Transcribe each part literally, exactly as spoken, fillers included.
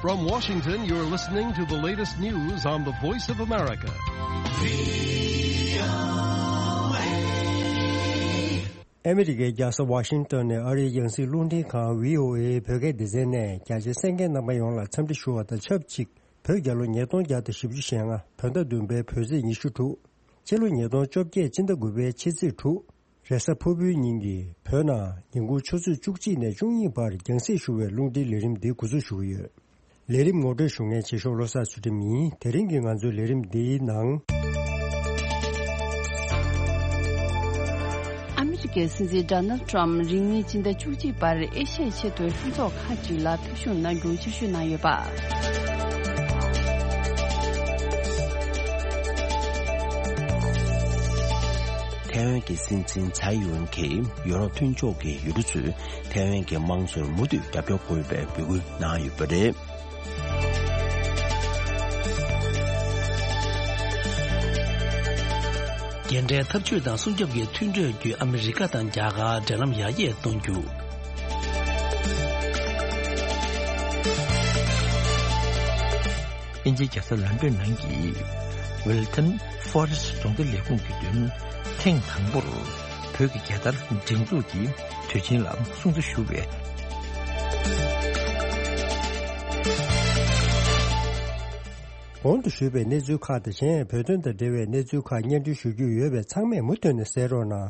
From Washington, you're listening to the latest news on the Voice of America. ཨ་མི་རི་ཀའི་རྒྱལ་ས་ཝ་ཤིང་ཏོན་ནས་ཨ་རིའི་རྒྱང་སྲིང་རླུང་འཕྲིན་ཁང་བྷི་ཨོ་ཨེ་བོད་སྐད་སྡེ་ཚན་ནས་རྒྱ་ཆེ་གསན་མཁན་རྣམ་པ་ཡོངས་ལ་འཚམས་འདྲི་ཞུ་བ་དང་ཆབས་ཅིག་བོད་རྒྱལ་ལོ་ཉིས་སྟོང་བརྒྱ་དང་བཞི་བཅུ་ཞེ་ལྔ་བོད་ཟླ་བདུན་པའི་བོད་ཚེས་ཉི་ཤུ་དྲུག་སྤྱི་ལོ་ཉིས་སྟོང་བཅོ་བརྒྱད་སྤྱི་ཟླ་དགུ་པའི་ཕྱི་ཚེས་དྲུག་རེས་གཟའ་ཕུར་བུའི་ཉིན་གྱི་བོད་ནང་ཉིན་གུང་ཆུ་ཚོད་བཅུ་གཅིག་ནས་བཅུ་གཉིས་བར་རྒྱང་སྲིང་ཞུ་བའི་རླུང་འཕྲིན་ལས་རིམ་འདི་འགོ་འཛུགས་ཞུ་གི་ཡོད། ལས་རིམ་ངོ་སྤྲོད་ཞུ་མཁན་ཆེ་ཤོག་བློ་བཟང་ཚུལ་ཁྲིམས་ཡིན། དེ་རིང་གི་ང་ཚོའི་ལས་རིམ་འདིའི་ནང་། ཨ་མི་རི་ཀའི་སྲིད་འཛིན་ཌོ་ནལ་ཊམ་རིང་མིན་སྤྱི་ཟླ་བཅུ་གཅིག་བར་ཨེ་ཤ་ཡའི་ཆེས་མཐོའི་ལྷན་ཚོགས་ཁག་ཅིག་ལ་ཕེབས་ཞུགས་གནང་རྒྱུ་ཆེད་ཞུ་གནང་ཡོད་པ། ཐའེ་ཝན་གྱི་སྲིད་འཛིན་ཚའེ་ཡིན་གྱིས་ཡུ་རོབ་མཐུན་ཕྱོགས་ཀྱི་ཡུལ་གྲུ་ཚོས་ཐའེ་ཝན་གྱི་དམངས་གཙོར་མུ་མཐུད་རྒྱབ་སྐྱོར་དགོས་པའི་འབོད་སྐུལ་གནང་ཡོད་པ་རེད། རྒྱལ་འབྲེལ་འཐབ་ཇུས་དང་སྲུང་སྐྱོབ་ཀྱི་མཐུན་གྲོས་བརྒྱུད་ཨ་མི་རི་ཀ་དང་རྒྱ་གར་འབྲེལ་ལམ་ཡར་རྒྱས་གཏོང་རྒྱུ། དབྱིན་ཇིའི་རྒྱལ་ས་ལོན་ཌོན་ནང་གི་Wilton Forest རྫོང་སྡེ་ལས་ཁུངས་ཀྱི་མདུན་ཐེངས་དང་པོར་བོད་ཀྱི་རྒྱལ་དར་སྒྲེང་འཛུགས་ཀྱི་དུས་ཆེན་ལ་སྲུང་བརྩི་ཞུ་བའི། གོང་དུ་ཞུས་པའི་གནས་ཚུལ་ཁག་དང་གཞན་བོད་དོན་དང་འབྲེལ་བའི་གནས་ཚུལ་ཁག་སྙན་སྒྲོན་ཞུ་རྒྱུ་ཡོད་པས་ཚང་མས་མུ་མཐུད་ནས་གསན་རོགས་གནང་།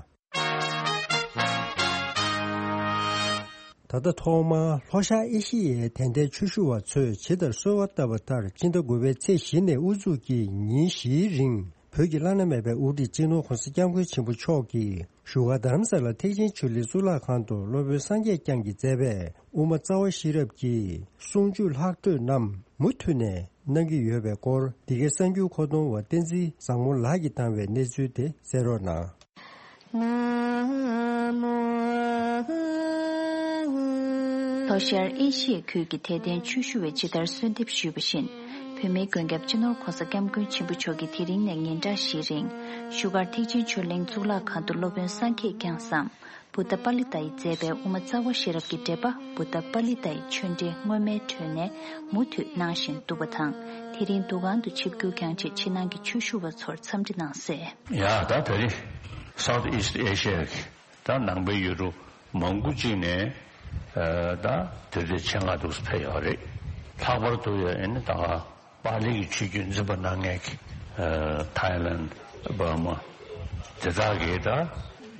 ད་ལྟ་ཐོག་མར་ལྷོ་ཤར་ཨེ་ཤི་ཡའི་དད་ལྡན་ཆོས་ཞུ་བ་ཚོས་ཇི་ལྟར་གསོལ་བ་བཏབ་པ་ལྟར་ཕྱི་ཟླ་དགུ་པའི་ཚེས་བཞི་ནས་དབུ་འཛུགས་ཀྱིས་ཉིན་བཞིའི་རིང་བོད་ཀྱི་བླ་ན་མེད་པའི་དབུ་ཁྲིད་སྤྱི་ནོར་༧གོང་ས་༧སྐྱབས་མགོན་ཆེན་པོ་མཆོག་གིས་བཞུགས་སྒར་རྡ་རམ་ས་ལ་ཐེག་ཆེན་ཆོས་གླིང་གཙུག་ལག་ཁང་དུ་སློབ་དཔོན་སངས་རྒྱས་བསྐྱངས་ཀྱིས་མཛད་པའི་དབུ་མ་རྩ་བ་ཤེས་རབ་ཀྱི་གསུང་ཆོས་ལྷག་འཕྲོས་རྣམས་མུ་མཐུད་ནས་གནང་གི་ཡོད་པའི་སྐོར་འདི་གའི་གསར་འགྱུར་མཁོ་གཏོང་བ་བསྟན་འཛིན་བཟང་མོ་ལགས་ཀྱིས་བཏང་བའི་གནས་ཚུལ་དེ་གསན་རོགས་གནང་། ལྷོ་ཤར་ཨེ་ཤི་ཡའི་ཁུལ་གྱི་དད་ལྡན་ཆོས་ཞུ་བས་ཇི་ལྟར་གསོལ་འདེབས་ཞུས་པ་བཞིན། བོད་མིའི་མགོན་སྐྱབས་སྤྱི་ནོར་༧གོང་ས་༧སྐྱབས་མགོན་ཆེན་པོ་མཆོག་གིས་དེ་རིང་ནས་ཉིན་གྲངས་བཞིའི་རིང་བཞུགས་སྒར་ཐེག་ཆེན་ཆོས་གླིང་གཙུག་ལག་ཁང་དུ་སློབ་དཔོན་སངས་རྒྱས་བསྐྱངས་སམ། བུདྡྷ་པཱ་ལི་ཏ་ཡིས་མཛད་པའི་དབུ་མ་རྩ་བ་ཤེས་རབ་ཀྱི་འགྲེལ་པ་བུདྡྷ་པཱ་ལི་ཏ་ཡི་ཆོས་འགྲེལ་སྔོན་མའི་འཕྲོས་ནས་མུ་མཐུད་གནང་བཞིན་འདུག་པ་དང་། དེ་རིང་འདུ་ཁང་དུ་ཆིབས་བསྒྱུར་བསྐྱངས་རྗེས་ཕྱི་ནང་གི་ཆོས་ཞུ་བ་ཚོར་འཚམས་འདྲི་གནང་གསལ། ཡ་ད་ད་རེས་South East Asia གི་ད་ནང་པའི་ཡུལ་གྲུ་མང་པོ་ཅིག་ནས་ད་དེ་འདྲའི་ཆེད་མངགས་འདུག་སེ་ཕེབས་ཡོད་རེད། ལྷག་པར་དུ་ཡང་ཨ་ནི་ད་ག་པཱ་ལི་གི་ཆོས་བརྒྱུད་འཛིན་པ་གནང་མཁན་གྱི་ཐའི་ལན། འབར་མ། དེ་དག་གི་ད་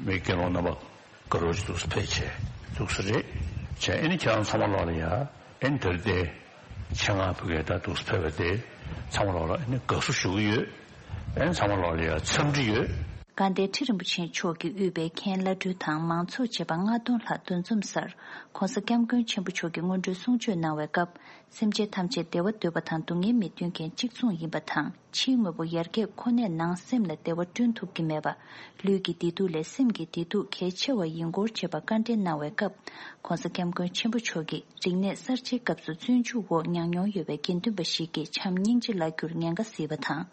མི་སྐྱེ་ལོ་རྣམ་པ་དཀར་པོ་ཞིག་འདུག་སེ་ཕེབས་བྱས་འདུག་སེ་རེད་བྱས། ཨ་ནི་ཁྱེད་རང་ཚང་མ་ལོག་ལ་ཡ་ཨ་ནི་དེར་དེ་ཆེད་མངགས་ཕ་གིར་ད་འདུག་སེ་ཕེབས་པ་དེ་ཚང་མ་ལོག་ལ་ཨ་ནི་དགའ་བསུ་ཞུ་གི་ཡོད། ཨ་ནི་ཚང་མ་ལོག་ལ་ཡ་འཚམས་འདྲི་ཡོད། དགའ་ལྡན་ཁྲི་རིན་པོ་ཆེ་མཆོག་གིས་དབུས་པའི་མཁན་བླ་སྤྲུལ་དང་མང་ཚོགས་བཅས་པ་ལྔ་སྟོང་ལྷག་འདུ་འཛོམས་སར་༧གོང་ས་༧སྐྱབས་མགོན་ཆེན་པོ་མཆོག་གིས་སྔོན་འགྲོའི་གསུང་ཆོས་གནང་བའི་སྐབས། སེམས་ཅན་ཐམས་ཅད་བདེ་བ་འདོད་པ་དང་སྡུག་བསྔལ་མི་འདོད་མཁན་གཅིག་མཚུངས་ཡིན་པ་དང་། ཕྱིའི་དངོས་པོ་ཡར་རྒྱས་ཁོ་ནས་ནང་སེམས་ལ་བདེ་བ་བསྐྲུན་ཐུབ་ཀྱི་མེད་པ། ལུས་ཀྱི་བདེ་སྡུག་ལས་སེམས་ཀྱི་བདེ་སྡུག་གལ་ཆེ་བ་ཡིན་སྐོར་བཅས་པ་བཀའ་འདྲི་གནང་བའི་སྐབས། ༧གོང་ས་༧སྐྱབས་མགོན་ཆེན་པོ་མཆོག་གིས་རིག་གནས་གསར་བརྗེའི་སྐབས་སུ་བཙོན་འཇུག་འོག་ཉར་མྱོང་ཡོད་པའི་དགེ་འདུན་པ་ཞིག་གིས་བྱམས་སྙིང་རྗེ་ལ་གྱུར་ཉེན་ཁ་གཟིགས་པ་དང་།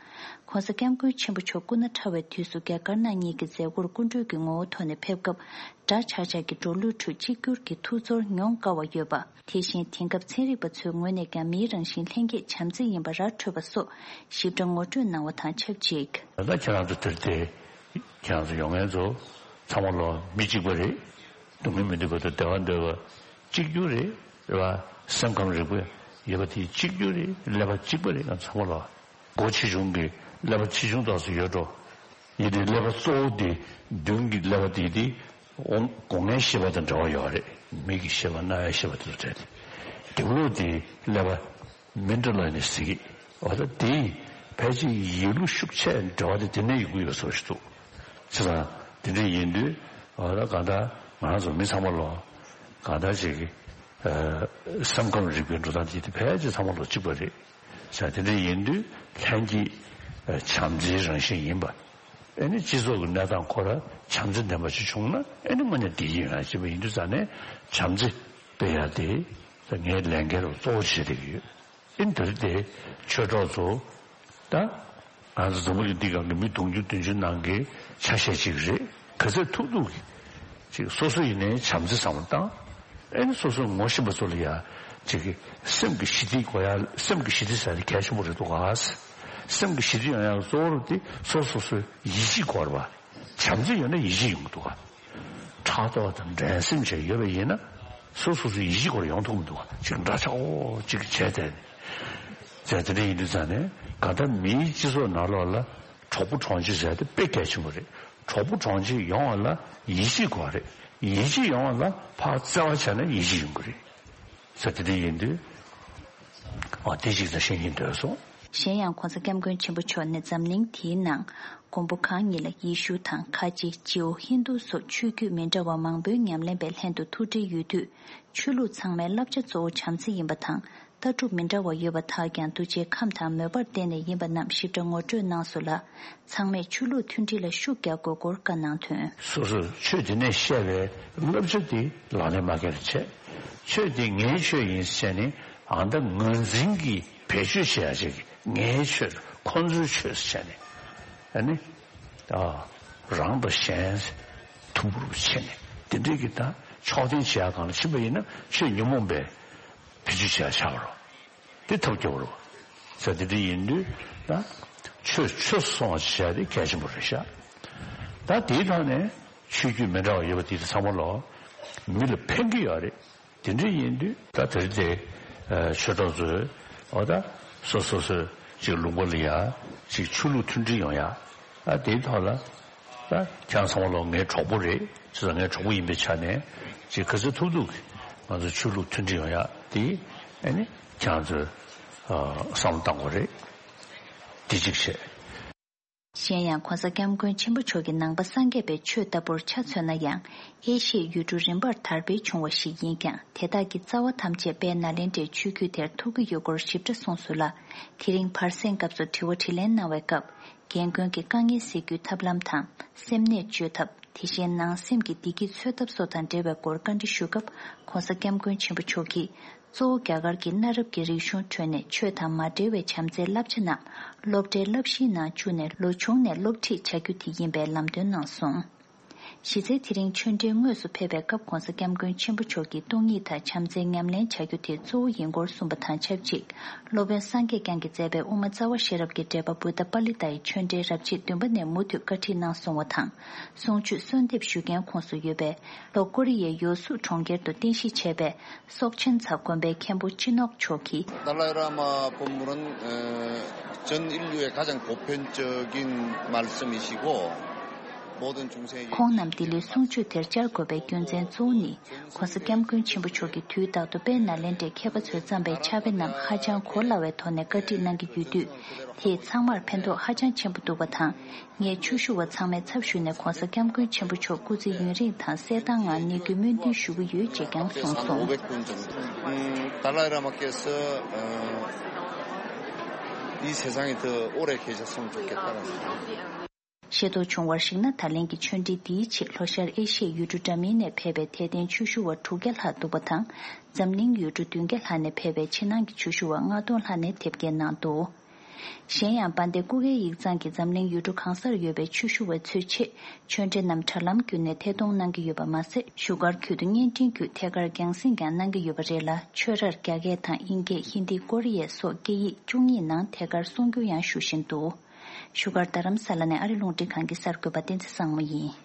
༧གོང་ས་༧སྐྱབས་མགོན་ཆེན་པོ་མཆོག་སྐུ་ན་ཕྲ་བའི་དུས་སུ་རྒྱ་དཀར་ནག་གཉིས་ཀྱི་མཛད་སྒོར་སྐུ་མགྲོན་གྱི་ངོ་བོ་ཐོག་ནས་ཕེབས་སྐབས། དགྲ་ཆགས་ཆགས་ཀྱི་འགྲོ་ལུགས་ཁྲོད་གཅིག་གྱུར་གྱི་ཐུགས་ཚོར་མྱོང་དཀའ་བ་ཡོད་པ། དེ་བཞིན་དེང་སྐབས་ཚན་རིག་པ་ཚོའི་ངོས་ནས་ཀྱང་མིའི་རང་བཞིན་ལྷན་སྐྱེས་བྱམས་བརྩེ་ཡིན་པ་ར་འཕྲོད་པ་སོགས་ཞིབ་ཕྲ་ངོ་སྤྲོད་གནང་བ་དང་ཆབས་ཅིག་ད་ལྟ་ཁྱེད་རང་ཚོ་དེར་དེ་ཁྱེད་རང་ཚོ་ཡོང་མཁན་ཚོ་ཚང་མ་ལོ་མི་གཅིག་པ་རེད། སྡུག་བསྔལ་མི་འདོད་པ་དང་བདེ་བ་འདོད་པ་གཅིག་གྱུར་རེད། རེད་བ། སེམས་ཁམས་རིག་པ་ཡོད་པ་དེ་གཅིག་གྱུར་རེད། ཀླད་པ་གཅིག་པ་རེད། ང་ཚང་མ་ལོ་སྒོ་ཆེ་ཆུང་གི་ཀླད་པ་ཆེ་ཆུང་ཙམ་ཞིག་ཡོད་འགྲོ། ཡིན་ཏེ་ཀླད་པ་གཙོ་བོ་དེ་མདུན་གྱི་ཀླད་པ་དེ་དེ། འོང་སྒོ་ལྔའི་ཤེས་པ་དང་འབྲེལ་བ་ཡོད་རེད། མིག་གི་ཤེས་པ། རྣ་བའི་ཤེས་པ་དེ་ཚོ་འབྲེལ་ཏེ། དེ་ལོ་དེ་ཀླད་པ་མི་འདྲ་ལ་ནི་ཟེར་གི། འོ་ད་དེ་ཕལ་ཆེར་ཡིད་ལུ་ཤུགས་ཆེ་འབྲེལ་བ་དེ་དེ་ནས་ཡོང་གི་ཡོད་བཟོ་ཞིག་འདུག་བྱས་ཙང་དེ་འདྲ་ཡིན་དུས་འོ་ད་གང་ལྟར་ང་རང་ཚོ་མི་ཚང་མ་ལོ་གང་ལྟར་ཅིག་གི་སེམས་ཁམས་རིག་པའི་འགྲོ་སྟངས་དེ་དེ་ཕལ་ཆེར་ཚང་མ་ལོ་གཅིག་པ་རེད། ས་དེ་འདྲ་ཡིན་དུས་ལྷན་སྐྱེས་བྱམས་བརྩེའི་རང་བཞིན་ཡིན་པ། ཨེ་ནི་སྤྱི་ཚོགས་ཀྱི་གནས་སྟངས་ཁོ་ར་བྱམས་བརྩེ་ལྡན་པ་ཞིག་བྱུང་ན་ཨེ་ནི་དངོས་གནས་བདེ་སྐྱིད་ཡོང་ཡ་ཅིག་པ་ཡིན་དུས་ཙང་ནས་བྱམས་བརྩེ་སྤེལ་ཡ་དེ་ངའི་ལས་འགན་རུ་གཙོ་བོ་བྱེད་བསྡད་ཀྱི་ཡོད། ཨེ་ནི་དེ་རིང་དེ་ཆོས་གྲོགས་ཚོ་ད་ང་ཚོ་འཛམ་བུ་གླིང་འདི་སྒང་གི་མི་དུང་ཕྱུར་བདུན་ཅུ་ནང་གི་ཆ་ཤས་ཅིག་རེད། ག་ཚོད་ཐུབ་ཐུབ་ཀྱིས་ཅིག་སོ་སོ་ཡིན་ནའི་བྱམས་བརྩེ་བསམ་བློ་བཏང་། ཨེ་ནི་སོ་སོ་ངོ་ཤེས་པ་ཚོ་ལ་ཡ་ ཅིག་གི་སེམས་ཀྱི་ཞི་བདེ་དགོས་ཡ། སེམས་ཀྱི་ཞི་བདེ་ཟེར་ཡ་དེ་གལ་ཆེན་པོ་རེད་འདུག་ག། སེམས་ཀྱི་ཞི་བདེ་ཡོང་ཡ་གཙོ་བོ་དེ་སོ་སོ་སོའི་ཡིད་ཆེས་དགོས་རེད་པ། བྱམས་བརྩེ་ཡོད་ན་ཡིད་ཆེས་ཡོང་གི་འདུག་ག། ཕྲག་དོག་དང་འགྲན་སེམས་བཅས་ཡོད་པ་ཡིན་ན་སོ་སོ་སོའི་ཡིད་ཆེས་སྐོར་ཡོང་ཐུབ་མི་འདུག་ག། ཅིག་འདྲ་ཆགས་འོ་ཅིག་བྱས་ཏེ། ཟེར་དེ་འདྲ་ཡིན་དུས་ཙང་ནས་གང་ལྟར་མིའི་སྤྱི་ཚོགས་ནང་ལོགས་ལ་གྲོགས་པོ་གྲོགས་མཆེད་ཟེར་དེ་དཔེ་གལ་ཆེན་པོ་རེད། གྲོགས་པོ་གྲོགས་མཆེད་ཡོང་བ་ལ་ཡིད་ཆེས་དགོས་རེད། ཡིད་ཆེས་ཡོང་བ་ལ་ཕར་བརྩེ་བ་བྱས་ན་ཡིད་ཆེས་ཡོང་གི་རེད། ཟེར་དེ་འདྲ་ཡིན་དུས། ཨོ་དེ་ཅིག་ད་ཤེས་ཀྱིན་འདོད་སོང་། གཞན་ཡང་༸གོང་ས་༸སྐྱབས་མགོན་ཆེན་པོ་མཆོག་ནས་འཛམ་གླིང་འདིའི་ནང་མགོན་པོ་གང་ཉིད་ལ་ཡེ་ཤུ་དང་ཁ་ཆེ་ཇིའུ་ཧིན་དུ་སོགས་ཆོས་བརྒྱུད་མི་འདྲ་བ་མང་པོའི་ཉམས་ལེན་པའི་ལྷན་དུ་ཐུགས་འབྲེལ་ཡོད་དུས། ཆོས་ལུགས་ཚང་མའི་བསླབ་བྱ་གཙོ་བོ་བྱམས་བརྩེ་ཡིན་པ་དང་། ལྟ་གྲུབ་མི་འདྲ་བ་ཡོད་པ་དག་ཀྱང་གདུལ་བྱའི་ཁམས་དང་མོས་པར་བརྟེན་ནས་ཡིན་པ་རྣམས་ཞིབ་ཕྲ་ངོ་སྤྲོད་གནང་སོང་ལ། ཚང་མས་ཆོས་ལུགས་མཐུན་སྒྲིལ་ལ་ཤུགས་རྒྱག་དགོས་སྐོར་བཀའ་གནང་དོན། སོ་སོས་ཆོས་དེ་ནས་བཤད་པའི་བསླབ་བྱ་དེ་ལག་ལེན་མ་འཁེལ་བ་བྱས། ཆོས་དེ་ངའི་ཆོས་ཡིན་ཟེར་ནས་ཨ་མདའ་ངོས་འཛིན་གྱིས་བེད་སྤྱོད་བྱེད་ཡ་ཅིག་ངའི་ཆོས་ཁོ་ཚོའི་ཆོས་ཟེར་ནས་ཨ་ནི་ཨ་རང་དང་གཞན་ཐུག་རུབ་བྱས་ནས་དེ་འདྲའི་གི་ད་ཕྱོགས་འཐེན་བྱེད་ཡ་གང་ལ་ཕྱིན་པ་ཡིན་ན་ཆོས་ཉོན་མོངས་པའི་བེད་སྤྱོད་བྱེད་ཡ་ཆགས་པ་རེད། དེ་ཐབས་སྐྱོ་བོ་རེད། ཟེར་དེ་འདྲ་ཡིན་དུས་ད་ཆོས་ཆོས་སུ་སོང་བ་བྱས་དེ་གལ་ཆེན་པོ་རེད་ཤག། ད་དེའི་ཐོག་ནས་ཆོས་བརྒྱུད་མི་འདྲ་བ་ཡོད་པ་དེ་ཚང་མ་ལོ་མི་ལ་ཕན་གྱི་ཡོད་རེད། དེ་འདྲ་ཡིན་དུས་ད་དེ་རིང་དེ་ཆོས་གྲོགས་ཚོས་འོ་ད་སོ་སོ་སོའི་ཅིག་ལུང་པ་ལ་ཡ་ཅིག་ཆོས་ལུགས་མཐུན་སྒྲིལ་ཡོང་ཡ། ད་དེའི་ཐོག་ལ་ད་ཁྱེད་ཚང་མ་ལོ་ངའི་གྲོགས་པོ་རེད། ཅེས་ངའི་གྲོགས་པོ་ཡིན་པའི་ཆ་ནས་ཅིག་ག་ཚོད་ཐུབ་ཐུབ་ང་ཚོ་ཆོས་ལུགས་མཐུན་སྒྲིལ་ཡོང་ཡ་དེ་ཨ་ནི་ཁྱེད་ཚོས་བསམ་བློ་གཏང་དགོས་རེད། དེ་གཅིག་བྱས། གཞན་ཡང་༸གོང་ས་༸སྐྱབས་མགོན་ཆེན་པོ་མཆོག་གིས་ནང་པ་སངས་རྒྱས་པའི་ཆོས་ལྟ་བུར་ཆ་མཚོན་ན་ཡང་ཨེ་ཤི་ཡའི་ཡུལ་གྲུ་རིམ་པར་དར་སྤེལ་བྱུང་བ་ཞིག་ཡིན་ཀྱང་དེ་དག་གི་རྩ་བ་ཐམས་ཅད་དཔལ་ནཱ་ལེནྡྲའི་ཆོས་བརྒྱུད་དེར་ཐུག་གི་ཡོད་སྐོར་ཞིབ་ཕྲ་གསུངས་སོང་ལ། དེ་རིང་བར་གསེང་སྐབས་སུ་དྲི་བ་དྲིས་ལན་གནང་བའི་སྐབས། རྒན་རྒོན་གྱི་དཀའ་ངལ་སེལ་རྒྱུའི་ཐབས་ལམ་དང་། སེམས་ནད་བཅོས་ཐབས། དེ་བཞིན་ནང་སེམས་ཀྱི་བདེ་སྐྱིད་འཚོལ་ཐབས་སོགས་དང་འབྲེལ་བའི་སྐོར་བཀའ་འདྲི་ཞུ་སྐབས། ༸གོང་ས་༸སྐྱབས་མགོན་ཆེན་པོ་མཆོག་གིས། གཙོ་བོ་རྒྱ་གར་གྱི་གནའ་རབས་ཀྱི་རིག་གཞུང་ཁྲོད་ནས་ཆོས་དང་མ་འབྲེལ་བའི་བྱམས་བརྩེའི་བསླབ་བྱ་རྣམས་སློབ་གྲྭའི་བསླབ་གཞིའི་ནང་བཅུག་ནས་ལོ་ཆུང་ནས་སློབ་ཁྲིད་བྱ་རྒྱུ་དེ་ཡིན་པའི་ལམ་སྟོན་གནང་སོང་། གཞི་རྩའི་དེ་རིང་ཆོས་འབྲེལ་དངོས་སུ་ཕེབས་པའི་སྐབས་༸གོང་ས་༸སྐྱབས་མགོན་ཆེན་པོ་མཆོག་གིས་སྟོང་ཉིད་དང་བྱམས་བརྩེའི་ཉམས་ལེན་བྱ་རྒྱུ་དེ་གཙོ་བོ་ཡིན་སྐོར་གསུངས་པ་དང་ཆབས་ཅིག་སློབ་དཔོན་སངས་རྒྱས་བསྐྱངས་ཀྱིས་མཛད་པའི་དབུ་མ་རྩ་བ་ཤེས་རབ་ཀྱི་འགྲེལ་པ་བུདྡྷ་པཱ་ལི་ཏ་ཡི་ཆོས་འབྲེལ་རབ་བྱེད་བདུན་པ་ནས་མུ་མཐུད་བཀའ་ཁྲིད་གནང་སོང་བ་དང་། གསུང་ཆོས་གསོལ་འདེབས་ཞུ་མཁན་ཁོངས་སུ་ཡོད་པའི་ལྷོ་ཀོ་རི་ཡའི་ཡོ་སུབ་གྲོང་ཁྱེར་དུ་རྟེན་གཞི་བྱས་པའི་སོག་ཆེན་ཚ་དགོན་པའི་མཁན་པོ་སྤྱི་ནོར་མཆོག་གིས། 达赖喇嘛་གོ་མོ་རན་ཅན་ཨིན་ལུའེ་가장 보편적인 말씀이시고 모든 중생에게 ཁོང་རྣམས་ལྡི་ལིར་གསུང་ཆོས་དེར་བཅར་དགོས་པའི་རྒྱུ་མཚན་གཙོ་བོ་ནི། ༸གོང་ས་༸སྐྱབས་མགོན་ཆེན་པོ་མཆོག་གིས་དུས་རྟག་ཏུ་དཔལ་ནཱ་ལེནྡྲའི་མཁས་པ་ཚོས་བརྩམས་པའི་ཕྱག་དཔེ་རྣམས་ཧ་ཅང་གོ་སླ་བའི་ཐོག་ནས་བཀའ་ཁྲིད་གནང་གི་ཡོད་དུས། དེས་ཚང་མར་ཕན་ཐོགས་ཧ་ཅང་ཆེན་པོ་འདུག་པ་དང་། ངས་ཆོས་ཞུ་བ་ཚང་མའི་ཚབ་ཞུས་ནས་༸གོང་ས་༸སྐྱབས་མགོན་ཆེན་པོ་མཆོག་སྐུ་ཚེ་ཡུན་རིང་དང་གསལ་ཐང་ངང་གནས་རྒྱུའི་སྨོན་འདུན་ཞུ་གི་ཡོད་ཅེས་ཀྱང་གསུངས་སོང་། 오백 분 정도. 음, 달라이 라마께서 어, 이 세상에 더 오래 계셨으면 좋겠다는 생각. ཤེས་རྟོགས་བྱུང་བར་གཞིགས་ན། ད་ལན་གྱི་ཆོས་འབྲེལ་འདིའི་ཆེད་ལྷོ་ཤར་ཨེ་ཤི་ཡའི་ཡུལ་གྲུ་འདྲ་མིན་ནས་ཕེབས་པའི་དད་ལྡན་ཆོས་ཞུ་བ་དྲུག་བརྒྱ་ལྷག་འདུག་པ་དང་། འཛམ་གླིང་ཡུལ་གྲུ་བདུན་བརྒྱ་ལྷག་ནས་ཕེབས་པའི་ཕྱི་ནང་གི་ཆོས་ཞུ་བ་ལྔ་སྟོང་ལྷག་ནས་དེབ་སྐྱེལ་གནང་འདུག་གཞན་ཡང་། དཔལ་ལྡན་སྐུ་སྒེར་ཡིག་ཚང་གིས་འཛམ་གླིང་ཡུལ་གྲུ་གང་སར་ཡོད་པའི་ཆོས་ཞུ་བ་ཚོའི་ཆེད་ཆོས་འབྲེལ་རྣམས་དྲ་ལམ་བརྒྱུད་ནས་ཐད་གཏོང་གནང་གི་ཡོད་པ་མ་ཟད། བཞུགས་སྒར་ཁུལ་དུ་བརྙན་འཕྲིན་བརྒྱུད་ཐད་ཀར་རྒྱང་སྲིང་ཀྱང་གནང་གི་ཡོད་པ་རེད་ལ། ཆོས་རར་རྒྱ་སྐད་དང་དབྱིན་སྐད། ཧིན་དི། ཀོ་རི་ཡ་སོགས་སྐད་ཡིག་བཅུ་གཉིས་ནང་ཐད་ཀར་གསུང་སྒྱུར་ཡང་ཞུ་བཞིན་འདུག་བཞུགས་སྒར་རྡ་རམ་ས་ལ་ནས་ཨ་རི་རླུང་འཕྲིན་ཁང་གི་གསར་འགོད་པ་བསྟན་འཛིན་བཟང་མོ་ཡིན།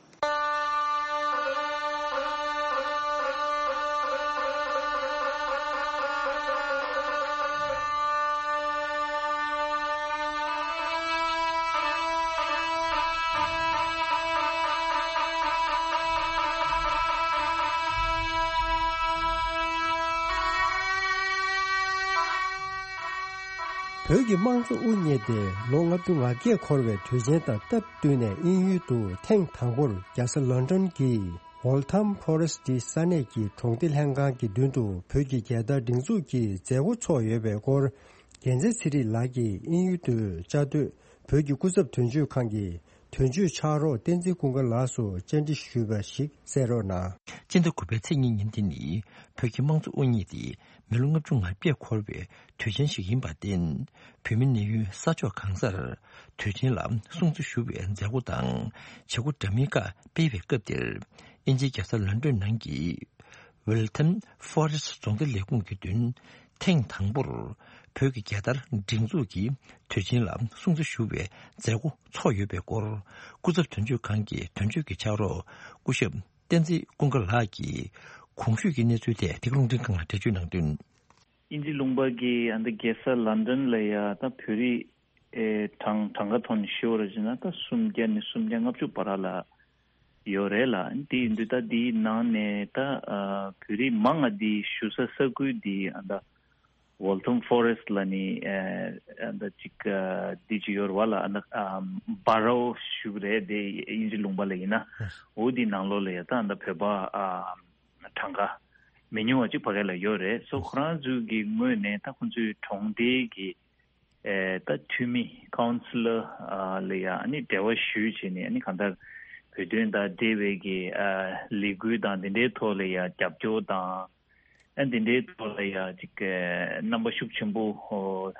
བོད་ཀྱི་དམངས་གཙོ་དབུ་བརྙེས་ཏེ་ལོ་ལྔ་བཅུ་ང་བརྒྱད་འཁོར་བའི་དུས་ཆེན་དང་སྟབས་བསྟུན་ནས། དབྱིན་ཡུལ་དུ་ཐེངས་དང་པོར་རྒྱལ་ས་ལོན་ཌོན་གྱི་ཝོལ་ཐམ་ཕོ་རེ་སི་ཊི་ས་གནས་ཀྱི་གྲོང་སྡེ་ལྷན་ཁང་གི་མདུན་དུ་བོད་ཀྱི་རྒྱལ་དར་སྒྲེང་འཛུགས་ཀྱི་མཛད་སྒོ་ཚོགས་ཡོད་པའི་སྐོར། རྒྱལ་མཚན་ཚེ་རིང་ལགས་ཀྱིས་དབྱིན་ཡུལ་དུ་བཅའ་སྡོད་བོད་ཀྱི་སྐུ་ཚབ་དོན་གཅོད་ཁང་གི་དོན་གཅོད་ཕྱག་རོགས་བསྟན་འཛིན་ཀུན་དགའ་ལགས་སུ་བཅར་འདྲི་ཞུས་པ་ཞིག་གསན་རོགས་གནང་། སྤྱི་ཟླ་དགུ་པའི་ཚེས་གཉིས་ཉིན་དེ་ནི་བོད་ཀྱི་དམངས་གཙོ་དབུ་བརྙེས་ཏེ་མི་ལོ་ལྔ་བཅུ་ང་བརྒྱད་འཁོར་བའི་དུས་ཆེན་ཞིག་ཡིན་པར་བརྟེན། བོད་མི་གནས་ཡུལ་ས་ཕྱོགས་གང་སར་དུས་ཆེན་ལ་སྲུང་བརྩི་ཞུ་བའི་མཛད་སྒོ་དང་བྱེད་སྒོ་འདྲ་མིན་ཁག་སྤེལ་བའི་སྐབས་དེར། དབྱིན་ཇིའི་རྒྱལ་ས་ལོན་ཌོན་ནང་གི་ Waltham Forest རྫོང་སྡེ་ལས་ཁུངས་ཀྱི་མདུན་ཐེངས་དང་པོར་བོད་ཀྱི་རྒྱལ་དར་སྒྲེང་འཛུགས་ཀྱི་དུས་ཆེན་ལ་སྲུང་བརྩི་ཞུ་བའི་མཛད་སྒོ་ཚོགས་ཡོད་པའི་སྐོར་སྐུ་ཚབ་དོན་གཅོད་ཁང་གི་དོན་གཅོད་ཀྱི་ཕྱག་རོགས་སྐུ་ཞབས་བསྟན་འཛིན་ཀུན་དགའ་ལགས་ཀྱིས་གོང་ཞུས་ཀྱི་གནས་ཚུལ་ཐད་འདི་ག་རླུང་འཕྲིན་ཁང་ལ་འགྲེལ་བརྗོད་གནང་དོན། དབྱིན་ཇི་ལུང་པ་གི་ཨ་ནི་རྒྱལ་ས་ལན་ཌན་ལ་ཡ་ད་བོད་རིགས་ཨེ་གྲངས་གྲངས་ཀ་ཐོག་ནས་ཞུ་བ་ར་བྱས་ན་ད་སུམ་བརྒྱ་ནས་སུམ་བརྒྱ་ལྔ་བཅུ་བར་ལ་ཡོད་རེད་ལ། དེ་ཡིན་དུས་ད་དེའི་ནང་ནས་ད་ཨ་བོད་རིགས་མང་ང་དེ་བཞུགས་ས་ས་ཁུལ་དེ་ཨ་ད་Waltham Forest ལ་ནི་ཨ་ད་ཅིག་ཨ་དེ་ཅིག་ཡོད་རེད་བ་ལ། ཨ་ད་ཨ་Borough ཞུ་གི་རེད། དེ་དབྱིན་ཇི་ལུང་པ་ལ་ཡིན་ན་འོ་དེའི་ནང་ལོགས་ལ་ཡ་ད་ཨ་ད་བོད་པ་ཨ་གྲངས་ཀ་མི་ཉུང་བ་ཅིག་ཕ་གི་ལ་ཡོད་རེད། སོ་ཁོ་རང་ཚོའི་གི་ངོས་ནས་ད་ཁོ་ཚོའི་གྲོང་སྡེའི་གི་ཨེ་ད་འཐུས་མི་ཀའུན་སི་ལར་ཨ་ལ་ཡ་ཨ་ནི་འབྲེལ་བ་ཞུས་བྱས་ནས་ཨ་ནི་གང་ལྟར་བོད་དོན་དང་འབྲེལ་བའི་གི་ཨ་ལས་འགུལ་དང་དེ་འདྲའི་ཐོག་ལ་ཡ་རྒྱབ་སྐྱོར་དང་ཨ་དེ་འདྲའི་ཐོག་ལ་ཡ་ཅིག་ཨེ་རྣམ་པ་ཤུགས་ཆེན་པོ་ཨོ་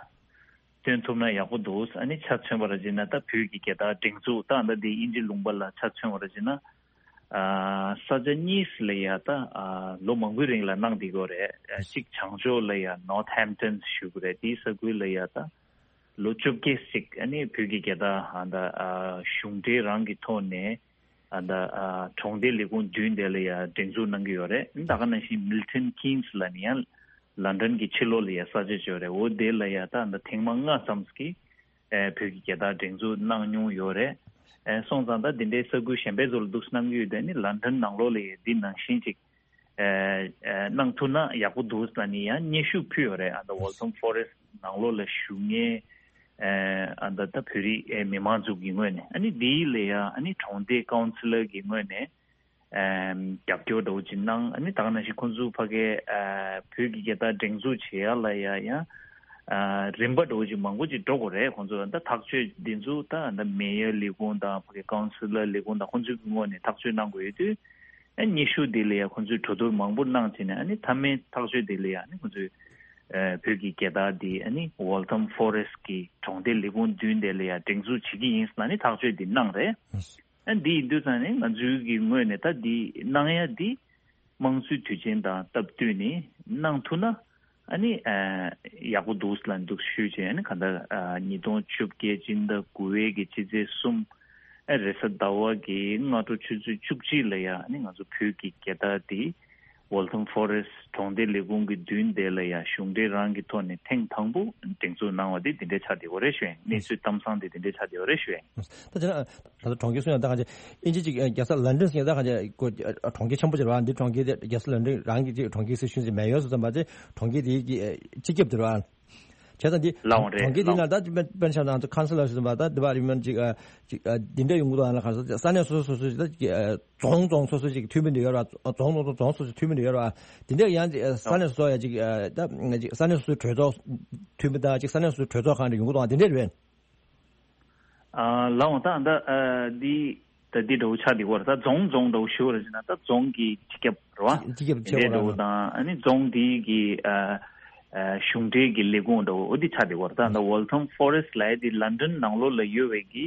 སྟོན་ཐུབ་ན་ཡག་པོ་འདུག་ཨ་ནི་ཆ་མཚོན་པ་ར་བྱས་ན་ད་བོད་ཀྱི་རྒྱལ་དར་སྒྲེང་འཛུགས་ད་ཨ་ད་དེ་དབྱིན་ཇི་ལུང་པ་ལ་ཆ་མཚོན་པ་ར་བྱས་ན། ཨ་ས་ཆ་གཉིས་ལ་ཡ་ད་ཨ་ལོ་མང་པོའི་རིང་ལ་གནང་བསྡད་ཀྱི་ཡོད་རེད། ཨ་གཅིག་བྱང་ཕྱོགས་ལ་ཡ་Northampton ཞུ་གི་རེད། དེའི་ས་ཁུལ་ལ་ཡ་ད་ལོ་བཅོ་བརྒྱད་ཅིག་ཨ་ནི་བོད་ཀྱི་རྒྱལ་དར་ཨ་ད་ཨ་གཞུང་འབྲེལ་རང་གི་ཐོག་ནས་ཨ་ད་ཨ་གྲོང་སྡེ་ལས་ཁུངས་བདུན་དེ་ལ་ཡ་སྒྲེང་འཛུགས་གནང་གི་ཡོད་རེད། ད་ག་ནང་བཞིན་Milton Keynes ལ་ནི་ཡང་ལན་ཌན་གྱི་ཕྱི་ལོགས་ལ་ཡ་ས་ཆ་ཅིག་ཡོད་རེད། འོ་དེ་ལ་ཡ་ད་ཨ་ད་ཐེངས་མ་ལྔ་ཙམ་གྱི་ཨེ་བོད་ཀྱི་རྒྱལ་དར་སྒྲེང་འཛུགས་གནང་མྱོང་ཡོད་རེད། ཨེ་སོང་ཙང་ད་འདི་འདྲའི་ས་ཁུལ་གཞན་པའི་ཚོ་ལ་འདུག་གནང་གི་ཡོད་དེ་ནི་ལན་ཌན་ནང་ལོགས་ལ་ཡ་འདི་ནང་བཞིན་ཅིག་ཨེ་ཨེ་གནང་ཐུབ་ན་ཡག་པོ་འདུག་ལ་ནི་ཡང་སྙན་ཞུ་ཕུལ་ཡོད་རེད། ཨ་ད་Waltham Forest ནང་ལོགས་ལ་བཞུགས་མཁན་ཨེ་ཨ་ད་ད་བོད་རིགས་ཨེ་མི་མང་ཚོ་གི་ངོས་ནས་ཨ་ནི་འདིའི་ལ་ཡ་ཨ་ནི་གྲོང་སྡེ་ཀའུན་སི་ལར་གི་ངོས་ནས་ཨེམ་རྒྱབ་སྐྱོར་འདྲ་བོ་ཅིག་གནང་། ཨ་ནི་ད་ག་ནང་བཞིན་ཁོང་ཚོ་ཕ་གའི་ཨ་བོད་ཀྱི་རྒྱལ་དར་སྒྲེང་འཛུགས་བྱེད་ཡ་ལ་ཡ་ཡང་ཨ་རིམ་པ་འདྲ་བོ་ཅིག་མང་པོ་ཅིག་འགྲོ་དགོས་རེད། ཁོང་ཚོ་ད་ཐག་གཅོད་འདི་ཚོ་ད་ད་མེ་ཡར་ལས་ཁུངས་དང་ཕ་གའི་ཀའུན་སི་ལར་ལས་ཁུངས་དང་ཁོང་ཚོའི་ངོས་ནས་ཐག་གཅོད་གནང་དགོས་ཡོད་དུས། ཨ་སྙན་ཞུ་འདི་ལ་ཡ་ཁོང་ཚོས་གྲོས་བསྡུར་མང་པོ་གནང་བྱས་ནས་ཨ་ནི་མཐའ་མའི་ཐག་གཅོད་འདི་ལ་ཡ་ཨ་ནི་ཁོང་ཚོས་ཨ་བོད་ཀྱི་རྒྱལ་དར་འདི་ཨ་ནི་Waltham Forest གི་གྲོང་སྡེ་ལས་ཁུངས་བདུན་དེ་ལ་ཡ་སྒྲེང་འཛུགས་བྱེད་ཀྱི་ཡིན་ཟེར་ནས་ཐག་གཅོད་འདི་གནང་རེད། ཨ་འདི་ཡིན་དུས་ཙང་ནས་ང་ཚོའི་གི་ངོས་ནས་ད་འདི་གནང་ཡ་འདི་དམངས་གཙོའི་དུས་ཆེན་དང་སྟབས་བསྟུན་ནས་གནང་ཐུབ་ན་ཨ་ནི་ཨ་ཡག་པོ་འདུག་ལ་འདུག་ཞུས་བྱས། ཨ་ནི་ག་འདྲ་ཨ་ཉིས་སྟོང་བཅོ་བརྒྱད་སྤྱི་ཟླ་དགུ་པའི་གི་ཕྱི་ཚེས་གསུམ་ཨ་རེས་གཟའ་ཟླ་བ་གི་སྔ་དྲོ་ཆུ་ཚོད་བཅུ་གཅིག་ལ་ཡ་ཨ་ནི་ང་ཚོ་བོད་ཀྱི་རྒྱལ་དར་འདི་Waltham Forest གྲོང་སྡེ་ལས་ཁུངས་ཀྱི་མདུན་དེ་ལ་ཡ་གཞུང་འབྲེལ་རང་གི་ཐོག་ནས་ཐེངས་དང་པོ་སྒྲེང་འཛུགས་གནང་བ་དེ་འདི་འདྲའི་ཆགས་བསྡད་ཡོད་རེད་ཞུ་ཡིན། གནས་ཚུལ་གཏམ་བཟང་དེ་འདི་འདྲའི་ཆགས་བསྡད་ཡོད་རེད་ཞུ་ཡིན། ད་དེ་ན་ད་ལྟ་གྲོང་ཁྱེར་སུ་ཡང་ད་གང་ཅི་ཨིན་ཇི་ཅིག་རྒྱལ་ས་ལན་ཌན་ཟེར་ཡང་ད་གང་ཅི་ཁོ་གྲོང་ཁྱེར་ཆེན་པོ་ཅིག་རེད་བ། འདི་གྲོང་ཁྱེར་དེ་རྒྱལ་ས་ལན་ཌན་རང་གི་ཅིག་གྲོང་ཁྱེར་ཟེར་ཤུན་ཅིག་མེ་ཡོར་ཟེར་ཙམ་པ་ཅིག་གྲོང་ཁྱེར་དེའི་གི་སྤྱི་ཁྱབ་དེ་རེད་བ། བྱས་ཙང་འདི་ལའང་རེད་གྲོང་ཁྱེར་དེའི་ལའང་ནང་ད་དཔེར་ན་ཆ་བཞག་ན་ཁའུན་སི་ལར་ཟེར་ཙམ་པ་ད་འདི་བ་རིམ་ཅིག་ཅིག་འདི་འདྲ་ཡོང་གི་འདུག་ཨ་ན་ག་རེ་ཟེར་ས་གནས་སོ་སོ་སོ་སོ་ཅིག་ད་ཅིག་རྫོང་རྫོང་སོ་སོ་ཅིག་འཐུས་མི་འདི་ཡོད་རེད་བ། རྫོང་རྫོང་རྫོང་རྫོང་སོ་སོ་འཐུས་མི་འདི་ཡོད་རེད་བ། དེ་འདྲ་ཡང་ཅིག་ས་གནས་སོ་སོ་ཡ་ཅིག་ད་ཅིག་ས་གནས་སོ་སོའི་གྲོས་ཚོགས་འཐུས་མི་དང་ཅིག་ས་གནས་སོ་སོའི་གྲོས་ཚོགས་ཁང་འདྲ་ཡོང་གི་འདུག་ཨ་དེ་འདྲ་རེད། ཨ་ལའང་ད་ད་ཨ་འདི་ད་འདི་འདྲ་བོ་ཆགས་འདི་བར་ད་རྫོང་རྫོང་འདྲ་བོ་ཞུ་བར་ཟེར་ན་ད་རྫོང་གི་སྤྱི་ཁྱབ་རེད་བ། སྤྱི་ཁྱབ་འདི་ཆགས་པ་འདྲ་བོ་རེད། དང་ཨ་ནི་རྫོང་འདི་གི་ཨ་ཨ་གཞུང་འབྲེལ་གྱི་ལས་ཁུངས་འདྲ་བོ་འོ་འདི་ཆགས་འདི་བར་ད་ད་Waltham Forest ལབ་ཡ་འདི་ལན་ཌན་ནང་ལོགས་ལ་ཡོད་པའི་གི་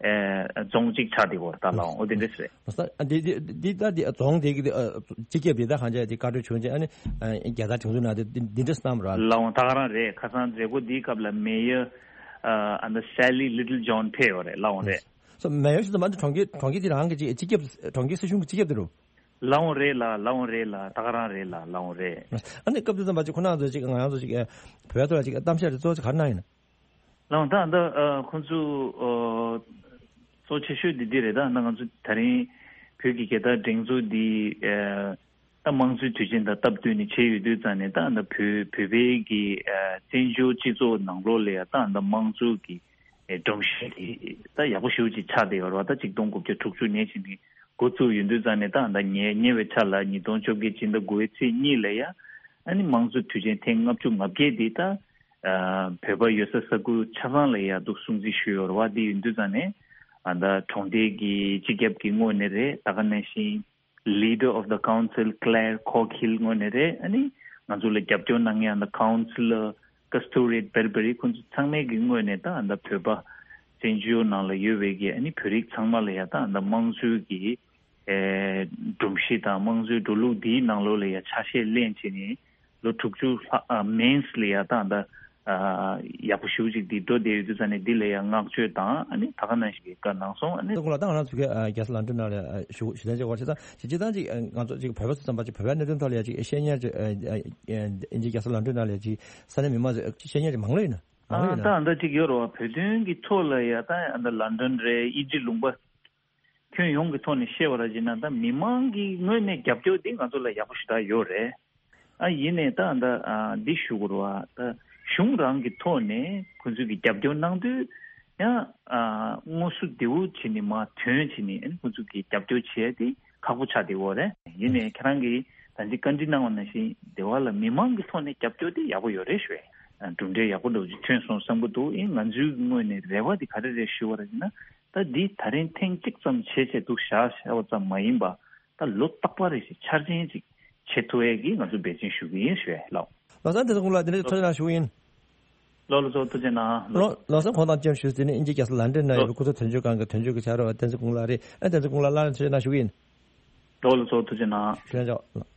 ཨ་རྫོང་གཅིག་ཆགས་འདི་བར་ད་ལའང་འོ་འདི་འདྲ་ཟེར། ཨ་འདི་འདི་འདི་ད་འདི་རྫོང་འདི་གི་ཨ་སྤྱི་ཁྱབ་འདི་ད་གང་ཅི་འདི་བཀའ་འཁྲོལ་བྱུང་ཅིག་ཨ་ནི་ཨ་རྒྱལ་དར་དེ་ཚོ་ནང་འདི་འདི་འདྲ་བསྣམས་ར། ལའང་ད་ག་རང་རེད། ཁ་སང་མཛད་སྒོ་འདིའི་སྐབས་ལ་མེ་ཡར་ཨ་ཨ་ད་Sally Littlejohn ཕེབས་ཡོད་རེད། ལའང་རེད། སོ་མེ་ཡོར་ཞིག་ཏུ་མ་འདི་གྲོང་ཁྱེར་གྲོང་ཁྱེར་དེ་རང་གི་ཅིག་སྤྱི་ཁྱབ་གྲོང་ཁྱེར་སྲིད་གཞུང་གི་སྤྱི་ཁྱབ་དེ་རུ། ལའང་རེད་ལ་ལའང་རེད་ལ་ད་ག་རང་རེད་ལ་ལའང་རེད། ཨ་ནི་སྐབས་དེ་ཙམ་པ་ཅིག་ཁོ་རང་ཚོ་ཅིག་ང་རང་ཚོ་ཅིག་བོད་ཐོག་ལ་ཅིག་གཏམ་བཤད་དེ་གཙོ་བོ་ཅིག་ག་རེ་གནང་ཡིན་ན། ལའང་ད་ད་ཨ་ཁོང་ཚོ་ཨ་གཙོ་ཆེ་ཤོས་འདི་འདི་རེད། ད་ད་ང་ཚོ་ད་རིང་བོད་ཀྱི་རྒྱལ་དར་སྒྲེང་འཛུགས་འདི་ཨ་ད་དམངས་གཙོའི་དུས་ཆེན་དང་སྟབས་བསྟུན་ནས་བྱས་ཡོད་དུས་ཙང་ནས་ད་ད་བོད་བོད་པའི་གི་ཨ་བཙན་བྱོལ་སྤྱི་ཚོགས་ནང་ལོགས་ལ་ཡ་ད་ད་དམངས་གཙོ་གི་ཨེ་སྒྲོམ་གཞི་དེ་ད་ཡག་པོ་ཞེ་པོ་ཅིག་ཆགས་བསྡད་ཡོད་རེད་བ། ད་ཆིག་སྟོང་དགུ་བརྒྱ་དྲུག་ཅུ་ནས་བྱས་ནས་འགོ་བཙུགས་ཡོད་དུས་ཙང་ནས་ད་ད་ཉེ་ཉེ་བའི་ཆར་ལ་ཉིས་སྟོང་བཅོ་བརྒྱད་སྤྱི་ཟླ་དགུ་པའི་ཚེས་གཉིས་ལ་ཡ་ཨ་ནི་དམངས་གཙོ་དུས་ཆེན་ཐེངས་ལྔ་བཅུ་ང་བརྒྱད་དེ་ད་ཨ་བོད་པ་ཡོད་ས་ས་ཁུལ་ཆ་ཚང་ལ་ཡ་འདུག་སྲུང་བརྩི་ཞུས་ཡོད་རེད་བ། དེ་ཡིན་དུས་ཙང་ནས་ཨ་ད་གྲོང་སྡེ་གི་སྤྱི་ཁྱབ་ཀྱི་ངོས་ནས་རེད། ད་ག་ནང་བཞིན་Leader of the Council Claire Coghill ངོས་ནས་རེད། ཨ་ནི་ང་ཚོ་ལ་རྒྱབ་སྐྱོར་གནང་མཁན་ཨ་ད་Councillor Kasturiat Berberi ཁོང་ཚོ་ཚང་མའི་གི་ངོས་ནས་ད་ཨ་ད་བོད་པ་བཙན་བྱོལ་ནང་ལ་ཡོད་པའི་གི་ཨ་ནི་བོད་རིགས་ཚང་མ་ལ་ཡ་ད་ཨ་ད་དམངས་གཙོའི་གི་ ཨེ་སྒྲོམ་གཞི་དང་དམངས་གཙོའི་འགྲོ་ལུགས་འདིའི་ནང་ལོགས་ལ་ཡ་ཆ་ཤས་ལེན་བྱས་ནས་ལོ་དྲུག་ཅུ་ལྷག་ཨ་མིན་ལ་ཡ་ད་ད་ཨ་ཡག་པོ་ཞེ་པོ་ཅིག་འདི་འགྲོ་བསྡད་ཡོད་དུས་ཙང་ནས་འདི་ལ་ཡ་བསྔགས་བརྗོད་དང་ཨ་ནི་ད་ག་ནང་བཞིན་གྱི་བཀའ་གནང་སོང་། ཨ་ནི། ད་ཁོང་ལ་ད་ང་རང་ཚོ་གི་ཨ་རྒྱལ་ས་ལོན་ཌོན་ནང་ལ་ཨ་བཞུགས་ཞུ་གཏན་བཅག་པར་བྱེད་སྟངས་ཅིག་སྤྱིར་བཏང་ཅིག་ཨ་ང་ཚོ་ཅིག་བོད་པ་ཚོ་བསམ་པ་ཅིག་བོད་པའི་གནད་དོན་ཐོག་ལ་ཡ་ཅིག་ཤེས་ཉེར་ཅིག་ཨ་ཨ་ཨ་ཨིན་ཇི་རྒྱལ་ས་ལོན་ཌོན་ནང་ལ་ཡ་ཅིག་ས་གནས་མི་མང་ཚོ་ཤེས་ཉེར་ཅིག་མང་ལོས་ཡིན་ན་མང་ལོས་ཡིན་ན། ད་ཨ་ད་འདྲ་ཅིག་ཡོད་རེད་བ། བོད་དོན་གྱི་ཐོག་ལ་ཡ་ད་ཨ་ད་ལོན་ཌོན་རེད། ཨིན་ཇི་ལུང་པ་ཁྱོན་ཡོངས་ཀྱི་ཐོག་ནས་བཤད་པ་ར་བྱས་ན་ད་མི་མང་གི་ངོས་ནས་རྒྱབ་སྐྱོར་འདི་ང་ཚོ་ལ་ཡག་པོ་ཞེ་དྲག་ཡོད་རེད། ཨ་ཡིན་ནའི་ད་ད་ཨ་འདི་ཞུ་དགོས་རེད་བ། ད་གཞུང་རང་གི་ཐོག་ནས་ཁོ་ཚོས་ཀྱི་རྒྱབ་སྐྱོར་གནང་དུས་ཡང་ཨ་དངོས་སུ་འདི་འུ་བྱས་ནས་མར་ཐོན་བྱས་ནས་ཨ་ནི་ཁོ་ཚོས་ཀྱི་རྒྱབ་སྐྱོར་བྱས་ཏེ་ཁག་པོ་ཆགས་བསྡད་ཡོད་རེད། ཡིན་ནའི་ཁྱེད་རང་གིས་ད་ཅི་བཀའ་འདྲི་གནང་བ་ནང་བཞིན་འདི་བ་ལ་མི་མང་གི་ཐོག་ནས་རྒྱབ་སྐྱོར་དེ་ཡག་པོ་ཡོད་རེད་ཞུ་བས། གྲུབ་འབྲས་ཡག་པོ་འདྲ་བོ་ཅིག་ཐོན་སོང་བསམ་གྱི་འདུག་ཨིན་ང་ཚོའི་ངོས་ནས་རེ་བ་དེ་ག་རེ་རེད་ཞུ་བ་རེད་ན། ད་འདི་ད་རིང་ཐེངས་གཅིག་ཙམ་བྱས་བྱས་འདུག་བཞག་བཞག་པ་ཙམ་མ་ཡིན་པ་ད་ལོ་རྟག་པར་རེ་བཞིན་འཆར་ཅན་ཅིག་བྱེད་ཐུབ་ཡས་ཀྱི་ང་ཚོ་འབད་བརྩོན་ཞུ་གི་ཡིན་ཞུ་ཡས་ལགས། ལོ་གསར་དེ་ཚོ་ཀུན་ལ་དེ་འདྲ་ཐུགས་རྗེ་གནང་ཞུ་གི་ཡིན། ལོ་ལོ་ཚོ་ཐུགས་རྗེ་གནང་། ལོ་ལོ་གསར་ཁོང་དང་བཅས་ཞུ་དེ་ནི་ཨིན་ཇི་རྒྱལ་ས་ལན་ཌོན་ན་ཡོད་པའི་སྐུ་ཚབ་དོན་གཅོད་ཁང་གི་དོན་གཅོད་ཀྱི་ཕྱག་རོགས་བསྟན་འཛིན་ཀུན་ལགས་རེད། ཨ་བསྟན་འཛིན་ཀུན་ལགས་སླར་ཡང་ཐུགས་རྗེ་གནང་ཞུ་གི་ཡིན། ལོ་ལོ་ཚོ་ཐུགས་རྗེ་གནང་། ཞུ་ཡ་འཇོག།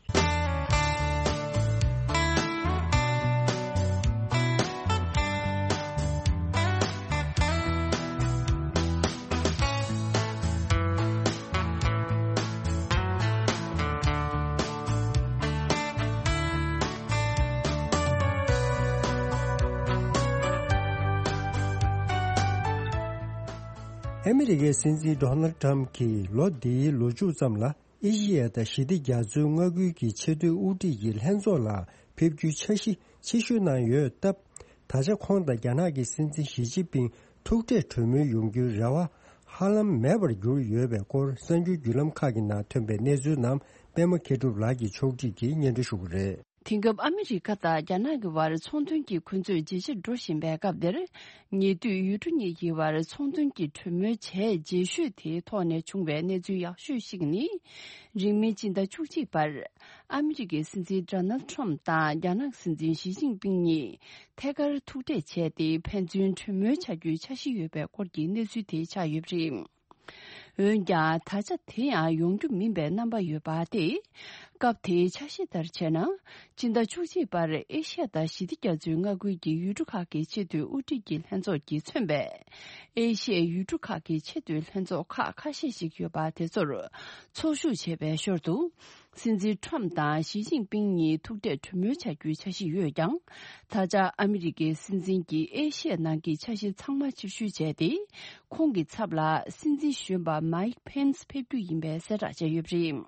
ཨ་མི་རི་ཀའི་སྲིད་འཛིན་ཌོ་ནལ་ཌི་ཊརམ་ཕི་གྱིས་ལོ་འདིའི་ལོ་མཇུག་ཙམ་ལ་ཨེ་ཤི་ཡ་དང་ཞི་བདེ་རྒྱ་མཚོའི་མངའ་ཁུལ་གྱི་ཆེས་མཐོའི་དབུ་ཁྲིད་ཀྱི་ལྷན་ཚོགས་ལ་ཕེབས་རྒྱུའི་འཆར་གཞི་ཆེ་ཤོས་ནང་ཡོད་སྟབས། ད་ཆ་ཁོང་དང་རྒྱ་ནག་གི་སྲིད་འཛིན་ཞི་ཅིན་ཕིང་ཐུག་འཕྲད་གྲོས་མོལ་ཡོང་རྒྱུའི་རེ་བ་ཧ་ལམ་མེད་པར་གྱུར་ཡོད་པའི་སྐོར་གསར་འགྱུར་བརྒྱུད་ལམ་ཁག་གི་ནང་ཐོན་པའི་གནས་ཚུལ་རྣམས་པད་མ་མཁས་གྲུབ་ལགས་ཀྱིས་ཕྱོགས་སྒྲིག་གིས་སྙན་སྒྲོན་ཞུ་གི་རེད། དེང་སྐབས་ཨ་མི་རི་ཀ་དང་རྒྱ་ནག་གི་བར་ཚོང་དོན་གྱི་འཁོན་རྩོད་ཇེ་ཆེར་འགྲོ་བཞིན་པའི་སྐབས་འདིར། ཉེ་དུས་ཡུལ་གྲུ་གཉིས་ཀྱི་བར་ཚོང་དོན་གྱི་གྲོས་མོལ་བྱས་རྗེས་ཤོས་དེའི་ཐོག་ནས་བྱུང་བའི་གནས་ཚུལ་ཡག་ཤོས་ཤིག་ནི། རིང་མིན་སྤྱི་ཟླ་བཅུ་གཅིག་པར་ཨ་མི་རི་ཀའི་སྲིད་འཛིན་ཌོ་ནལ་ཌི་ཊརམ་ཕི་དང་རྒྱ་ནག་སྲིད་འཛིན་ཞི་ཅིན་ཕིང་གཉིས་ཐད་ཀར་ཐུག་འཕྲད་བྱས་ཏེ་ཕན་ཚུན་གྲོས་མོལ་བྱ་རྒྱུའི་འཆར་གཞི་ཡོད་པའི་སྐོར་གྱི་གནས་ཚུལ་དེ་ཆགས་ཡོད་པ་རེད། འོན་ཀྱང་ད་ཆ་དེ་ཡང་ཡོང་རྒྱུ་མིན་པའི་རྣམ་པ་ཡོད་པ་སྟེ། སྐབས་དེའི་འཆར་གཞི་ལྟར་བྱས་ན། སྤྱི་ཟླ་བཅུ་གཅིག་པར་ཨེ་ཤ་ཡ་དང་ཞི་བདེ་རྒྱ་མཚོའི་མངའ་ཁུལ་གྱི་ཡུལ་གྲུ་ཁག་གི་ཆེས་མཐོའི་དབུ་ཁྲིད་ཀྱི་ལྷན་ཚོགས་ཀྱིས་མཚོན་པའི་ཨེ་ཤ་ཡའི་ཡུལ་གྲུ་ཁག་གི་ཆེས་མཐོའི་ལྷན་ཚོགས་ཁག་ཁ་ཤས་ཤིག་ཡོད་པ་དེ་ཚོར་ཚོགས་ཞུགས་བྱས་པའི་ཞོར་དུ། སྲིད་འཛིན་ཊམ་དང་ཞི་ཅིན་ཕིང་གཉིས་ཐུག་འཕྲད་གྲོས་མོལ་བྱ་རྒྱུའི་འཆར་གཞི་ཡོད་ཀྱང་། ད་ཆ་ཨ་མི་རི་ཀའི་སྲིད་འཛིན་གྱིས་ཨེ་ཤ་ཡའི་ནང་གི་འཆར་གཞི་ཚང་མ་ཕྱིར་བཤོལ་བྱས་ཏེ། ཁོང་གི་ཚབ་ལ་སྲིད་འཛིན་གཞོན་པ་མཱིག་ཕེན་སི་ཕེབས་རྒྱུ་ཡིན་པའི་གསལ་བསྒྲགས་བྱས་ཡོད་པ་རེད།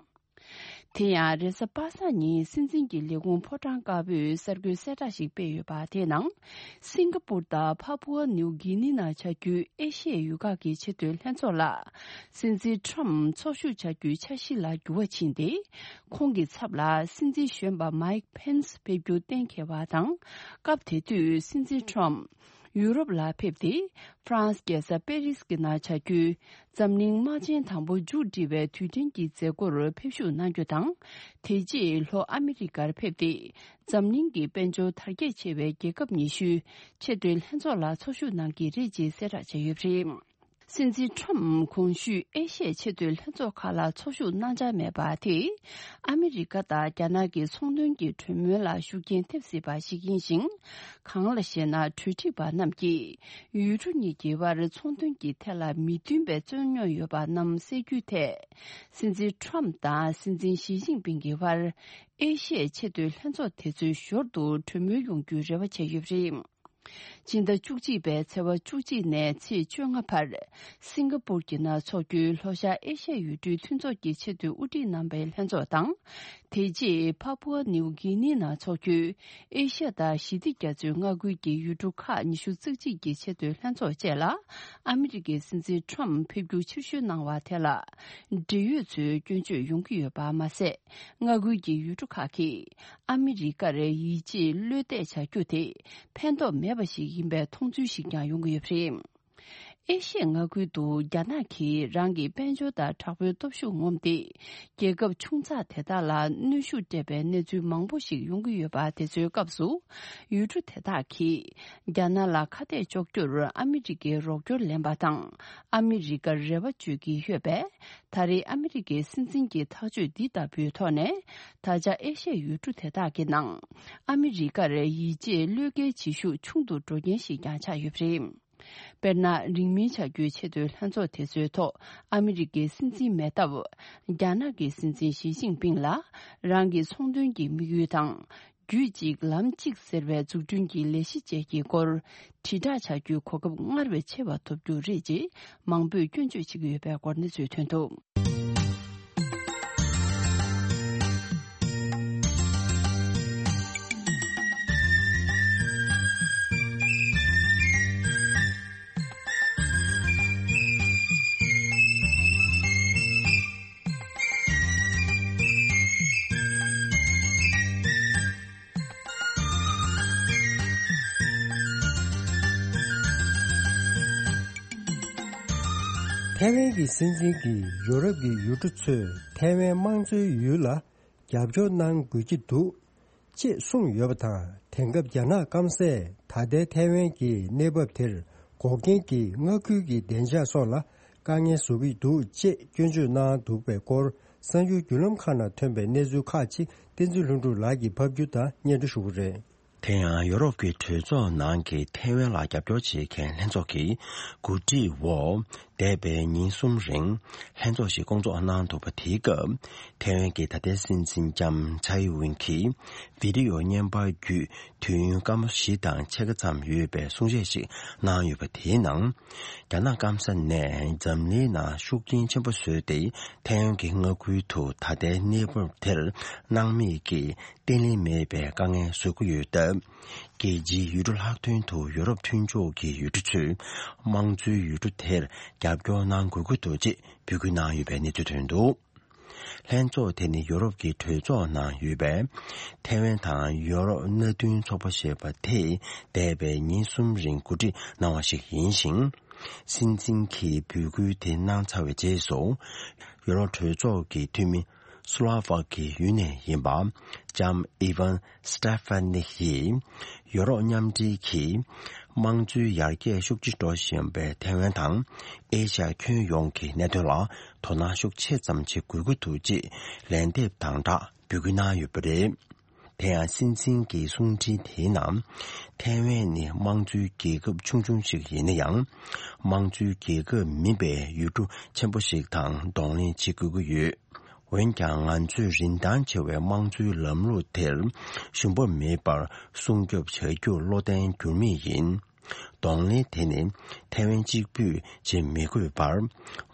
དེ་ཡང་རེས་གཟའ་པ་སངས་ཉིན་སྲིད་འཛིན་གྱི་ལས་ཁུངས་ཕོ་བྲང་དཀར་པོས་གསར་འགོད་གསལ་བསྒྲགས་ཤིག་སྤེལ་ཡོད་པ་དེའི་ནང་། སིང་ག་པུར་དང་ཕ་པུ་ཨ་ནིའུ་གྷི་ནི་ནང་བྱ་རྒྱུའི་ཨེ་ཤ་ཡའི་ཡུལ་ཁག་གི་ཆེས་མཐོའི་ལྷན་ཚོགས་ལ། སྲིད་འཛིན་ཊམ་ཚོགས་ཞུགས་བྱ་རྒྱུའི་འཆར་གཞི་ལ་འགྱུར་བ་ཕྱིན་ཏེ། ཁོང་གི་ཚབ་ལ་སྲིད་འཛིན་གཞོན་པ་མཱིག་ཕེན་སི་ཕེབས་རྒྱུ་གཏན་འཁེལ་བ་དང་། སྐབས་དེ་དུས་སྲིད་འཛིན་ཊམ་ཡུ་རོབ་ལ་ཕེབས་ཏེ། ཧྥ་རན་སི་རྒྱལ་ས་པེ་རིས་ཀྱི་ནང་བྱ་རྒྱུའི་འཛམ་གླིང་དམག་ཆེན་དང་པོ་མཇུག་སྒྲིལ་བའི་དུས་དྲན་གྱི་མཛད་སྒོར་ཕེབས་ཞུགས་གནང་རྒྱུ་དང་། དེ་རྗེས་ལྷོ་ཨ་མི་རི་ཀར་ཕེབས་ཏེ། འཛམ་གླིང་གི་དཔལ་འབྱོར་དར་རྒྱས་ཆེ་བའི་རྒྱལ་ཁབ་ཉི་ཤུའི་ཆེས་མཐོའི་ལྷན་ཚོགས་ལ་ཚོགས་ཞུགས་གནང་གི་རེད་ཅེས་གསལ་བསྒྲགས་བྱས་ཡོད་པ་རེད། སྲིད་འཛིན་ཊམ་གོང་ཞུས་ཨེ་ཤ་ཡའི་ཆེས་མཐོའི་ལྷན་ཚོགས་ཁག་ལ་ཚོགས་ཞུགས་གནང་འཆར་མེད་པ་དེས། ཨ་མི་རི་ཀ་དང་རྒྱ་ནག་གི་ཚོང་དོན་གྱི་གྲོས་མོལ་ལ་ཤུགས་རྐྱེན་ཐེབས་སྲིད་པ་ཞིག་ཡིན་ཞིང་། གང་ལ་ཞེ་ན། གྲོས་ཁྲིད་པ་རྣམས་ཀྱིས་ཡུལ་གྲུ་གཉིས་ཀྱི་དབར་ཚོང་དོན་གྱི་ཐད་ལ་མི་མཐུན་པའི་རྩོད་རྙོག་ཡོད་པ་རྣམས་སེལ་རྒྱུའི་ཐད། སྲིད་འཛིན་ཊམ་དང་སྲིད་འཛིན་ཞི་ཅིན་ཕིང་གི་དབར་ཨེ་ཤ་ཡའི་ཆེས་མཐོའི་ལྷན་ཚོགས་དེ་ཚོའི་ཞོར་དུ་གྲོས་མོལ་ཡོང་རྒྱུའི་རེ་བ་བྱས་ཡོད་པ་རེད། སྤྱི་ཟླ་བཅུ་གཅིག་པའི་ཚེས་པ་བཅུ་གཅིག་ནས་ཚེས་བཅོ་ལྔ་བར་སིང་ག་པུར་གྱི་ནང་འཚོགས་རྒྱུའི་ལྷོ་ཤར་ཨེ་ཤ་ཡའི་ཡུལ་གྲུའི་མཐུན་ཚོགས་ཀྱི་ཆེས་མཐོའི་དབུ་ཁྲིད་རྣམ་པའི་ལྷན་ཚོགས་དང་། དེ་རྗེས་ཕ་པུ་ཨ་ནིའུ་གྷི་ནི་ནང་འཚོགས་རྒྱུའི་ཨེ་ཤ་ཡ་དང་ཞི་བདེ་རྒྱ་མཚོའི་མངའ་ཁུལ་གྱི་ཡུལ་གྲུ་ཁག་ཉི་ཤུ་རྩ་གཅིག་གི་ཆེས་མཐོའི་ལྷན་ཚོགས་བཅས་ལ་ཨ་མི་རི་ཀའི་སྲིད་འཛིན་ཊམ་ཕེབས་རྒྱུ་ཕྱིར་བཤོལ་གནང་བ་དེ་ལ་འབྲེལ་ཡོད་ཚོས་སྐྱོན་བརྗོད་ཡོང་གི་ཡོད་པ་མ་ཟད། མངའ་ཁུལ་གྱི་ཡུལ་གྲུ་ཁག་གིས་ཨ་མི་རི་ཀར་ཡིད་ཆེས་བློས་གཏད་བྱ་རྒྱུ་དེ་ཕན་ཐོགས་མེད་པ་ཞིག་ཡིན་པའི་མཐོང་ཚུལ་ཞིག་ཀྱང་ཡོང་གི་ཡོད་པ་རེད། ཨེ་ཤི་ཡའི་མངའ་ཁུལ་དུ་རྒྱ་ནག་གིས་རང་གི་དཔལ་འབྱོར་དང་དྲག་པོའི་སྟོབས་ཤུགས་ངོམས་ཏེ། རྒྱལ་ཁབ་ཆུང་ཙག་དེ་དག་ལ་གནོན་ཤུགས་སྤྲད་པའི་གནས་ཚུལ་མང་པོ་ཞིག་ཡོང་གི་ཡོད་པ་དེ་ཚོའི་སྐབས་སུ། ཡུལ་གྲུ་དེ་དག་གིས་རྒྱ་ནག་ལ་ཁ་གཏད་གཅོག་རྒྱུར་ཨ་མི་རི་ཀའི་རོགས་སྐྱོར་ལེན་པ་དང་། ཨ་མི་རི་ཀར་རེ་བ་བཅོལ་གྱི་ཡོད་པས། ད་རེས་ཨ་མི་རི་ཀའི་སྲིད་འཛིན་གྱི་ཐག་གཅོད་འདི་ལྟ་བུའི་ཐོག་ནས། ད་ཆ་ཨེ་ཤ་ཡའི་ཡུལ་གྲུ་དེ་དག་གི་ནང་ཨ་མི་རི་ཀར་ཡིད་ཆེས་བློས་འགེལ་བྱེད་ཤུགས་ཆུང་དུ་འགྲོ་རྐྱེན་ཞིག་ཀྱང་ཆགས་ཡོད་པ་རེད། དཔེར་ན། རིང་མིན་བྱ་རྒྱུའི་ཆེས་མཐོའི་ལྷན་ཚོགས་དེ་ཚོའི་ཐོག་ཨ་མི་རི་ཀའི་སྲིད་འཛིན་མེད་སྟབས། རྒྱ་ནག་གི་སྲིད་འཛིན་ཞི་ཅིན་ཕིང་ལ་རང་གི་ཚོང་དོན་གྱི་དམིགས་ཡུལ་དང་། རྒྱུད་གཅིག་ལམ་གཅིག་ཟེར་བའི་འཛུགས་སྐྲུན་གྱི་ལས་གཞི་བཅས་ཀྱི་སྐོར་དྲིལ་བསྒྲགས་བྱ་རྒྱུའི་གོ་སྐབས་སྔར་བས་ཆེ་བ་ཐོབ་རྒྱུ་རེད་ཅེས་མང་པོས་སྐྱོན་བརྗོད་བྱེད་ཀྱི་ཡོད་པའི་སྐོར་གནས་ཚུལ་ཐོན་འདུག། ཐའེ་ཝན་གྱི་སྲིད་འཛིན་གྱིས་ཡོ་རོབ་ཀྱི་ཡུལ་གྲུ་ཚོས་ཐའེ་ཝན་དམངས་གཙོའི་ཡུལ་ལ་རྒྱབ་སྐྱོར་གནང་དགོས་ཀྱི་འདུག་ཅེས་གསུངས་ཡོད་པ་དང་། དེང་སྐབས་རྒྱ་ནག་སྐམ་སས་ད་ལྟའི་ཐའེ་ཝན་གྱི་གནས་བབ་དེར་འགོག་རྐྱེན་གྱིས་མངའ་ཁུལ་གྱི་བདེ་འཇགས་སོགས་ལ་དཀའ་ངལ་བཟོ་གི་འདུག་ཅེས་སྐྱོན་བརྗོད་གནང་འདུག་པའི་སྐོར། གསར་འགྱུར་བརྒྱུད་ལམ་ཁག་ནང་ཐོན་པའི་གནས་ཚུལ་ཁག་ཅིག་བསྟན་འཛིན་ལྷུན་གྲུབ་ལགས་ཀྱིས་ཕབ་སྒྱུར་དང་སྙན་སྒྲོན་ཞུ་གི་རེད། དེ་ཡང་ཡོ་རོབ་ཀྱི་གྲོས་ཚོགས་ནང་གི་ཐའེ་ཝན་ལ་རྒྱབ་སྐྱོར་བྱེད་མཁན་ལྷན་ཚོགས་ཀྱི་གོ་སྒྲིག་འོག་འདས་པའི་ཉིན་གསུམ་རིང་ལྷན་ཚོགས་ཤིག་བསྐོང་ཚོགས་གནང་འདུག་པ། དེའི་སྐབས་ཐའེ་ཝན་གྱི་ད་ལྟའི་སྲིད་འཛིན་ལྕམ་ཚའེ་ཝིན་གྱིས་བི་ཌི་ཡོ་བརྙན་པར་བརྒྱུད་དུས་ཡུན་སྐར་མ་བཞི་དང་ཕྱེད་ཀ་ཙམ་ཡོད་པའི་གསུང་བཤད་ཞིག་གནང་ཡོད་པ། དེའི་ནང་རྒྱ་ནག་སྐམ་ས་ནས་འཛམ་གླིང་ནང་ཤུགས་རྐྱེན་ཆེན་པོ་བཟོས་ཏེ། ཐའེ་ཝན་གྱི་མངའ་ཁུལ་དུ་ད་ལྟའི་གནས་བབ་དེར་སྣང་མེད་ཀྱིས་བརྟན་ལྷིང་མེད་པའི་དཀའ་ངལ་བཟོ་གི་ཡོད་སྟབས། རྒྱལ་སྤྱིའི་ཡུལ་གྲུ་ལྷག་དོན་དུ་ཡོ་རོབ་མཐུན་ཕྱོགས་ཀྱི་ཡུལ་གྲུ་ཚོས་དམངས་གཙོའི་ཡུལ་གྲུ་དེར་རྒྱབ་སྐྱོར་གནང་དགོས་ཀྱི་འདུག་ཅེས་འབོད་སྐུལ་གནང་ཡོད་པའི་གནས་ཚུལ་ཐོན་འདུག། ལྷན་ཚོགས་དེ་ནི་ཡོ་རོབ་ཀྱི་གྲོས་ཚོགས་ནང་ཡོད་པའི་ཐའེ་ཝན་དང་ཡོ་རོབ་མནའ་མཐུན་ཚོགས་པ་ཞེས་པ་དེས་འདས་པའི་ཉིན་གསུམ་རིང་གོ་སྒྲིག་གནང་བ་ཞིག་ཡིན་ཞིང་། སྲིད་འཛིན་གྱིས་འབོད་སྐུལ་དེ་གནང་ཚར་བའི་རྗེས་སུ། ཡོ་རོབ་གྲོས་ཚོགས་ཀྱི་འཐུས་མི་སུ་ལ་ཝ་ཀི་ཡུལ་ནས་ཡིན་པ་ལྕམ་ཨི་ཝན་སི་ཏེ་ཕ་ནི་ཡིས། ཡོ་རོབ་མཉམ་འབྲེལ་གྱིས་དམངས་གཙོའི་ཡར་རྒྱས་ཤུགས་ཆེ་འགྲོ་བཞིན་པའི་ཐའེ་ཝན་དང་ཨེ་ཤ་ཡ་ཁྱོན་ཡོངས་ཀྱི་གནད་དོན་ལ་དོ་སྣང་ཤུགས་ཆེ་ཙམ་བྱེད་དགོས་ཀྱི་འདུག་ཅེས་ལན་འདེབས་དང་སྦྲགས་འབོད་སྐུལ་གནང་ཡོད་པ་རེད། དེ་ཡང་སྲིད་འཛིན་གྱི་གསུང་འཕྲིན་དེའི་ནང་། ཐའེ་ཝན་ནི་དམངས་གཙོའི་རྒྱལ་ཁབ་ཆུང་ཆུང་ཞིག་ཡིན་ན་ཡང་། དམངས་གཙོའི་རྒྱལ་ཁབ་མིན་པའི་ཡུལ་གྲུ་ཆེན་པོ་ཞིག་དང་གདོང་ལེན་བྱེད་དགོས་ཀྱི་ཡོད། འོན་ཀྱང་། ང་ཚོས་རིན་ཐང་ཆེ་བའི་དམངས་གཙོའི་ལམ་ལུགས་དེར་ཞུམ་པ་མེད་པར་སྲུང་སྐྱོབ་བྱ་རྒྱུར་བློ་བརྟན་འགྱུར་མེད་ཡིན། གདོང་ལེན་དེ་ནི་ཐའེ་ཝན་གཅིག་པུས་བྱེད་མི་དགོས་པར།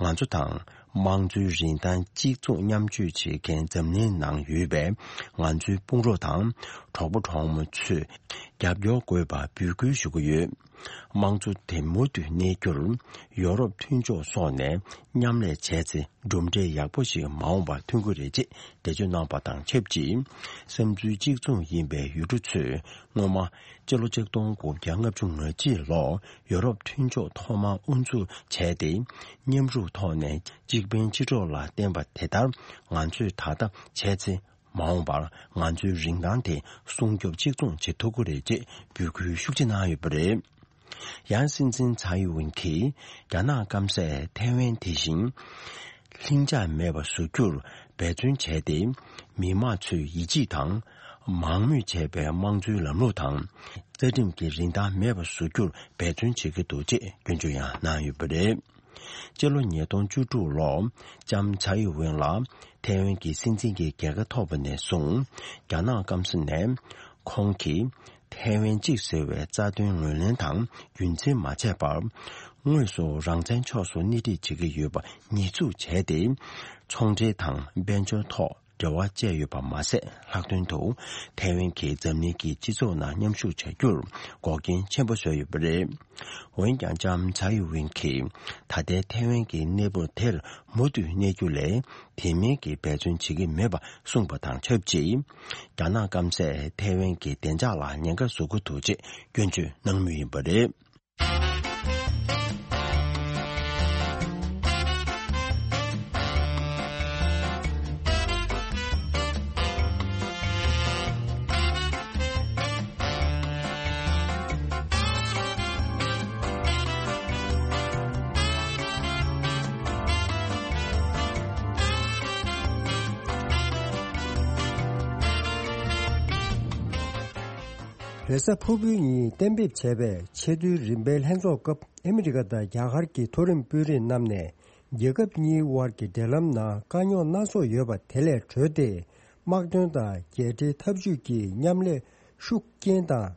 ང་ཚོ་དང་དམངས་གཙོའི་རིན་ཐང་གཅིག་མཚུངས་མཉམ་སྤྱོད་བྱེད་མཁན་འཛམ་གླིང་ནང་ཡོད་པའི་ང་ཚོའི་དཔུང་རོགས་དང་གྲོགས་པོ་གྲོགས་མོ་ཚོས་རྒྱབ་སྐྱོར་དགོས་པ་འབོད་སྐུལ་ཞུ་གི་ཡོད། དམངས་གཙོ་དེ་མུ་མཐུད་གནས་རྒྱུར་ཡོ་རོབ་མཐུན་ཕྱོགས་སོགས་ནས་མཉམ་ལས་བྱས་ཚེ། གྲུབ་འབྲས་ཡག་པོ་ཞིག་མ་འོངས་པར་ཐོན་གྱི་རེད་ཅེས་འགྲེལ་བརྗོད་གནང་བ་དང་ཆབས་ཅིག། བསམ་ཚུལ་གཅིག་མཚུངས་ཡིན་པའི་ཡུལ་གྲུ་ཚོས་སྔོན་མ་སྤྱི་ལོ་ཆིག་སྟོང་དགུ་བརྒྱ་ལྔ་བཅུ་ང་གཅིག་ལོར་ཡོ་རོབ་མཐུན་ཕྱོགས་ཐོག་མར་དབུ་འཛུགས་བྱས་ཏེ། མཉམ་རུབ་ཐོག་ནས་གཅིག་ཕན་གཅིག་གྲོགས་ལ་བརྟེན་པ་དེ་ལྟར་ང་ཚོས་ད་ལྟ་བྱས་ཚེ། མ་འོངས་པར་ང་ཚོའི་རིན་ཐང་དེ་སྲུང་སྐྱོབ་གཅིག་མཚུངས་བྱེད་ཐུབ་ཀྱི་རེད་ཅེས་འབོད་སྐུལ་ཤུགས་ཆེ་གནང་ཡོད་པ་རེད། ཡང་སྲིད་འཛིན་ཚའེ་ཝིན་གྱིས་རྒྱ་ནག་སྐམ་སས་ཐའེ་ཝན་དེ་བཞིན་ལྷིང་འཇགས་མེད་པ་བཟོ་རྒྱུར་འབད་བརྩོན་བྱས་ཏེ། མི་དམངས་ཚོས་ཡིད་ཆེས་དང་མང་མོས་བྱས་པའི་དམངས་གཙོའི་ལམ་ལུགས་དང་རྩ་ཁྲིམས་ཀྱི་རིན་ཐང་མེད་པ་བཟོ་རྒྱུར་འབད་བརྩོན་བྱེད་ཀྱི་འདུག་ཅེས་སྐྱོན་བརྗོད་ཡང་གནང་ཡོད་པ་རེད། སྤྱི་ལོ་ཉིས་སྟོང་བཅུ་དྲུག་ལོར་ལྕམ་ཚའེ་ཝེན་ལ་ཐའེ་ཝན་གྱི་སྲིད་འཛིན་གྱི་རྒྱལ་ཁ་ཐོབ་པ་ནས་བཟུང་། རྒྱ་ནག་སྐམ་ས་ནས་ཁོང་གིས་ཐའེ་ཝན་གཅིག་ཟེར་བའི་རྩ་དོན་ངོས་ལེན་དང་རྒྱུན་འཛིན་མ་བྱས་པར། དངོས་སུ་རང་བཙན་ཕྱོགས་སུ་སྣེ་ཁྲིད་བྱེད་ཀྱི་ཡོད་པ་ཉེས་འཛུགས་བྱས་ཏེ། ཚོང་འབྲེལ་དང་དཔལ་འབྱོར་ཐོག་འབྲེལ་བ་བཅད་ཡོད་པ་མ་ཟད། ལྷག་དོན་དུ་ཐའེ་ཝན་གྱིས་འཛམ་གླིང་གི་སྤྱི་ཚོགས་ནང་མཉམ་ཞུགས་བྱ་རྒྱུར་འགོག་རྐྱེན་ཆེན་པོ་བཟོས་ཡོད་པ་རེད། འོན་ཀྱང་། ལྕམ་ཚའེ་ཝེན་གྱིས་ད་ལྟའི་ཐའེ་ཝན་གྱི་གནས་བབ་དེར་མུ་མཐུད་གནས་རྒྱུ་ལས། དེ་མིན་གྱི་འབད་བརྩོན་བྱེད་ཀྱི་མེད་པ་གསུངས་པ་དང་ཆབས་ཅིག། རྒྱ་ནག་སྐམ་སས་ཐའེ་ཝན་གྱི་བདེ་འཇགས་ལ་ཉེན་ཁ་བཟོ་གི་འདུག་ཅེས་སྐྱོན་བརྗོད་གནང་མུས་ཡིན་པ་རེད། རེས་གཟའ་ཕུར་བུའི་ཉིན་གཏན་འབེབས་བྱས་པའི་ཆེས་མཐོའི་རིམ་པའི་ལྷན་ཚོགས་སྐབས་ཨ་མི་རི་ཀ་དང་རྒྱ་གར་གྱི་མཐོ་རིམ་དཔོན་རིགས་རྣམས་ནས། རྒྱལ་ཁབ་གཉིས་དབར་གྱི་འབྲེལ་ལམ་ནང་དཀའ་རྙོག་སྣ་ཚོགས་ཡོད་པ་དེ་ལས་གྲོལ་ཏེ། དམག་དོན་དང་རྒྱལ་འབྲེལ་འཐབ་ཇུས་ཀྱི་མཉམ་ལས་ཤུགས་རྐྱེན་དང་།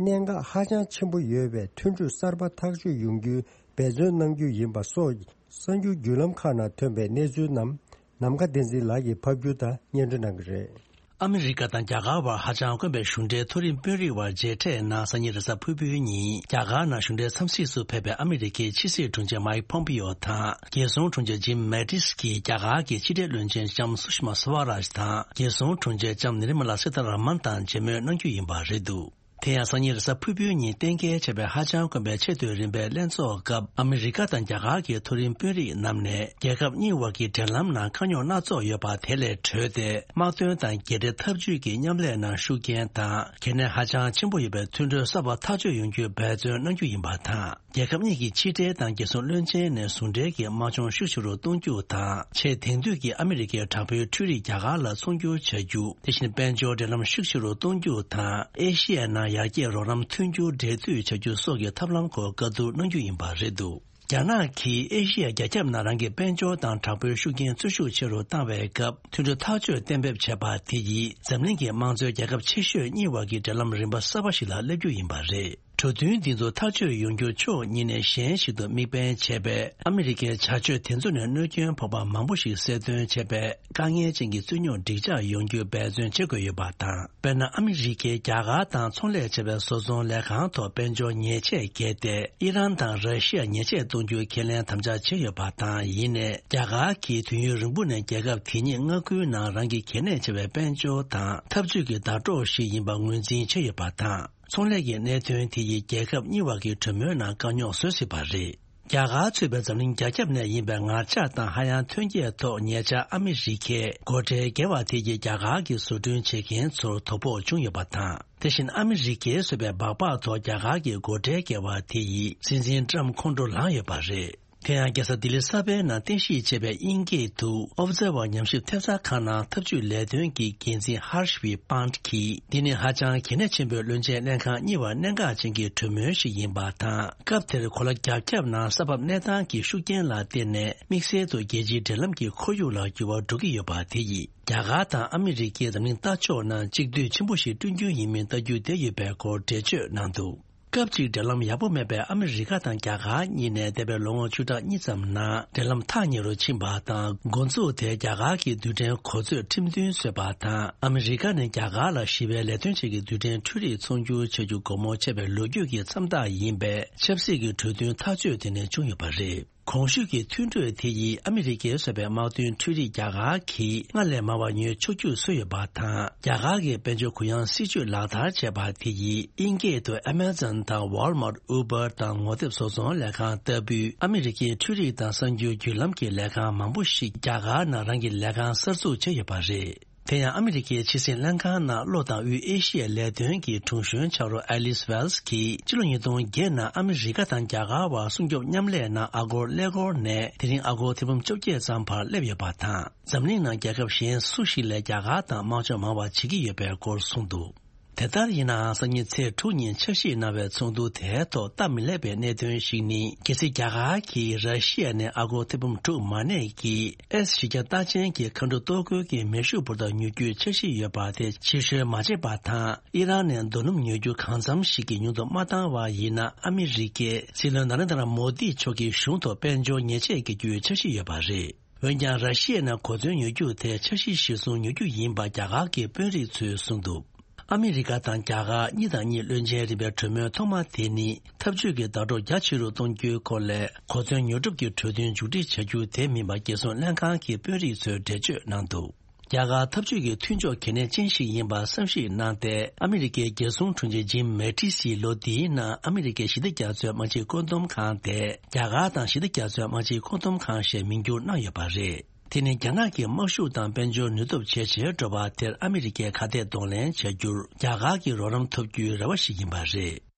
གནད་འགག་ཧ་ཅང་ཆེན་པོ་ཡོད་པའི་མཐུན་གྲོས་གསར་པ་ཐག་གཅོད་ཡོང་རྒྱུའི་འབད་བརྩོན་གནང་རྒྱུ་ཡིན་པ་སོགས་གསར་འགྱུར་བརྒྱུད་ལམ་ཁག་ནང་ཐོན་པའི་གནས་ཚུལ་རྣམས་ནམ་མཁའ་བསྟན་འཛིན་ལགས་ཀྱིས་ཕབ་སྒྱུར་དང་སྙན་སྒྲོན་གནང་གི་རེད། ཨ་མི་རི་ཀ་དང་རྒྱ་གར་བར་ཧ་ཅང་དཀོན་པའི་གཞུང་འབྲེལ་མཐོ་རིམ་དཔོན་རིགས་བར་མཇལ་འཕྲད་གནང་། སང་ཉིན་རེས་གཟའ་ཕུར་བུའི་ཉིན་རྒྱ་གར་ནང་གཞུང་འབྲེལ་འཚམས་གཟིགས་སུ་ཕེབས་པའི་ཨ་མི་རི་ཀའི་ཕྱི་སྲིད་དྲུང་ཆེ་མཱིག་ཕོམ་པིའོ་དང་། རྒྱལ་སྲུང་དྲུང་ཆེ་ཇིམ་མེ་ཏིས་ཀྱིས་རྒྱ་གར་གྱི་ཕྱི་འབྲེལ་བློན་ཆེན་ལྕམ་སུ་ཤི་མ་སུ་ཝ་རཱཇ་དང་། རྒྱལ་སྲུང་དྲུང་ཆེ་ལྕམ་ནི་རི་མ་ལ་སི་ཐ་ར་མན་དང་མཇལ་མོལ་གནང་རྒྱུ་ཡིན་པ་རེད་འདུག་དེ་ཡང་སང་ཉིན་རེས་གཟའ་ཕུར་བུའི་ཉིན་གཏན་འཁེལ་བྱས་པའི་ཧ་ཅང་དཀོན་པའི་ཆེས་མཐོའི་རིམ་པའི་ལྷན་ཚོགས་སྐབས། ཨ་མི་རི་ཀ་དང་རྒྱ་གར་གྱི་མཐོ་རིམ་དཔོན་རིགས་རྣམས་ནས། རྒྱལ་ཁབ་གཉིས་དབར་གྱི་འབྲེལ་ལམ་ནང་དཀའ་རྙོག་སྣ་ཚོགས་ཡོད་པ་དེ་ལས་གྲོལ་ཏེ། དམག་དོན་དང་རྒྱལ་འབྲེལ་འཐབ་ཇུས་ཀྱི་མཉམ་ལས་ནང་ཤུགས་རྐྱེན་དང་། གལ་གནད་ཧ་ཅང་ཆེན་པོ་ཡོད་པའི་མཐུན་གྲོས་གསར་པ་ཐག་གཅོད་ཡོང་རྒྱུའི་འབད་བརྩོན་གནང་རྒྱུ་ཡིན་པ་དང་། རྒྱལ་ཁབ་གཉིས་ཀྱི་ཕྱི་འབྲེལ་དང་རྒྱལ་སྲུང་བློན་ཆེན་ནས་ཟུང་འབྲེལ་གྱིས་དམག་སྦྱོང་ཤུགས་ཆེ་རུ་གཏོང་རྒྱུ་དང་། ཆེས་དེང་དུས་ཀྱི་ཨ་མི་རི་ཀའི་དྲག་པོའི་འཕྲུལ་རིག་རྒྱ་གར་ལ་ཚོང་སྒྱུར་བྱ་རྒྱུ། དེ་བཞིན་དཔལ་འབྱོར་འབྲེལ་ལམ་ཤུགས་ཆེ་རུ་གཏོང་རྒྱུ་དང་། ཨེ་ཤི་ཡའི་ནང་ཡར་རྒྱས་རོགས་རམ་མཐུན་འགྱུར་འབྲེལ་མཐུད་བྱ་རྒྱུ་སོགས་ཀྱི་ཐབས་ལམ་སྐོར་བཀའ་བསྡུར་གནང་རྒྱུ་ཡིན་པ་རེད་འདུག་རྒྱ་ནག་གིས་ཨེ་ཤི་ཡ་རྒྱ་ཁྱབ་ནང་རང་གི་དཔལ་འབྱོར་དང་དྲག་པོའི་ཤུགས་རྐྱེན་འཚོལ་ཤུགས་ཆེ་རུ་བཏང་བའི་སྐབས། མཐུན་གྲོས་ཐག་གཅོད་གཏན་འབེབས་བྱས་པ་དེ་ཡིས། འཛམ་གླིང་གི་དམངས་གཙོའི་རྒྱལ་ཁབ་ཆེ་ཤོས་གཉིས་བར་གྱི་འབྲེལ་ལམ་རིམ་པ་གསར་པ་ཞིག་ལ་སླེབས་རྒྱུ་ཡིན་པ་རེད། གྲོས་མཐུན་འདི་ཚོ་ཐག་གཅོད་ཡོང་རྒྱུར་ཕྱོགས་གཉིས་ནས་གཞན་ཞིག་ཏུ་དམིགས་འབེན་བྱས་པས། ཨ་མི་རི་ཀའི་བྱ་སྤྱོད་དེ་ཚོ་ནས་གནོད་སྐྱོན་ཕོག་པ་མང་པོ་ཞིག་གསལ་སྟོན་བྱས་པས། དཀའ་ངལ་ཅན་གྱི་རྩོད་རྙོག་འགྲིག་འཇགས་ཡོང་རྒྱུའི་འབད་བརྩོན་བྱེད་དགོས་ཡོད་པ་དང་། དཔེར་ན། ཨ་མི་རི་ཀས་རྒྱ་གར་དང་ཚོང་ལས་བྱེད་པའི་བཟོ་ཚོང་ལས་ཁང་ཐོག་དཔལ་འབྱོར་ཉེས་ཆད་འགེལ་ཏེ། ཨི་རན་དང་ར་ཤི་ཡར་ཉེས་ཆད་གཏོང་རྒྱུའི་ཁས་ལེན་དམ་བཅའ་བྱས་ཡོད་པ་དང་། ཡིན་ནའི། རྒྱ་གར་གྱིས་དུས་ཡུན་རིང་པོ་ནས་རྒྱལ་ཁབ་དེ་ཉིད་མངའ་ཁུལ་ནང་རང་གི་གལ་གནད་ཆེ་བའི་དཔལ་འབྱོར་དང་འཐབ་ཇུས་ཀྱི་ཟླ་གྲོགས་ཤིག་ཡིན་པ་ངོས་འཛིན་བྱས་ཡོད་པ་དང་། ཚོང་ལས་ཀྱི་གནད་དོན་དེ་ཡིས་རྒྱལ་ཁབ་གཉིས་བར་གྱི་གྲོས་མོལ་ནང་དཀའ་རྙོག་བཟོ་སྲིད་པ་རེད། རྒྱ་གར་གཙོས་པའི་འཛམ་གླིང་རྒྱ་ཁྱབ་ནས་ཡིན་པའི་ངར་ལྕགས་དང་ཧ་ཡང་ཐོན་སྐྱེད་ཐོག་ཉེ་ཆར་ཨ་མི་རི་ཀས་སྒོ་ཁྲལ་བཀལ་བ་དེ་ཡིས་རྒྱ་གར་གྱི་བཟོ་སྐྲུན་བྱེད་མཁན་ཚོར་དོ་ཕོག་བྱུང་ཡོད་པ་དང་། དེ་བཞིན་ཨ་མི་རི་ཀས་བཟོས་པའི་སྦག་སྦག་ཐོག་རྒྱ་གར་གྱིས་སྒོ་ཁྲལ་བཀལ་བ་དེ་ཡིས་སྲིད་འཛིན་ཀྲམ་ཁོང་ཁྲོ་ལངས་ཡོད་པ་རེད། དེ་ཡང་རྒྱལ་ས་ལྡི་ལི་གསར་པའི་ནང་རྟེན་གཞི་བྱས་པའི་དབྱིན་སྐད་དུ་Observer ཉམས་ཞིབ་ཐེབས་རྩ་ཁང་ནང་ཐབས་ཇུས་ལས་དོན་གྱི་འགན་འཛིན་Harshvi Pant གྱིས། འདི་ནི་ཧ་ཅང་གལ་གནད་ཆེན་པོའི་བློན་ཆེན་ལྷན་ཁང་གཉིས་བར་གནད་འགག་ཅན་གྱི་གྲོས་མོལ་ཞིག་ཡིན་པ་དང་། སྐབས་དེར་གོ་ལ་རྒྱ་ཁྱབ་ནང་ས་བབ་གནས་སྟངས་ཀྱི་ཤུགས་རྐྱེན་ལ་བརྟེན་ནས། དམིགས་བསལ་དུ་རྒྱལ་སྤྱིའི་འབྲེལ་ལམ་གྱི་ཁོར་ཡུག་ལ་འགྱུར་བ་འགྲོ་གི་ཡོད་པ་དེ་ཡིས། རྒྱ་གར་དང་ཨ་མི་རི་ཀས་འཛམ་གླིང་ལྟ་ཕྱོགས་ནང་གཅིག་སྡུད་ཆེན་པོ་ཞིག་བསྐྲུན་རྒྱུ་ཡིན་མིན་ལྟ་རྒྱུ་བསྡད་ཡོད་པའི་སྐོར་འགྲེལ་བརྗོད་གནང་འདུག་སྐབས་གཅིག་འབྲེལ་ལམ་ཡག་པོ་མེད་པའི་ཨ་མི་རི་ཀ་དང་རྒྱ་གར་གཉིས་ནས་འདས་པའི་ལོ་ངོ་བཅུ་ཕྲག་གཉིས་ཙམ་ནང་འབྲེལ་ལམ་ཐག་ཉེ་རུ་ཕྱིན་པ་དང་། འགོ་འཛུགས་དེ་རྒྱ་གར་གྱི་རྡུལ་ཕྲན་གོ་མཛོད་ཁྲིམས་མཐུན་བཟོས་པ་དང་། ཨ་མི་རི་ཀ་ནས་རྒྱ་གར་ལ་ཞི་བའི་ལས་དོན་བྱེད་ཀྱི་རྡུལ་ཕྲན་འཕྲུལ་རིག་ཚོང་སྒྱུར་བྱ་རྒྱུ་སྒོ་མོ་ཕྱེ་བའི་ལོ་རྒྱུས་ཀྱི་མཚམས་རྟགས་ཡིན་པའི་ཆབ་སྲིད་ཀྱི་གྲོས་མཐུན་ཐག་གཅོད་དེ་ནས་བྱུང་ཡོད་པ་རེད། གོང་ཞུས་ཀྱི་མཐུན་གྲོས་དེ་ཡིས་ཨ་མི་རི་ཀས་བཟོས་པའི་དམག་དོན་འཕྲུལ་རིག་རྒྱ་གར་གྱིས་སྔར་ལས་མང་བ་ཉོ་ཆོག་རྒྱུ་བཟོས་ཡོད་པ་དང་། རྒྱ་གར་གྱི་དཔལ་འབྱོར་གུ་ཡངས་སྲིད་ཇུས་ལག་བསྟར་བྱས་པ་དེ་ཡིས་དབྱིན་སྐད་དུ་Amazon དང་Walmart, Uber དང་ངོ་དེབ་བཟོ་ཚོང་ལས་ཁང་ལྟ་བུའི་ཨ་མི་རི་ཀའི་འཕྲུལ་རིག་དང་གསར་འགྱུར་བརྒྱུད་ལམ་གྱི་ལས་ཁང་མང་པོ་ཞིག་རྒྱ་གར་ནང་རང་གི་ལས་ཁང་གསར་འཛུགས་བྱས་ཡོད་པ་རེད། དེ་ཡང་ཨ་མི་རི་ཀའི་ཕྱི་སྲིད་ལྷན་ཁང་ནང་ལྷོ་དང་དབུས་ཨེ་ཤི་ཡའི་ལས་དོན་གྱི་དྲུང་གཞོན་ཆགས་རོགས་Alice Wells གྱིས་ཕྱི་ལོ་ཉིས་སྟོང་བརྒྱད་ནང་ཨ་མི་རི་ཀ་དང་རྒྱ་གར་བར་སྲུང་སྐྱོབ་མཉམ་ལས་ནང་ཨ་སྒོར་ཀླད་ཀོར་ནས་དེ་རིང་ཨ་སྒོར་ཐེར་འབུམ་བཅོ་བརྒྱད་ཙམ་བར་སླེབས་ཡོད་པ་དང་། འཛམ་གླིང་ནང་རྒྱལ་ཁབ་གཞན་སུ་ཞིག་ལས་རྒྱ་གར་དང་དམག་སྦྱོང་མང་བ་བྱེད་ཀྱི་ཡོད་པའི་སྐོར་གསུངས་འདུག་དེ་ལྟར་ཡིན་ནའང་སང་ཉིན་ཚེས་དྲུག་ཉིན་འཆར་གཞི་གནང་བའི་ཚོགས་འདུ་དེའི་ཐོག་སྟབས་མི་ལེགས་པའི་གནད་དོན་ཞིག་ནི། གལ་སྲིད་རྒྱ་གར་གྱིས་ར་ཤི་ཡ་ནས་ཨ་སྒོར་ཐེར་འབུམ་དྲུག་མ་གནས་ཀྱི་ཨེས་གཞི་རྒྱ་རྟགས་ཅན་གྱི་མཁའ་འགྲོ་གཏོར་རྒོལ་གྱི་མེ་ཤུགས་འབོར་ཐང་ཉོ་རྒྱུའི་འཆར་གཞི་ཡོད་པ་དེ་ཕྱིར་བཤོལ་མ་བྱས་པ་དང་། ཨི་རན་ནས་རྡོ་སྣུམ་ཉོ་རྒྱུ་གང་འཚམ་ཞིག་གིས་ཉུང་དུ་མ་བཏང་བ་ཡིན་ན། ཨ་མི་རི་ཀས་སྲིད་བློན་ན་རེན་དྲ་མོ་དི་མཆོག་གི་གཞུང་ཐོག་དཔལ་འབྱོར་ཉེས་ཆད་འགེལ་རྒྱུའི་འཆར་གཞི་ཡོད་པ་རེད། འོན་ཀྱང་། ར་ཤི་ཡ་ནས་གོ་མཚོན་ཉོ་རྒྱུ་དེ་འཆར་གཞི་གཞིར་བཟུང་ཉོ་རྒྱུ་ཡིན་པ་རྒྱ་གར་གྱི་དཔོན་རིགས་ཚོས་གསུངས་འདུག་ཨ་མི་རི་ཀ་དང་རྒྱ་གར་གཉིས་དང་གཉིས་བློན་ཆེན་རིམ་པའི་གྲོས་མོལ་ཐོག་མ་དེ་ནི། འཐབ་ཇུས་ཀྱི་ཟླ་གྲོགས་རྒྱ་ཆེ་རུ་གཏོང་རྒྱུའི་སྐོར་ལས། གོ་མཚོན་ཉོ་སྒྲུབ་ཀྱི་གྲོས་མཐུན་མཇུག་སྒྲིལ་བྱ་རྒྱུ་དེ་མིན་པ། རྒྱལ་སྲུང་ལྷན་ཁང་གི་དཔོན་རིགས་ཚོས་འགྲེལ་བརྗོད་གནང་འདུག་རྒྱ་གར་འཐབ་ཇུས་ཀྱི་མཐུན་ཕྱོགས་གལ་གནད་ཅན་ཞིག་ཡིན་པར་བསམ་གཞིག་གནང་སྟེ། ཨ་མི་རི་ཀའི་རྒྱལ་སྲུང་དྲུང་ཆེ་ཇིམ་མེ་ཏིས་ཡིས་ལོ་འདིའི་ནང་ཨ་མི་རི་ཀའི་ཞི་བདེ་རྒྱ་མཚོའི་དམག་སྤྱི་བཀོད་འདོམས་ཁང་དེ། རྒྱ་གར་དང་ཞི་བདེ་རྒྱ་མཚོའི་དམག་སྤྱི་བཀོད་འདོམས་ཁང་ཞེས་མིང་བསྒྱུར་གནང་ཡོད་པ་རེད། དེ་ནི་རྒྱ་ནག་གི་དམག་ཤུགས་དང་དཔལ་འབྱོར་ནུས་སྟོབས་ཇེ་ཆེར་འགྲོ་བ་དེར་ཨ་མི་རི་ཀས་ཁ་གཏད་གདོང་ལེན་བྱ་རྒྱུར་རྒྱ་གར་གྱི་རོགས་རམ་ཐོབ་རྒྱུའི་རེ་བ་ཞིག་ཡིན་པ་རེད།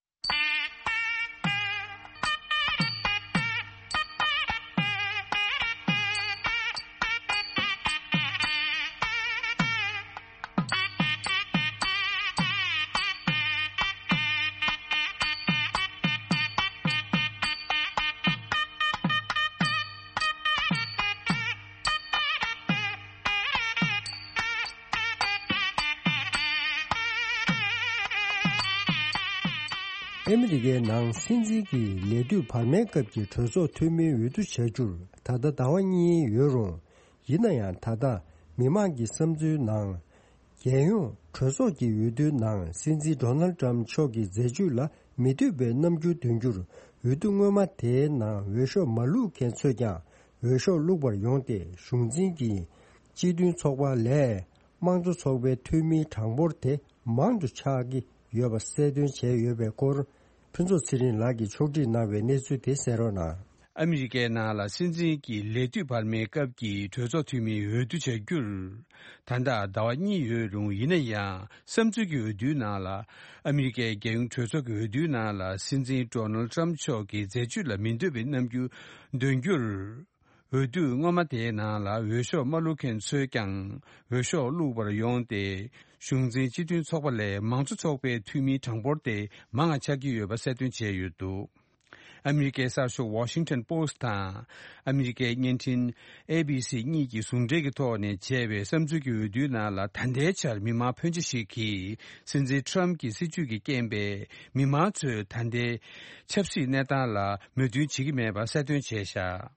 ཨ་མི་རི་ཀའི་ནང་སྲིད་འཛིན་གྱི་ལས་དུས་བར་མའི་སྐབས་ཀྱི་གྲོས་ཚོགས་འཐུས་མིའི་འོས་བསྡུ་བྱ་རྒྱུར་ད་ལྟ་ཟླ་བ་གཉིས་ཡོད་རུང་། ཡིན་ན་ཡང་ད་ལྟ་མི་མང་གི་བསམ་ཚུལ་ནང་། རྒྱལ་ཡོངས་གྲོས་ཚོགས་ཀྱི་འོས་བསྡུའི་ནང་སྲིད་འཛིན་ཌོ་ནལ་ཌི་ཊརམ་མཆོག་གི་མཛད་ཇུས་ལ་མི་འདོད་པའི་རྣམ་འགྱུར་འདོན་རྒྱུར། འོས་བསྡུ་སྔོན་མ་དེའི་ནང་འོས་ཤོག་མ་བླུགས་མཁན་ཚོས་ཀྱང་འོས་ཤོག་བླུགས་པར་ཡོང་སྟེ། གཞུང་འཛིན་གྱི་སྤྱི་མཐུན་ཚོགས་པ་ལས་དམངས་གཙོ་ཚོགས་པའི་འཐུས་མིའི་གྲངས་འབོར་དེ་མང་དུ་ཆགས་ཀྱི་ཡོད་པ་གསལ་སྟོན་བྱས་ཡོད་པའི་སྐོར། ཕུན་ཚོགས་ཚེ་རིང་ལགས་ཀྱིས་ཕྱོགས་སྒྲིག་གནང་བའི་གནས་ཚུལ་དེ་གསན་རོགས་གནང་། ཨ་མི་རི་ཀའི་ནང་ལ་སྲིད་འཛིན་གྱི་ལས་དུས་བར་མའི་སྐབས་ཀྱི་གྲོས་ཚོགས་འཐུས་མིའི་འོས་བསྡུ་བྱ་རྒྱུར། ད་ལྟ་ཟླ་བ་གཉིས་ཡོད་རུང་། ཡིན་ན་ཡང་བསམ་ཚུལ་གྱི་འོས་བསྡུའི་ནང་ལ། ཨ་མི་རི་ཀའི་རྒྱལ་ཡོངས་གྲོས་ཚོགས་ཀྱི་འོས་བསྡུའི་ནང་ལ་སྲིད་འཛིན་ཌོ་ནལ་ཌི་ཊརམ་མཆོག་གི་མཛད་ཇུས་ལ་མི་འདོད་པའི་རྣམ་འགྱུར་འདོན་རྒྱུར། འོས་བསྡུ་སྔོན་མ་དེའི་ནང་ལ་འོས་ཤོག་མ་བླུགས་མཁན་ཚོས་ཀྱང་འོས་ཤོག་བླུགས་པར་ཡོང་སྟེ། གཞུང་འཛིན་སྤྱི་མཐུན་ཚོགས་པ་ལས་མང་གཙོ་ཚོགས་པའི་འཐུས་མིའི་གྲངས་འབོར་དེ་མང་བ་ཆགས་ཀྱི་ཡོད་པ་གསལ་སྟོན་བྱས་ཡོད་འདུག་ཨ་མི་རི་ཀའི་གསར་ཤོག་Washington Post་དང་། ཨ་མི་རི་ཀའི་བརྙན་འཕྲིན་ཨེ་བི་སི་གཉིས་ཀྱིས་ཟུང་འབྲེལ་གྱི་ཐོག་ནས་བྱས་པའི་བསམ་ཚུལ་གྱི་འོས་བསྡུའི་ནང་ལ། ད་ལྟའི་ཆར་མི་མང་ཕོན་ཆེ་ཞིག་གིས་སྲིད་འཛིན་ཊརམ་གྱི་སྲིད་བྱུས་ཀྱི་རྐྱེན་པས། མི་མང་ཚོས་ད་ལྟའི་ཆབ་སྲིད་གནས་སྟངས་ལ་མོས་མཐུན་བྱེད་ཀྱི་མེད་པ་གསལ་སྟོན་བྱས་བཞག་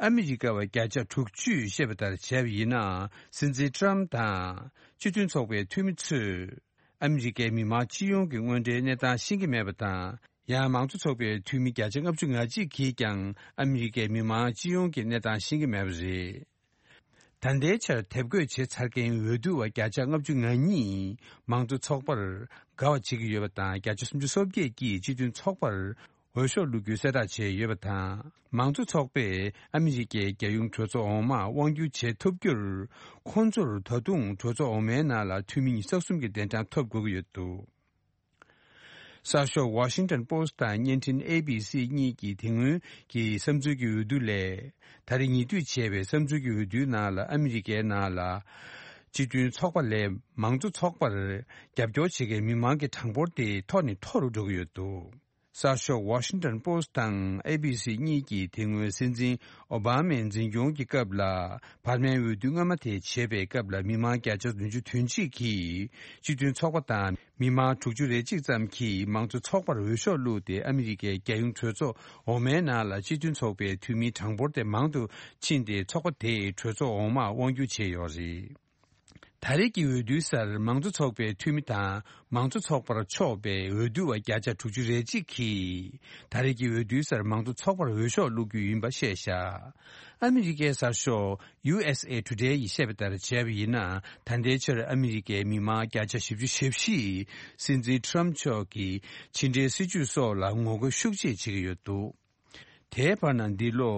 ཨ་མི་རི་ཀ་བ་བརྒྱ་ཆ་དྲུག་ཅུས་བཤད་པ་ལྟར་བྱས་པ་ཡིན་ན། སྲིད་འཛིན་ཊརམ་དང་སྤྱི་མཐུན་ཚོགས་པའི་འཐུས་མི་ཚོས། ཨ་མི་རི་ཀའི་མི་མང་སྤྱི་ཡོངས་ཀྱི་དངོས་འབྲེལ་གནས་སྟངས་ཤེས་ཀྱི་མེད་པ་དང་། ཡང་མང་གཙོ་ཚོགས་པའི་འཐུས་མི་བརྒྱ་ཆ་ལྔ་བཅུ་ང་གཅིག་གིས་ཀྱང་ཨ་མི་རི་ཀའི་མི་མང་སྤྱི་ཡོངས་ཀྱི་གནས་སྟངས་ཤེས་ཀྱི་མེད་པ་རེད། ད་ལྟའི་ཆར་དེབ་འགོད་བྱས་ཚར་མཁན་འོས་བསྡུ་བ་བརྒྱ་ཆ་ལྔ་བཅུ་ང་གཉིས་མང་གཙོ་ཚོགས་པར་དགའ་བ་བྱེད་ཀྱི་ཡོད་པ་དང་། བརྒྱ་ཆ་སུམ་ཅུ་སོ་བརྒྱད་ཀྱིས་སྤྱི་མཐུན་ཚོགས་པར་འོས་ཤོག་བླུག་རྒྱུའི་གསལ་བསྒྲགས་བྱས་ཡོད་པ་དང་། མང་གཙོ་ཚོགས་པས་ཨ་མི་རི་ཀའི་རྒྱལ་ཡོངས་གྲོས་ཚོགས་འོག་མར་དབང་སྒྱུར་བྱེད་ཐུབ་རྒྱུར། ཁོང་ཚོར་ད་དུང་གྲོས་ཚོགས་འོག་མའི་ནང་ལ་འཐུས་མི་ཉི་ཤུ་རྩ་གསུམ་གྱི་གདན་གྲངས་ཐོབ་དགོས་ཀྱི་ཡོད་འདུག་གསར་ཤོག་Washington Post་དང་བརྙན་འཕྲིན་ཨེ་བི་སི་གཉིས་ཀྱིས་དེ་སྔོན་གྱི་བསམ་ཚུལ་གྱི་འོས་བསྡུ་ལས། ད་རེས་ཉེ་དུས་བྱས་པའི་བསམ་ཚུལ་གྱི་འོས་བསྡུའི་ནང་ལ་ཨ་མི་རི་ཀའི་ནང་ལ། སྤྱི་མཐུན་ཚོགས་པ་ལས་མང་གཙོ་ཚོགས་པར་རྒྱབ་སྐྱོར་བྱེད་མཁན་མི་མང་གི་གྲངས་འབོར་དེ་མཐོ་ནས་མཐོ་རུ་འགྲོ་གི་ཡོད་འདུག་གསར་ཤོག་Washington Post་དང་ཨེ་བི་སི་གཉིས་ཀྱིས་དེ་སྔོན་སྲིད་འཛིན་ཨོ་བྷ་མའི་འཛིན་སྐྱོང་གི་སྐབས་ལ། བར་མའི་འོས་བསྡུ་སྔ་མ་དེ་བྱེད་པའི་སྐབས་ལ། མི་མང་བརྒྱ་ཆ་བདུན་ཅུ་དོན་གཅིག་གིས་སྤྱི་མཐུན་ཚོགས་པ་དང་། མི་མང་དྲུག་ཅུ་རེ་གཅིག་ཙམ་གྱིས་མང་གཙོ་ཚོགས་པར་འོས་ཤོག་བླུགས་ཏེ། ཨ་མི་རི་ཀའི་རྒྱལ་ཡོངས་གྲོས་ཚོགས་འོག་མའི་ནང་ལ་སྤྱི་མཐུན་ཚོགས་པའི་འཐུས་མིའི་གྲངས་འབོར་དེ་མང་དུ་ཕྱིན་ཏེ། ཚོགས་པ་དེས་གྲོས་ཚོགས་འོག་མར་དབང་སྒྱུར་བྱས་ཡོད་རེད། ད་རེས་ཀྱི་འོས་བསྡུའི་སར་མང་གཙོ་ཚོགས་པའི་འཐུས་མི་དང་། མང་གཙོ་ཚོགས་པར་ཕྱོགས་པའི་འོས་བསྡུ་བ་བརྒྱ་ཆ་དྲུག་ཅུ་རེ་གཅིག་གིས། ད་རེས་ཀྱི་འོས་བསྡུའི་སར་མང་གཙོ་ཚོགས་པར་འོས་ཤོག་བླུག་རྒྱུ་ཡིན་པ་བཤད་བཞག་ཨ་མི་རི་ཀའི་གསར་ཤོག་ཡུ་ཨེས་ཨེ་ཊུ་ཌེ་ཡིས་བཤད་པ་ལྟར་བྱས་པ་ཡིན་ན། ད་ལྟའི་ཆར་ཨ་མི་རི་ཀའི་མི་མང་བརྒྱ་ཆ་བཞི་བཅུ་ཞེ་བཞི་ཡིས་སྲིད་འཛིན་ཊརམ་མཆོག་གི་ཕྱི་འབྲེལ་སྲིད་ཇུས་སོགས་ལ་ངོ་རྒོལ་ཤུགས་ཆེ་བྱེད་ཀྱི་ཡོད་འདུག་དེའི་བར་ན། འདི་ལོ་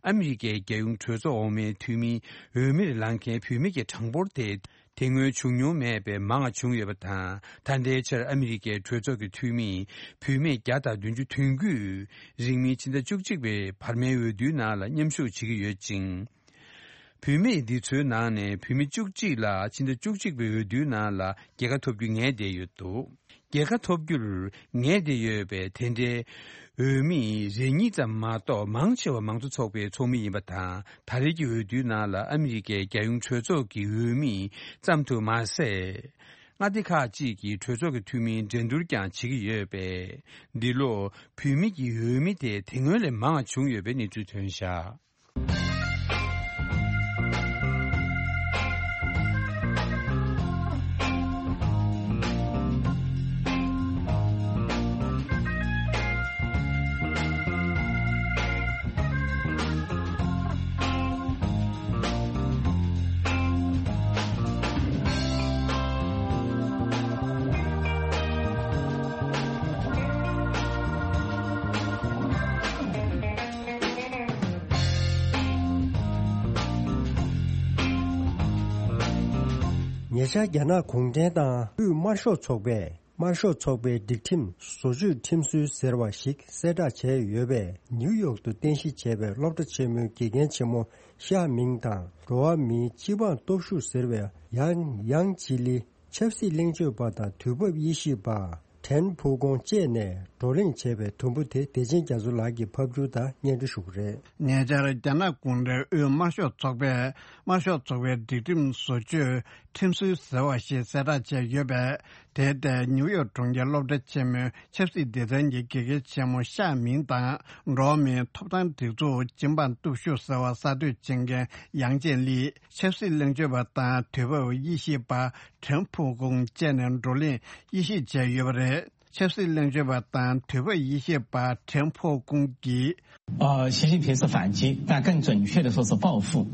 ཨ་མི་རི་ཀའི་རྒྱལ་ཡོངས་གྲོས་ཚོགས་འོག་མའི་འཐུས་མིའི་འོས་མིར་ལངས་མཁན་བུད་མེད་ཀྱི་གྲངས་འབོར་དེ། དེ་སྔོན་བྱུང་མྱོང་མེད་པའི་མང་བ་བྱུང་ཡོད་པ་དང་། ད་ལྟའི་ཆར་ཨ་མི་རི་ཀའི་གྲོས་ཚོགས་ཀྱི་འཐུས་མིས་བུད་མེད་བརྒྱ་དང་བདུན་ཅུ་དོན་དགུས་རིང་མིན་ཕྱི་ཟླ་བཅུ་གཅིག་པའི་བར་མའི་འོས་བསྡུའི་ནང་ལ་མཉམ་ཞུགས་བྱེད་ཀྱི་ཡོད་ཅིང་། བུད་མེད་འདི་ཚོའི་ནང་ནས་བུད་མེད་བཅུ་གཅིག་ལ་ཕྱི་ཟླ་བཅུ་གཅིག་པའི་འོས་བསྡུའི་ནང་ལ་རྒྱལ་ཁ་ཐོབ་རྒྱུ་ངེས་བསྡད་ཡོད་འདུག་རྒྱལ་ཁ་ཐོབ་རྒྱུར་ངེས་བསྡད་ཡོད་པའི་དེ་འདྲའི་འོས་མི་རེ་གཉིས་ཙམ་མ་གཏོགས། མང་ཆེ་བ་མང་གཙོ་ཚོགས་པའི་ཚོགས་མི་ཡིན་པ་དང་། ད་རེས་ཀྱི་འོས་བསྡུའི་ནང་ལ་ཨ་མི་རི་ཀའི་རྒྱལ་ཡོངས་གྲོས་ཚོགས་ཀྱི་འོས་མི་ཙམ་དུ་མ་ཟད། མངའ་སྡེ་ཁག་ཅིག་གི་གྲོས་ཚོགས་ཀྱི་འཐུས་མིའི་འགྲན་བསྡུར་ཀྱང་བྱེད་ཀྱི་ཡོད་པས། འདི་ལོ་བུད་མེད་ཀྱི་འོས་མི་དེ་དེ་སྔོན་ལས་མང་བ་བྱུང་ཡོད་པའི་གནས་ཚུལ་ཐོན་བཞག་ཉེ་ཆར་རྒྱ་ནག་གུང་ཁྲན་ཏང་དབུས་དམར་ཤོག་ཚོགས་པས། དམར་ཤོག་ཚོགས་པའི་སྒྲིག་ཁྲིམས་བཟོ་བཅོས་ཁྲིམས་སྲོལ་ཟེར་བ་ཞིག་གསལ་བསྒྲགས་བྱས་ཡོད་པས། ནིའུ་ཡོག་ཏུ་རྟེན་གཞི་བྱས་པའི་སློབ་གྲྭ་ཆེན་མོའི་དགེ་རྒན་ཆེན་མོ་ཤ་མིང་དང་། འགྲོ་བ་མིའི་སྤྱི་འབངས་སྟོབས་ཤུགས་ཟེར་བའི་ཡང་ཡང་ཅི་ལི། ཆབ་སྲིད་གླེང་བརྗོད་པ་དང་དུས་བབ་དབྱེ་ཞིབ་པ་ཁྲེན་ཕུའུ་ཀོང་བཅས་ནས་བགྲོ་གླེང་བྱས་པའི་དུམ་བུ་དེ་བདེ་ཆེན་རྒྱ་མཚོ་ལགས་ཀྱིས་ཕབ་སྒྱུར་དང་སྙན་སྒྲོན་ཞུ་གི་རེད། ཉེ་ཆར་རྒྱ་ནག་གུང་ཁྲན་དབུས་དམར་ཤོག་ཚོགས་པས་དམར་ཤོག་ཚོགས་པའི་སྒྲིག་ཁྲིམས་བཟོ་བཅོས་ཁྲིམས་སྲོལ་ཟེར་བ་ཞིག་གསལ་བསྒྲགས་བྱས་ཡོད་པས། དེ་ལྟར་ནིའུ་ཡོག་གྲོང་ཁྱེར་སློབ་གྲྭ་ཆེན་མོའི་ཆབ་སྲིད་སྡེ་ཚན་གྱི་དགེ་རྒན་ཆེན་མོ་ཤ་མིང་དང་། འགྲོ་བ་མིའི་ཐོབ་ཐང་སྒྲིག་འཛུགས་ཅིན་པང་སྟོབས་ཤུགས་ཟེར་བ་གསར་གཏོད་བྱེད་མཁན་ཡང་ཅེན་ལི། ཆབ་སྲིད་གླེང་བརྗོད་པ་དང་དུས་བབ་དབྱེ་ཞིབ་པ་ཁྲེན་ཕུའུ་ཀུང་བཅས་ནས་བགྲོ་གླེང་དབྱེ་ཞིབ་བྱས་ཡོད་པ་རེད། ཆབ་སྲིད་གླེང་བརྗོད་པ་དང་དུས་བབ་དབྱེ་ཞིབ་པ་ཁྲེན་ཕུའུ་ཀུང་གིས།呃，习近平是反击，但更准确的说是报复，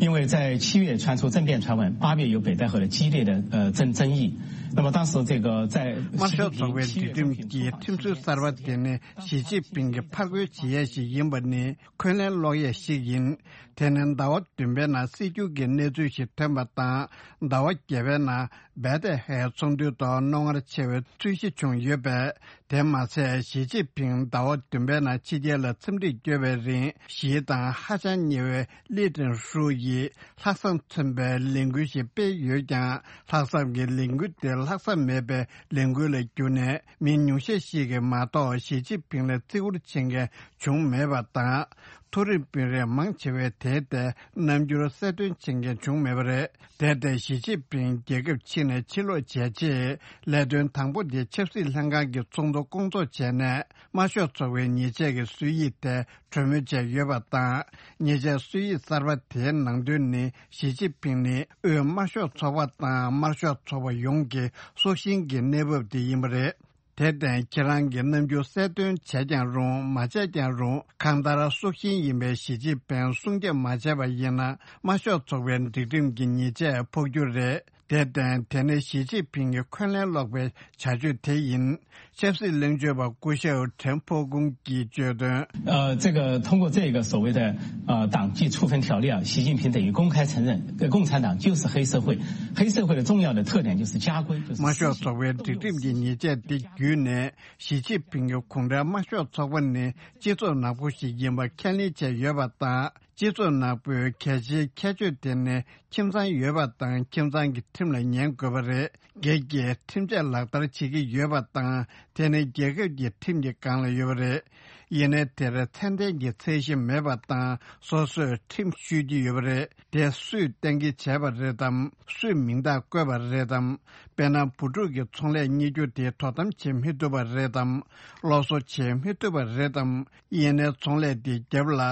因为在七月传出政变传闻，八月又北戴河的激烈的呃争争议。那么当时这个在习近平七月中旬出访期间，དམར་ཤོག་ཚོགས་པའི་སྒྲིག་ཁྲིམས་ཀྱི་ཁྲིམས་སྲོལ་གསར་པ་དེ་ནི་ཞི་ཅིན་ཕིང་གིས་ཕར་རྒོལ་བྱེད་ཡས་ཤིག་ཡིན་པ་ནི་འཁོན་ལན་སློག་ཡས་ཤིག་ཡིན། དེ་ནི་ཟླ་བ་བདུན་པའི་ནང་སྲིད་སྐྱོང་གི་གནས་ཚུལ་ཞིག་ཐོན་པ་དང་། ཟླ་བ་བརྒྱད་པའི་ནང་བེ་ཏེ་ཧའེ་ཚོགས་འདུའི་ཐོག་རྣོ་ངར་ཆེ་བའི་རྩོད་གཞི་བྱུང་ཡོད་པས། དེ་མ་ཟད་ཞི་ཅིན་ཕིང་ཟླ་བ་བདུན་པའི་ནང་ཕྱི་རྒྱལ་ལ་འཚམས་འདྲིར་བསྐྱོད་པའི་རིང་། ཞི་དང་ཧ་ཅང་ཉེ་བའི་ལི་ཀྲན་ཧྲུའུ་ཡིས་ལྷག་བསམ་མཚོན་པའི་ལས་འགུལ་ཞིག་སྤེལ་ཡོད་ཀྱང་། ལྷག་བསམ་གྱི་ལས་འགུལ་དེ་ལྷག་བསམ་མེད་པའི་ལས་འགུལ་ལ་གྱུར་ནས། མི་ཉུང་ཤས་ཤིག་གིས་མ་གཏོགས་ཞི་ཅིན་ཕིང་ལ་བརྩི་བཀུར་བྱེད་མཁན་བྱུང་མེད་པ་དང་། མཐོ་རིམ་དཔོན་རིགས་མང་ཆེ་བས་དེའི་ཐད་རྣམ་འགྱུར་གསལ་སྟོན་བྱེད་མཁན་བྱུང་མེད་པ་རེད། དེར་བརྟེན་ཞི་ཅིན་ཕིང་རྒྱལ་ཁབ་ཕྱི་ནས་ཕྱིར་ལོག་བྱས་རྗེས། ལས་དོན་དང་པོ་དེ་ཆབ་སྲིད་ལྷན་ཁང་གི་ཚོགས་འདུ་སྐོང་ཚོགས་བྱས་ནས། དམར་ཤོག་ཚོགས་པའི་ཉེས་ཆད་ཀྱི་སྲོལ་ཡིག་དེ་གྲོས་མོལ་བྱས་ཡོད་པ་དང་། ཉེས་ཆད་སྲོལ་ཡིག་གསར་པ་དེའི་ནང་དོན་ནི། ཞི་ཅིན་ཕིང་ནི་དབུས་དམར་ཤོག་ཚོགས་པ་དང་། དམར་ཤོག་ཚོགས་པ་ཡོངས་ཀྱི་སྲོག་ཤིང་གི་གནས་བབ་དེ་ཡིན་པ་རེད། དེར་བརྟེན་ཁྱེད་རང་གི་རྣམ་འགྱུར་གསལ་སྟོན་བྱས་ཀྱང་རུང་། མ་བྱས་ཀྱང་རུང་། གང་ལྟར་སྲོག་ཤིང་ཡིན་པའི་ཞི་ཅིན་ཕིང་སྲུང་སྐྱོབ་མ་བྱས་པ་ཡིན་ན། དམར་ཤོག་ཚོགས་པའི་སྒྲིག་ཁྲིམས་ཀྱི་ཉེས་ཆད་ཕོག་རྒྱུ་རེད། དེར་བརྟེན་དེ་ནི་ཞི་ཅིན་ཕིང་གི་འཁོན་ལན་སློག་པའི་བྱ་སྤྱོད་དེ་ཡིན། ཆབ་སྲིད་གླེང་བརྗོད་པ་སྐུ་ཞབས་ཁྲེན་ཕོ་ཀུང་གིས་བརྗོད་དོན། 呃，这个通过这个所谓的呃党纪处分条例啊，习近平等于公开承认，呃共产党就是黑社会，黑社会的重要的特点就是家规，就是私刑。དམར་ཤོག་ཚོགས་པའི་སྒྲིག་ཁྲིམས་ཀྱི་ཉེས་ཆད་དེ་བརྒྱུད་ནས། ཞི་ཅིན་ཕིང་གིས་གུང་ཁྲན་དམར་ཤོག་ཚོགས་པ་ནི་སྤྱི་ཚོགས་ནག་པོ་ཞིག་ཡིན་པ་ཁས་ལེན་བྱས་ཡོད་པ་དང་། སྤྱི་ཚོགས་ནག་པོའི་གལ་ཆེའི་ཁྱད་ཆོས་དེ་ནི། ཁྱིམ་ཚང་ཡོད་པ་དང་། ཁྱིམ་ཚང་གི་ཁྲིམས་ལ་ཉན་དགོས་པ་རེད། སྒེར་གྱི་ཁྲིམས་ཆད་ལག་བསྟར་བྱེད་ཀྱི་ཡོད་པ་དང་། དེ་ནི་རྒྱལ་ཁབ་ཀྱི་ཁྲིམས་ཀྱི་སྒང་ལ་ཡོད་པ་རེད། ཡིན་ནའི་དེར་ཚད་ལྡན་གྱི་ཚད་གཞི་མེད་པ་དང་། སོ་སོས་ཁྲིམས་བཤུས་ཀྱི་ཡོད་པ་རེད། དེ་སུས་གཏན་འཁེལ་བྱས་པ་རེད་དམ། སུས་མིང་རྟགས་བཀོད་པ་རེད་དམ། དཔེར་ན། བུ་ཕྲུག་གི་ཚོང་ལས་གཉེར་རྒྱུ་དེ་དོ་དམ་བྱེད་མི་ཐུབ་པ་རེད་དམ། སློབ་གསོ་བྱེད་མི་ཐུབ་པ་རེད་དམ། ཡིན་ནའི་ཚོང་ལས་དེའི་རྒྱབ་ལ་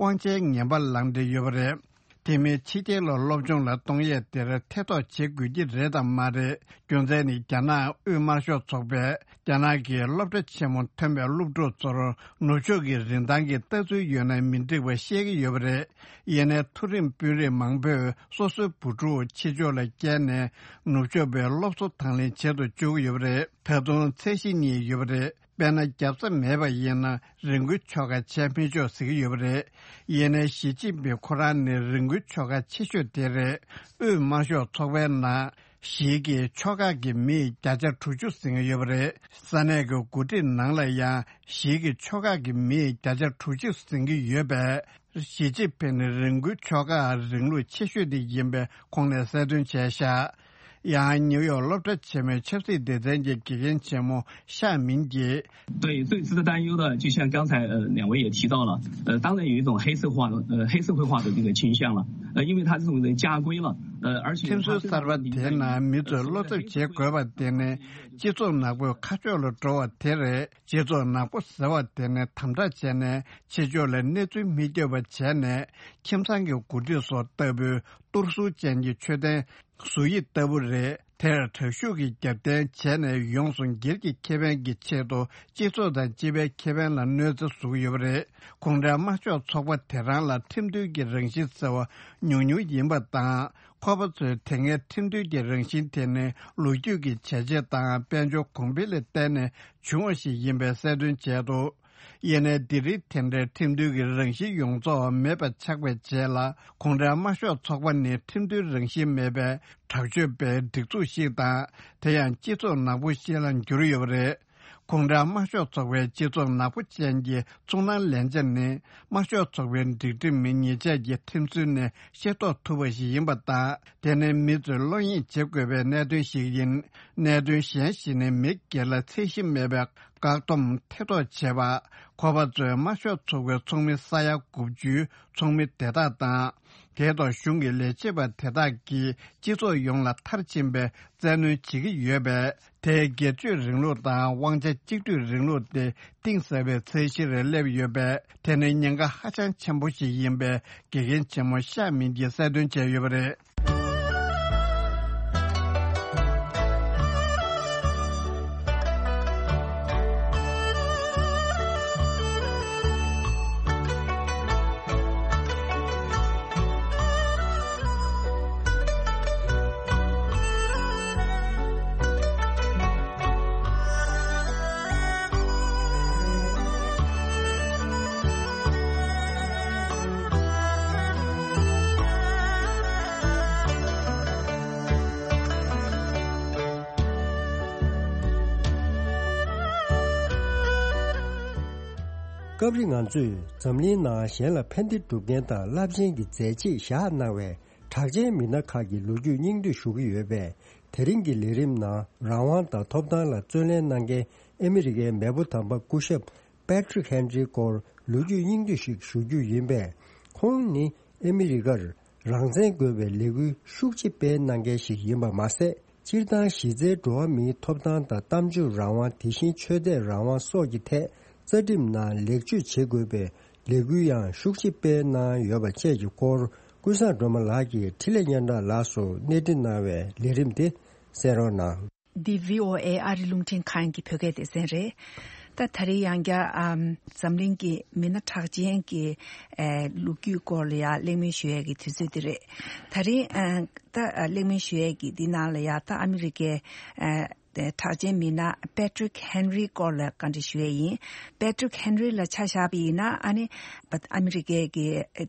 དབང་ཆའི་ངན་པ་ལངས་བསྡད་ཡོད་པ་རེད། དེ་མིན་ཕྱི་རྒྱལ་ལ་སློབ་སྦྱོང་ལ་གཏོང་ཡས་དེར་ཐེ་གཏོགས་བྱེད་དགོས་ཀྱི་རེད་དམ་མ་རེད། རྒྱུ་མཚན་ནི། རྒྱ་ནག་དབུས་དམར་ཤོག་ཚོགས་པས་རྒྱ་ནག་གི་སློབ་གྲྭ་ཆེན་མོ་ཐོན་པའི་སློབ་ཕྲུག་ཚོར་ནུབ་ཕྱོགས་ཀྱི་རིན་ཐང་གི་ལྟ་ཚུལ་ཡོད་ན་མི་འགྲིག་པ་བཤད་ཀྱི་ཡོད་པ་རེད། ཡིན་ནའི་མཐོ་རིམ་དཔོན་རིགས་མང་པོས་སོ་སོའི་བུ་ཕྲུག་ཕྱི་ཕྱོགས་ལ་བསྐྱལ་ནས། ནུབ་ཕྱོགས་པའི་སློབ་གསོ་དང་ལེན་བྱེད་དུ་བཅུག་གི་ཡོད་པ་རེད། ད་དུང་ཚད་གཞི་གཉིས་ཡོད་པ་རེད། དཔེར་ན། རྒྱབ་རྩ་མེད་པ་ཡིན་ན་རི་མགོའི་ཆོ་ག་བྱས་མི་ཆོག་ཟེར་གྱི་ཡོད་པ་རེད། ཡིན་ནའི་ཞི་ཅིན་ཕིང་ཁོ་རང་ནི་རི་མགོའི་ཆོ་ག་ཆེ་ཤོས་དེ་རེད། དབུས་དམར་ཤོག་ཚོགས་པའི་ནང་ཞིག་གི་ཆོ་ག་གི་མིས་བརྒྱ་ཆ་དྲུག་ཅུ་ཟིན་གྱི་ཡོད་པ་རེད། ས་གནས་ཀྱི་འགོ་ཁྲིད་ནང་ལ་ཡང་ཞིག་གི་ཆོ་ག་གི་མིས་བརྒྱ་ཆ་དྲུག་ཅུ་ཟིན་གྱི་ཡོད་པས། ཞི་ཅིན་ཕིང་ནི་རི་མགོའི་ཆོ་ག་རིང་ལུགས་ཆེ་ཤོས་དེ་ཡིན་པའི་ཁོང་ནས་གསལ་སྟོན་བྱས་ཤག་ཡང་ནིའུ་ཡོག་སློབ་གྲྭ་ཆེན་མོའི་ཆབ་སྲིད་སྡེ་ཚན་གྱི་དགེ་རྒན་ཆེན་མོ་ཤ་མིན་གྱིས། 对，最值得担忧的，就像刚才呃两位也提到了，呃，当然有一种黑社会呃黑社会化的这个倾向了，呃，因为他这种人家规了，呃，而且 ཁྲིམས་སྲོལ་གསར་པ་དེའི་ནང་མི་ཚོས་བློ་འཚབ་བྱེད་དགོས་པ་དེ་ནི་སྤྱི་ཚོགས་ནག་པོའི་ཁ་ཕྱོགས་ལ་འགྲོ་བ་དེ་རེད། སྤྱི་ཚོགས་ནག་པོ་ཟེར་བ་དེ་ནི་དམ་དྲག་བྱས་ནས་ཕྱི་ཕྱོགས་ལ་གནས་ཚུལ་མི་སྐྱོབ་པ་བྱས་ནས། ཁྱིམ་ཚང་གི་འགོ་ཁྲིད་སོགས་ལྟ་བུའི་གཏོར་ཟུར་ཅན་གྱི་ཆོས་ལྡན་ཟུར་ཡིག་ལྟ་བུ་རེད། དེར་དྲག་ཤུགས་ཀྱི་རྒྱབ་རྟེན་བྱས་ནས་ཡོངས་སུ་སྒེར་གྱི་ཁེ་ཕན་གྱི་ཆེད་དུ་སྤྱི་ཚོགས་དང་སྤྱི་པའི་ཁེ་ཕན་ལ་གནོད་འཚེ་བཟོ་གི་ཡོད་པ་རེད། གུང་ཁྲན་དམར་ཤོག་ཚོགས་པ་དེ་རང་ལ་ཁྲིམས་མཐུན་གྱི་རང་བཞིན་ཟེར་བ་ཉུང་ཉུང་ཡིན་པ་དང་། ཁོ་པ་ཚོས་དེ་སྔའི་ཁྲིམས་མཐུན་གྱི་རང་བཞིན་དེ་ནི་ལོ་རྒྱུས་ཀྱི་བྱས་རྗེས་དང་དཔལ་འབྱོར་གོང་འཕེལ་ལ་བརྟེན་ནས་བྱུང་བ་ཞིག་ཡིན་པའི་གསལ་སྟོན་བྱས་འདུག་ཡིན་ནའི་འདི་རིང་དེ་འདྲའི་ཁྲིམས་མཐུན་གྱི་རང་བཞིན་ཡོངས་རྫོགས་མེད་པ་ཆགས་པའི་རྗེས་ལ། གུང་ཁྲན་དམར་ཤོག་ཚོགས་པ་ནི་ཁྲིམས་མཐུན་རང་བཞིན་མེད་པའི་དྲག་སྤྱོད་པའི་སྒྲིག་འཛུགས་ཤིག་དང་། དེ་ཡང་སྤྱི་ཚོགས་ནག་པོ་ཞིག་ལ་འགྱུར་ཡོད་པ་རེད། གུང་ཁྲན་དམར་ཤོག་ཚོགས་པའི་སྤྱི་ཚོགས་ནག་པོ་ཅན་གྱི་ཚོར་སྣང་ལེན་བྱ་ནི། དམར་ཤོག་ཚོགས་པའི་སྒྲིག་ཁྲིམས་མི་ཉེས་ཆད་ཀྱི་ཁྲིམས་སྲོལ་ནས་ཤེས་རྟོགས་ཐུབ་པ་ཞིག་ཡིན་པ་དང་། དེ་ནི་མི་ཚོས་བློ་གཉིས་བྱེད་དགོས་པའི་གནད་དོན་ཞིག་ཡིན། གནད་དོན་གཞན་ཞིག་ནི་མི་སྒེར་ལ་ཚད་གཞི་མེད་པའི་ བཀག་སྡོམ་ཐེ་གཏོགས་བྱས་པ། ཁོ་པ་ཚོའི་དམར་ཤོག་ཚོགས་པའི་ཚོགས་མི་ས་ཡ་དགུ་བཅུའི་ཚོགས་མི་དེ་དག་དང་། དེའི་ཐོག་གཞུང་གི་ལས་བྱེད་པ་དེ་དག་གིས་སྤྱི་ཚོགས་ཡོངས་ལ་མཐར་ཕྱིན་པའི་བཙན་གནོན་བྱེད་ཀྱི་ཡོད་པས། དེས་སྒེར་གཅོད་རིང་ལུགས་དང་དབང་ཆ་གཅིག་སྡུད་རིང་ལུགས་དེ་གཏིང་ཟབ་པའི་ཚད་གཞིར་སླེབས་ཡོད་པས། དེ་ནི་ཉེན་ཁ་ཧ་ཅང་ཆེན་པོ་ཞིག་ཡིན་པའི་དགེ་རྒན་ཆེན་མོ་ཤ་མིན་གྱིས་གསལ་སྟོན་བྱས་ཡོད་པ་རེད། སྐབས་རེ་ང་ཚོས་འཛམ་གླིང་ནང་གཞན་ལ་ཕན་བདེ་སྒྲུབ་མཁན་དང་རླབས་ཆེན་གྱི་མཛད་རྗེས་བཞག་གནང་བའི་གྲགས་ཅན་མི་སྣ་ཁག་གི་ལོ་རྒྱུས་སྙིང་བསྡུས་ཞུ་གི་ཡོད་པས། དེ་རིང་གི་ལས་རིམ་ནང་རང་དབང་དང་ཐོབ་ཐང་ལ་བརྩོན་ལེན་གནང་མཁན་ཨ་མི་རི་ཀའི་མེས་པོ་དམ་པ་སྐུ་ཞབས་Patrick Henry་སྐོར་ལོ་རྒྱུས་སྙིང་བསྡུས་ཤིག་ཞུ་རྒྱུ་ཡིན་པས། ཁོང་ནི་ཨ་མི་རི་ཀར་རང་བཙན་དགོས་པའི་ལས་འགུལ་ཤུགས་ཆེ་སྤེལ་གནང་མཁན་ཞིག་ཡིན་པ་མ་ཟད། སྤྱིར་བཏང་གཞི་རྩའི་འགྲོ་བ་མིའི་ཐོབ་ཐང་དང་གཏམ་བརྗོད་རང་དབང་། དེ་བཞིན་ཆོས་དད་རང་དབང་སོགས་ཀྱི་ཐད་རྩ་ཁྲིམས་ནང་ལེགས་བཅོས་བྱེད་དགོས་པའི་ལས་འགུལ་ཡང་ཤུགས་ཆེ་སྤེལ་གནང་ཡོད་པ་བཅས་ཀྱི་སྐོར། ཀུན་བཟང་སྒྲོལ་མ་ལགས་ཀྱིས་འཕྲིན་ལས་སྙན་གྲགས་ལགས་སུ་གནས་འདྲི་གནང་བའི་ལས་རིམ་དེ་གསན་རོགས་གནང་། འདི་བྷི་ཨོ་ཨེ་ཨ་རི་རླུང་འཕྲིན་ཁང་གི་བོད་སྐད་སྡེ་ཚན་རེད། ད་ད་རེས་ཡང་བསྐྱར་ཨམ་འཛམ་གླིང་གི་མི་སྣ་གྲགས་ཅན་གྱི་ཨེ་ལོ་རྒྱུས་སྐོར་ལ་ཡང་གླེང་མོལ་ཞུ་ཡས་ཀྱི་དུས་ཚོད་འདི་རེད། ད་རེས་ཨ་ད་ཨ་གླེང་མོལ་ཞུ་ཡས་ཀྱི་འདི་ནང་ལ་ཡང་ད་ཨ་མི་རི་ཀའི་ཨ་གྲགས་ཅན་མི་སྣ་Patrick Henry་སྐོར་ལ་བཀའ་འདྲི་ཞུ་ཡས་ཡིན། Patrick Henry་ལ་ཆ་བཞག་པ་ཡིན་ན་ཨ་ནི་ཨ་མི་རི་ཀའི་གི་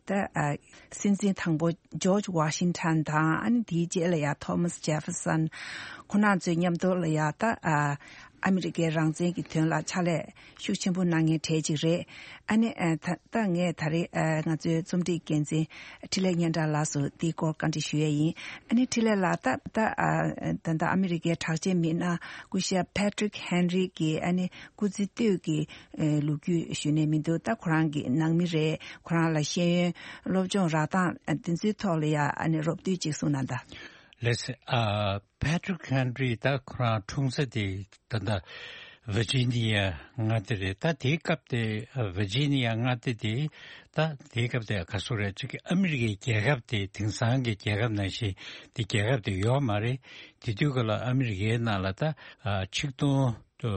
ད་ཨ་སྲིད་འཛིན་དང་པོ་George Washington་དང་ཨ་ནི་དེའི་རྗེས་ལ་ཡང་Thomas Jefferson་ཁོང་རྣམ་ཚོའི་མཉམ་དུ་ལ་ཡང་ད་ཨ་ཨ་མི་རི་ཀའི་རང་བཙན་གྱི་དོན་ལ་ཕྱག་ལས་ཤུགས་ཆེན་པོ་གནང་མཁན་གྲས་ཅིག་རེད། ཨ་ནི་ཨ་ད་ད་ངས་ད་རེས་ཨ་ང་ཚོའི་རྩོམ་སྒྲིག་འགན་འཛིན་འཕྲིན་ལས་སྙན་གྲགས་ལགས་སུ་དེའི་སྐོར་བཀའ་འདྲི་ཞུ་ཡས་ཡིན། ཨ་ནི་འཕྲིན་ལས་ལགས་ད་ད་ཨ་ད་ད་ཨ་མི་རི་ཀའི་གྲགས་ཅན་མི་སྣ་སྐུ་ཞབས་Patrick Henry་གི་ཨ་ནི་སྐུ་ཚེ་སྟོད་ཀྱི་ཨེ་ལོ་རྒྱུས་ཞུས་ནས་མི་འདུག་ད་ཁོ་རང་གི་ནང་མི་རེད། ཁོ་རང་ལ་ཤེས་ཡོན་སློབ་སྦྱོང་རག་སྟངས་ཨ་དེ་ཚོའི་ཐོག་ལ་ཡ་ཨ་ནི་རོབ་བསྡུས་ཅིག་གསུངས་གནང་དང་། ལགས་སེ། ཨ་Patrick Henry་ད་ཁོ་རང་འཁྲུངས་ས་དེ་ད་ལྟ་Virginia་མངའ་སྡེ་རེད། ད་དེའི་སྐབས་དེ་Virginia་མངའ་སྡེ་དེ་ད་དེའི་སྐབས་དེ་ག་སུ་རེད། ཅིག་ཨ་མི་རི་ཀའི་རྒྱལ་ཁབ་དེ་དེང་སང་གི་རྒྱལ་ཁབ་ནང་བཞིན་དེ་རྒྱལ་ཁབ་དེ་ཡོད་མ་རེད། དེ་དུས་སྐབས་ལ་ཨ་མི་རི་ཀའི་ནང་ལ་ད་ཨ་ཆིག་སྟོང་དུ་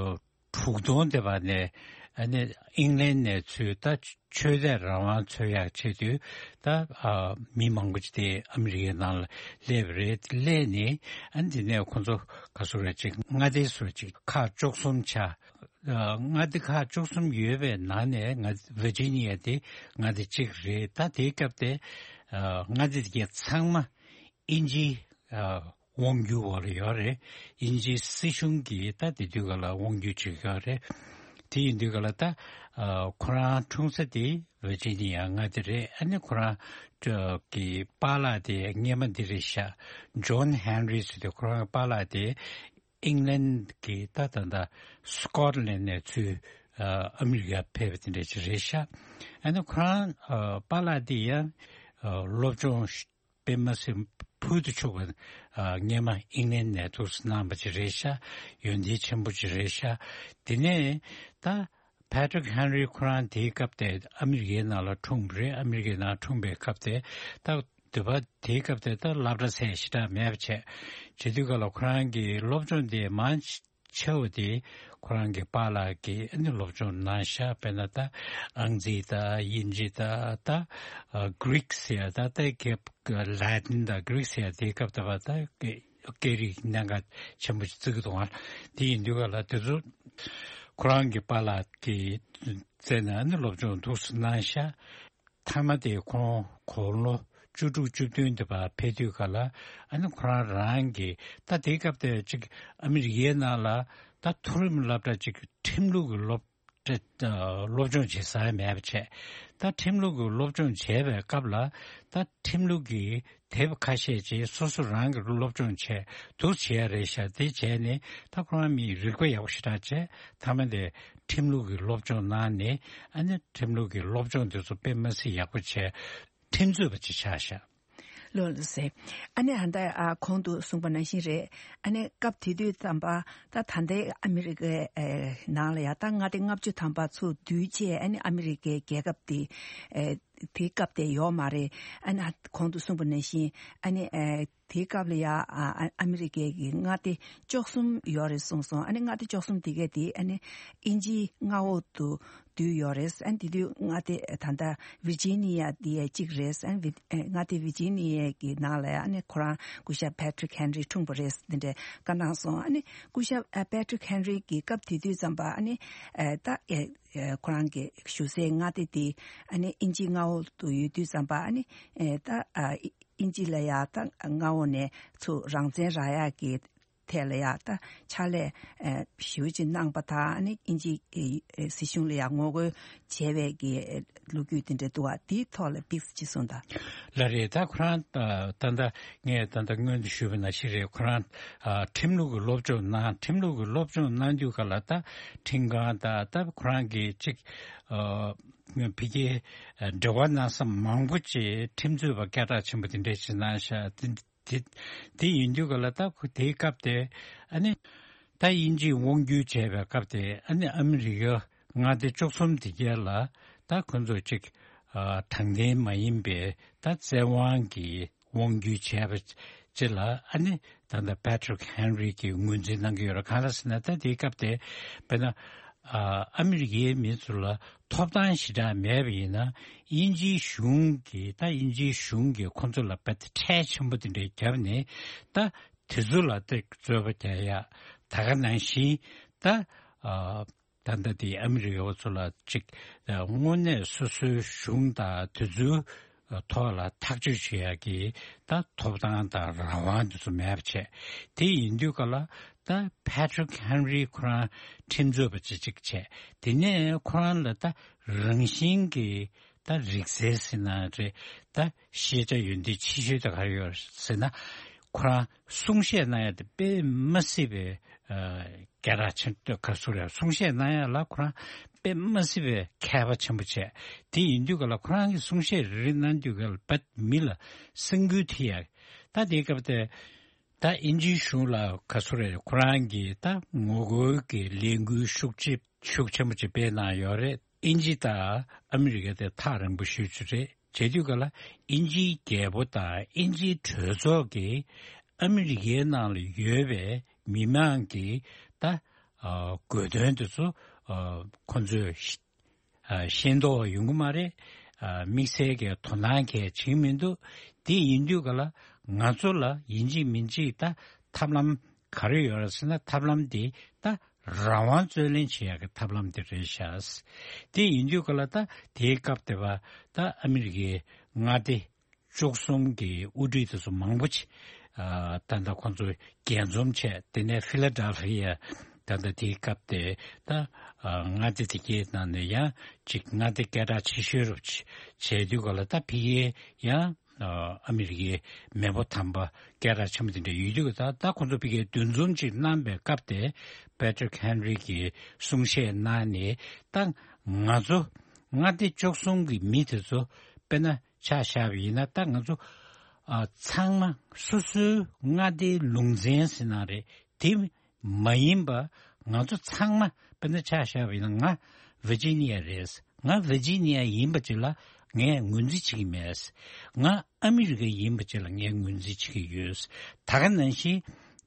དྲུག་སྟོང་དེ་བར་ནས་ཨ་ནི་ཨིང་ལན་ནས་ཚུར་ད་ཆོས་དད་རང་དབང་འཚོལ་ཡག་ཆེད་དུ་ད་ཨ་མི་མང་པོ་ཅིག་དེ་ཨ་མི་རི་ཀའི་ནང་ལ་སླེབས་རེད། སླེབས་ནས་ཨ་ནི་དེ་ནས་ཁོང་ཚོ་ག་སུ་རེད། ཅིག་མངའ་སྡེ་སུ་ཅིག་ཁག་བཅུ་གསུམ་ཆགས། ཨ་མངའ་སྡེ་ཁག་བཅུ་གསུམ་ཡོད་པའི་ནང་ནས་ང་Virginia་དེ་མངའ་སྡེ་གཅིག་རེད། ད་དེའི་སྐབས་དེ་ཨ་མངའ་སྡེ་དེ་གའི་ཚང་མ་དབྱིན་ཇིའི་ཨ་དབང་སྒྱུར་འོག་ལ་ཡོད་རེད། དབྱིན་ཇིའི་སྲིད་གཞུང་གིས་ད་དེ་དུས་སྐབས་ལ་དབང་སྒྱུར་བྱེད་ཀྱི་ཡོད་རེད། དེ་ཡིན་དུས་སྐབས་ལ་ད་ཨ་ཁོ་རང་འཁྲུངས་ས་དེ་Virginia་མངའ་སྡེ་རེད། ཨ་ནི་ཁོ་རང་གི་པཱ་ལགས་དེ་སྔས་མ་འདི་རེད་ཤག John Henry་ཟེར་དུས་ཁོ་རང་གི་པཱ་ལགས་དེ་ཨིང་ལན་གྱི་ད་ད་ད་Scotland་ནས་ཚུར་ཨ་ཨ་མི་རི་ཀ་ཕེབས་པ་དེ་འདྲ་ཅིག་རེད་ཤག་ཨ་ནི་ཁོ་རང་ཨ་པཱ་ལགས་དེ་ཡང་ཨ་སློབ་སྦྱོང་དཔེ་མ་སྲིད་ཕུལ་དུ་ཆུག་པ་ཨ་སྔས་མ་ཨིང་ལན་ནས་འདུག་སེ་གནང་བ་ཅིག་རེད་ཤག་ཡོན་ཏན་ཆེན་པོ་ཅིག་རེད་ཤག་དེ་ནས་ད་Patrick Henry་ཁོ་རང་དེའི་སྐབས་དེ་ཨ་མི་རི་ཀའི་ནང་ལ་འཁྲུངས་པ་རེད། ཨ་མི་རི་ཀའི་ནང་འཁྲུངས་པའི་སྐབས་དེ་ད་དུས་བབ་དེའི་སྐབས་དེ་ད་སློབ་གྲྭ་ཟེར་ཞེ་དྲག་མེད་པ་བྱས། བྱེད་དུས་སྐབས་ལ་ཁོ་རང་གི་སློབ་སྦྱོང་དེ་མང་ཆེ་བ་དེ་ཁོ་རང་གི་པཱ་ལགས་ཀྱིས་ཨ་ནི་སློབ་སྦྱོང་གནང་ཤག་དཔེར་ན་ད་ཨང་རྩིས་དང་དབྱིན་ཇི་དང་ད་ཨ་Greek་ཟེར་ཡ་ད་ད་གེ་Latin་དང་Greek་ཟེར་ཡ་དེའི་སྐབས་དེ་བ་ད་སྐད་རིགས་གནད་འགག་ཆེན་པོ་ཞིག་བརྩི་གི་འདུག་ཨ། དེ་ཡིན་དུས་སྐབས་ལ་དེ་ཚོ་ཁོ་རང་གི་པཱ་ལགས་ཀྱི་རྩ་ནས་ཨ་ནི་སློབ་སྦྱོང་འདུག་སེ་གནང་ཤག་མཐའ་མ་དེ་ཁོང་དགུང་ལོ་བཅུ་དྲུག་བཅུ་བདུན་དེ་བར་ཕེབས་དུས་སྐབས་ལ་ཨ་ནི་ཁོ་རང་རང་གི་ད་དེའི་སྐབས་དེ་ཅིག་ཨ་མི་རི་ཀའི་ནང་ལ་ད་མཐོ་རིམ་སློབ་གྲྭ་ཅིག་ཁྲིམས་ལུགས་ཀྱི་སློབ་ ཏྲེ་ཨ་སློབ་སྦྱོང་བྱེད་ས་མེད་པ་བྱས། ད་ཁྲིམས་ལུགས་ཀྱི་སློབ་སྦྱོང་བྱས་པའི་སྐབས་ལ་ད་ཁྲིམས་ལུགས་ཀྱི་དེབ་ཁ་ཤས་ཅིག་སོ་སོ་རང་གི་སློབ་སྦྱོང་བྱས་འདུག་བྱས་ཡ་རེད་ཤག་དེ་བྱས་ནས་ད་ཁོ་རང་མི་རིག་པ་ཡག་པོ་ཞེ་དྲག་བྱས། མཐའ་མ་དེ་ཁྲིམས་ལུགས་ཀྱི་སློབ་སྦྱོང་གནང་ནས་ཨ་ནི་ཁྲིམས་ལུགས་ཀྱི་སློབ་སྦྱོང་དེ་ཚོ་དཔེ་མ་སྲིད་ཡག་པོ་བྱས། ཁྲིམས་རྩོད་པ་ཅིག་ཆགས་ཤག་ལོ་ལོ་ཟེར། ཨ་ནི་ཧ་ད་ཨ་གོང་དུ་གསུངས་པ་ནང་བཞིན་རེད། ཨ་ནི་སྐབས་དེ་དུས་ཙམ་པ་ད་ད་ལྟའི་ཨ་མི་རི་ཀའི་ཨེ་ནང་ལ་ཡ་ད་མངའ་སྡེ་ལྔ་བཅུ་ཐམ་པ་ཚུར་བསྡུས་བྱས། ཨ་ནི་ཨ་མི་རི་ཀའི་རྒྱལ་ཁབ་དེ་ཨེ་དེའི་སྐབས་དེ་ཡོད་མ་རེད། ཨ་ནི་གོང་དུ་གསུངས་པ་ནང་བཞིན་ཨ་ནི་ཨེ་དེའི་སྐབས་ལ་ཡ་ཨ་ཨ་མི་རི་ཀའི་གི་མངའ་སྡེ་བཅུ་གསུམ་ཡོད་རེད་གསུངས་སོང་། ཨ་ནི་མངའ་སྡེ་བཅུ་གསུམ་དེ་གས་དེ་ཨ་ནི་དབྱིན་ཇིའི་མངའ་འོག་ཏུ་བསྡུས་ཡོད་རེད། ཨ་ནི་དེ་དུས་མངའ་སྡེ་ད་ལྟ་ཝིར་ཇི་ནི་ཡ་དེ་ཡ་གཅིག་རེད། ཨ་ནི་ཝི་ཨེ་མངའ་སྡེ་ཝིར་ཇི་ནི་ཡ་གི་ནང་ལ་ཡ་ཨ་ནི་ཁོ་རང་སྐུ་ཞབས་པེ་ཊི་རིག་ཧེན་རི་འཁྲུངས་པ་རེད་དེ་འདྲས་བཀའ་གནང་སོང་། ཨ་ནི་སྐུ་ཞབས་ཨ་པེ་ཊི་རིག་ཧེན་རི་གི་སྐབས་དེ་དུས་ཙམ་པ་ཨ་ནི་ཨེ་ད་ཨེ་ཨེ་ཁོ་རང་གི་བཞུགས་སའི་མངའ་སྡེ་དེ་ཨ་ནི་དབྱིན་ཇིའི་མངའ་འོག་ཏུ་ཡོད་དུས་ཙམ་པ་ཨ་ནི་ཨེ་ད་ཨ་དབྱིན་ཇི་ལ་ཡ་ད་མངའ་འོག་ནས་ཚུར་རང་བཙན་རག་ཡག་གི་ཐད་ལ་ཡ་ད་ཕྱག་ལས་ཨེ་ཞེ་པོ་ཅིག་གནང་པ་དང་། ཨ་ནི་དབྱིན་ཇིའི་ཨེ་ཨེ་སྲིད་གཞུང་ལ་ཡ་ངོ་རྒོལ་བྱས་པའི་གི་ལོ་རྒྱུས་དེ་འདྲ་འདུག་བ། དེའི་ཐོག་ལ་ཏོག་ཙམ་ཅིག་གསུངས་དང་། ལགས་རེད། ད་ཁོ་རང་ད་ད་ལྟ་ངས་ད་ལྟ་སྔོན་དུ་ཞུས་པ་ནང་བཞིན་རེད། ཁོ་རང་ཨ་ཁྲིམས་ལུགས་ཀྱི་སློབ་སྦྱོང་གནང་། ཁྲིམས་ལུགས་ཀྱི་སློབ་སྦྱོང་གནང་དུས་ག་ལ་ད་ཁྲིམས་ཁང་དང་ད་ཁོ་རང་གི་ཅིག་ཨ་ཕ་གིའི་འབྲེལ་བ་གནང་ས་མང་པོ་ཅིག་ཁྲིམས་རྩོད་པ་སྐད་གྲགས་ཆེན་པོ་དེ་འདྲས་ཅིག་གནང་ཤག་དེ་དེ་དེ་ཡིན་དུས་ག་ལ་ད་ཁོ་དེའི་སྐབས་དེ་ཨ་ནི་ད་དབྱིན་ཇིས་དབང་བསྒྱུར་བྱས་པའི་སྐབས་དེ་ཨ་ནི་ཨ་མི་རི་ཀའི་མངའ་སྡེ་བཅུ་གསུམ་དེ་གས་ལ་ད་ཁོ་ཚོ་ཅིག་ཨ་དྲང་བདེན་མ་ཡིན་པའི་ད་བཙན་དབང་གི་དབང་བསྒྱུར་བྱས་པ་ཅིག་ལ་ཨ་ནི་ད་ལྟ་པེ་ཊི་རིག་ཧེན་རི་གིས་ངོས་འཛིན་གནང་གི་ཡོད་རེད། གང་ལ་ཟེར་ན་ད་དེའི་སྐབས་དེ་དཔེར་ན་ཨ་ཨ་མི་རི་ཀའི་མི་ཚོ་ལ་ཐོབ་ཐང་ཞེ་དྲག་མེད་པ་ཡིན་ན། དབྱིན་ཇིའི་གཞུང་གིས་ད་དབྱིན་ཇིའི་གཞུང་གིས་ཁོ་ཚོ་ལ་དཔེ་ཁྲལ་ཆེན་པོ་དེ་འདྲ་བརྒྱབ་ནས་ད་དེ་ཚོ་ལ་ད་རྩོད་པ་རྒྱག་ཡ། ད་ག་ནང་བཞིན་ད་ཨ་ད་ལྟ་དེ་ཨ་མི་རི་ཀ་བ་ཚོ་ལ་ཅིག་དངོས་གནས་སོ་སོའི་གཞུང་དང་དེ་ཚོའི་ཐོག་ལ་ཐག་གཅོད་བྱེད་ཡག་གི་ད་ཐོབ་ཐང་དང་རང་དབང་དེ་ཚོ་མེད་པ་བྱས། དེ་ཡིན་དུས་ག་ལ་ད་པེ་ཊི་རིག་ཧེན་རི་ཁོ་རང་ཁྲིམས་རྩོད་པ་ཅིག་ཅིག་བྱས། དེ་ནས་ཁོ་རང་ལ་ད་རང་བཞིན་གྱི་ད་རིག་རྩལ་ཟེར་ན་རེད། ད་ཤེས་བྱ་ཡོན་ཏན་ཆེ་ཤོས་དེ་ག་རེ་ཡོད་ཟེར་ན། ཁོ་རང་གསུང་བཤད་གནང་ཡ་དེ་དཔེ་མ་སྲིད་པའི་ཨ་སྐད་གྲགས་ཆེན་པོ་ག་ཚོད་རེད། གསུང་བཤད་གནང་ཡ་ལ་ཁོ་རང་དཔེ་མ་སྲིད་པའི་མཁས་པ་ཆེན་པོ་བྱས། དེ་ཡིན་དུས་ག་ལ་ཁོ་རང་གིས་གསུང་བཤད་རེ་རེ་གནང་དུས་ག་ལ་ཕར་མི་ལ་སེམས་འགུལ་ཐེབས་ཡ། ད་དེའི་སྐབས་དེ་ད་དབྱིན་ཇིའི་གཞུང་ལ་ག་ཚོད་རེད། ཁོ་རང་གིས་ད་ངོ་རྒོལ་གྱི་ལས་འགུལ་ཤུགས་ཆེ་ཤུགས་ཆེན་པོ་ཅིག་སྤེལ་གནང་ཡོད་རེད། དབྱིན་ཇི་དང་ཨ་མི་རི་ཀ་དེ་ཐག་རིང་པོ་ཞེ་པོ་ཅིག་རེད། བྱེད་དུས་ག་ལ་དབྱིན་ཇིའི་རྒྱལ་པོ་དང་དབྱིན་ཇིའི་གྲོས་ཚོགས་ཀྱིས་ཨ་མི་རི་ཀའི་ནང་ལ་ཡོད་པའི་མི་མང་གི་ད་ཨ་དགོས་དོན་དེ་ཚོ་ཨ་ཁོ་ཚོས་ཤེས་ཨ་ཤེས་རྟོགས་ཡོང་གི་མ་རེད། ཨ་དམིགས་བསལ་གྱི་དོ་སྣང་གང་ཡང་བྱེད་ཀྱི་མི་འདུག་དེ་ཡིན་དུས་ག་ལ་ང་ཚོ་ལ་ཡིན་གཅིག་མིན་གཅིག་ད་ཐབས་ལམ་ག་རེ་ཡོད་རེད་ཟེར་ན། ཐབས་ལམ་དེ་ད་རང་དབང་རྩོད་ལེན་བྱེད་ཡག་གི་ཐབས་ལམ་དེ་རེད་ཤག་དེ་ཡིན་དུས་ག་ལ་ད་དེའི་སྐབས་དེ་བ་ད་ཨ་མི་རི་ཀའི་མངའ་སྡེ་བཅུ་གསུམ་གྱི་དབུ་ཁྲིད་དེ་ཚོ་མང་པོ་ཅིག་ཨ་ད་ལྟ་ཁོང་ཚོ་རྒྱས་འཛོམས་བྱས། དེ་ནས་ཕི་ལ་ཌེལ་ཕི་ཡ་ད་ལྟ་དེའི་སྐབས་དེ་ད་ཨ་མངའ་སྡེ་དེ་གའི་ནང་ནས་ཡང་ཅིག་མངའ་སྡེ་སྐད་གྲགས་ཆེ་ཤོས་རུ་བྱས་དུས་ག་ལ་ད་ཕ་གིའི་ཡང་ཨ་ཨ་མི་རི་ཀའི་མེས་པོ་དམ་པ་སྐད་གྲགས་ཆེན་པོ་དེ་འདྲ་ཡོད་དུས་ག་ད་ད་ཁོང་ཚོ་ཕ་གིའི་འདུ་འཛོམས་ཅིག་གནང་པའི་སྐབས་དེ་པེ་ཊི་རིག་ཧེན་རི་གིས་གསུང་བཤད་གནང་ནས། ད་ང་ཚོ་མངའ་སྡེ་བཅུ་གསུམ་གྱི་མི་དེ་ཚོ་དཔེར་ན་ཆ་བཞག་པ་ཡིན་ན། ད་ང་ཚོ་ཨ་ཚང་མ་སོ་སོའི་མངའ་སྡེའི་ལུང་ཚན་ཟེར་ན་རེད། དེ་མ་ཡིན་པ་ང་ཚོ་ཚང་མ་དཔེར་ན་ཆ་བཞག་པ་ཡིན་ན། ང་ཝི་ཇི་ནི་ཡ་རེད། ང་ཝི་ཇི་ནི་ཡ་ཡིན་པ་ཅིག་ལ་ངས་ངོས་འཛིན་བྱེད་ཀྱི་མེད། ང་ཨ་མི་རི་ཀ་ཡིན་པ་ཅིག་ལ་ངས་ངོས་འཛིན་བྱེད་ཀྱི་ཡོད། ད་ག་ནང་བཞིན་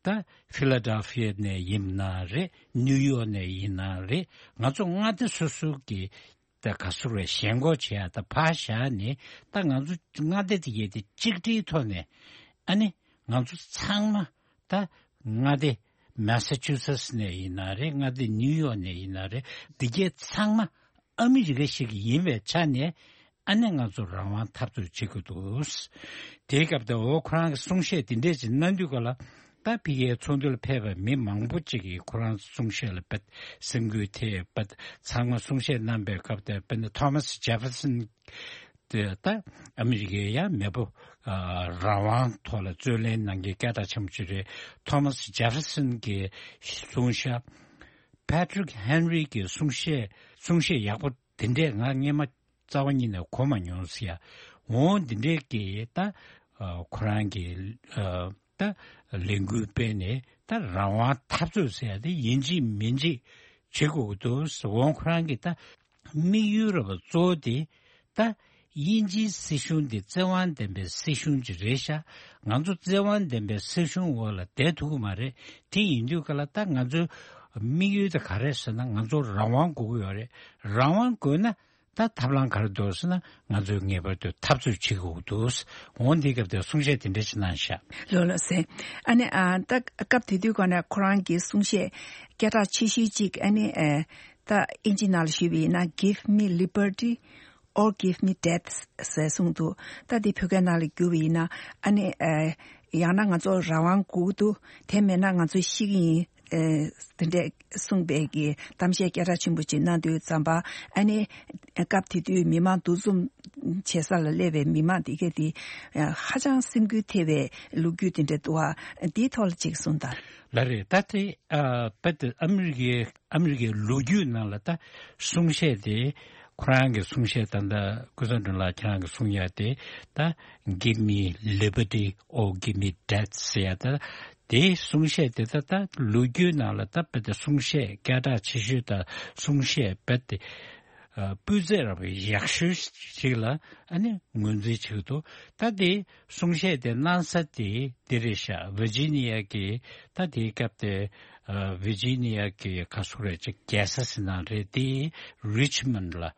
ད་ཕི་ལ་ཌེལ་ཕི་ཡ་ནས་ཡིན་ན་རེད། ནིའུ་ཡོག་ནས་ཡིན་ན་རེད། ང་ཚོ་མངའ་སྡེ་སོ་སོ་གི་ད་ག་ཚོད་རེད། ཞེན་ཁོག་བྱེད་ཡ་ད་ཕར་བཞག་ནས། ད་ང་ཚོ་མངའ་སྡེ་དེ་གའི་དེ་གཅིག་སྒྲིལ་ཐོག་ནས་ཨ་ནི་ང་ཚོ་ཚང་མ་ད་མངའ་སྡེ་མེ་ས་ཆུ་སེ་ཊི་ནས་ཡིན་ན་རེད། མངའ་སྡེ་ནིའུ་ཡོག་ནས་ཡིན་ན་རེད། དེ་གའི་ཚང་མ་ཨ་མི་རི་ཀ་ཞིག་ཡིན་པའི་ཆ་ནས་ཨ་ནི་ང་ཚོ་རང་དབང་འཐབ་རྩོད་བྱེད་དགོས་འདུག་དེའི་སྐབས་དེ་འོ་ཁོ་རང་གི་གསུང་བཤད་དེ་འདྲས་ཅིག་གནང་དུས་ག་ལ། ད་ཕ་གིའི་ཚོགས་འདུ་ལ་ཕེབས་པའི་མི་མང་པོ་ཅིག་གིས་ཁོ་རང་གསུང་བཤད་ལ་དཔེ་སེམས་འགུལ་ཐེབས་པ། ཚང་མ་གསུང་བཤད་གནང་པའི་སྐབས་དེར་དཔེར་ན་ཐོ་མཱ་སི་ཇེ་ཕེར་སན་དེ་ད་ཨ་མི་རི་ཀའི་ཡང་མེས་པོ་ཨ་རང་དབང་ཐོག་ལ་རྩོད་ལེན་གནང་མཁན་སྐད་གྲགས་ཆེན་པོ་ཅིག་རེད། ཐོ་མཱ་སི་ཇེ་ཕེར་སན་གྱིས་གསུངས་ཤག་པེ་ཏྲིག་ཧེན་རི་གི་གསུང་བཤད་གསུང་བཤད་ཡག་པོ་དེ་འདྲས་ང་སྔས་མ་རྩ་བ་ཉིད་ནས་གོ་མ་མྱོང་ཟེར་ཡ། འོ་འདི་འདྲས་ཀྱི་ད་ཨ་ཁོ་རང་གི་ཨ་ད་ལས་འགུལ་སྤེལ་ནས་ད་རང་དབང་འཐབ་རྩོད་ཟེར་ཡ་དེ་ཡིན་གཅིག་མིན་གཅིག་བྱེད་དགོས་ཀྱི་འདུག་འོ་ཁོ་རང་གི་ད་དམིགས་ཡུལ་ར་བ་གཙོ་བོ་དེ་ད་དབྱིན་ཇིའི་སྲིད་གཞུང་འདི་བཙན་དབང་ལྡན་པའི་སྲིད་གཞུང་ཅིག་རེད་ཤག་ང་ཚོ་བཙན་དབང་ལྡན་པའི་སྲིད་གཞུང་འོག་ལ་བསྡད་ཐུབ་ཀྱི་མ་རེད། དེ་ཡིན་དུས་ག་ལ་ད་ང་ཚོའི་དམིགས་ཡུལ་དེ་ག་རེད་ཟེར་ན། ང་ཚོ་རང་དབང་དགོས་ཀྱི་ཡོད་རེད། རང་དབང་དགོས་ན་ད་ཐབས་ལམ་ག་རེ་འདུག་ཟེར་ན། ང་ཚོས་ངེས་པར་དུ་འཐབ་རྩོད་བྱེད་དགོས་འདུག་འོ་འདིའི་སྐབས་དེར་གསུང་བཤད་དེ་འདྲ་ཞིག་གནང་ཤག་ལགས་ལགས་སེ། ཨ་ནི་ཨ་ད་སྐབས་དེ་དུས་ག་ནས་ཁོ་རང་གི་གསུང་བཤད་སྐད་གྲགས་ཆེ་ཤོས་གཅིག་ཨ་ནི་ཨ་ད་ཨིན་ཇི་ནང་ལ་ཞུས་པ་ཡིན་ན། Give me liberty or give me death ཟེར་གསུངས་འདུག་ད་འདི་བོད་སྐད་ནང་ལ་བསྒྱུར་བ་ཡིན་ན། ཨ་ནི་ཨ་ཡང་ན་ང་ཚོ་རང་དབང་དགོས་འདུག་དེ་མེད་ན་ང་ཚོ་ཤི་གི་ཡིན། ཨ་དེ་འདྲས་གསུངས་པའི་གི་གཏམ་བཤད་སྐད་གྲགས་ཆེན་པོ་ཅིག་གནང་དུས་ཙམ་པ། ཨ་ནི་སྐབས་དེ་དུས་མི་མང་འདུ་འཛོམས་བྱེད་ས་ལ་སླེབས་པའི་མི་མང་དེ་གས་དེ་ཧ་ཅང་སེམས་འགུལ་ཐེབས་པའི་ལོ་རྒྱུས་དེ་འདྲ་འདུག་ཨ། འདིའི་ཐོག་ལ་ཅིག་གསུངས་དང་། ལགས་རེད། ད་དེ་ཨ་དཔེ་དེ་ཨ་མི་རི་ཀའི་ཨ་མི་རི་ཀའི་ལོ་རྒྱུས་ནང་ལ་ད་གསུང་བཤད་དེ། ཁོ་རང་གི་གསུང་བཤད་ད་ལྟ་ཀུན་བཟང་སྒྲོན་ལགས་ཁྱེད་རང་གི་གསུང་ཡ་དེ་ད་Give me liberty or give me death ཟེར་ཡ། ད་དེའི་གསུང་བཤད་དེ་ད་ད་ལོ་རྒྱུས་ནང་ལ་ད་དཔེ་དེ་གསུང་བཤད་སྐད་གྲགས་ཆེ་ཤོས་དང་གསུང་བཤད་དཔེ་དེ་ཨ་སྤུས་ཚད་ར་བ་ཡག་ཤོས་ཤིག་ལ་ཨ་ནི་ངོས་འཛིན་བྱེད་ཀྱི་འདུག་ད་དེ་གསུང་བཤད་དེ་གནང་ས་དེ་འདི་རེད་ཤག་ཝི་ཇི་ནི་ཡ་གི་ད་དེའི་སྐབས་དེ་ཨ་ཝི་ཇི་ནི་ཡ་གི་ག་སུ་རེད་ཅིག་རྒྱལ་ས་ཟེར་ན་རེད། དེ་རི་ཆི་མོན་ལ་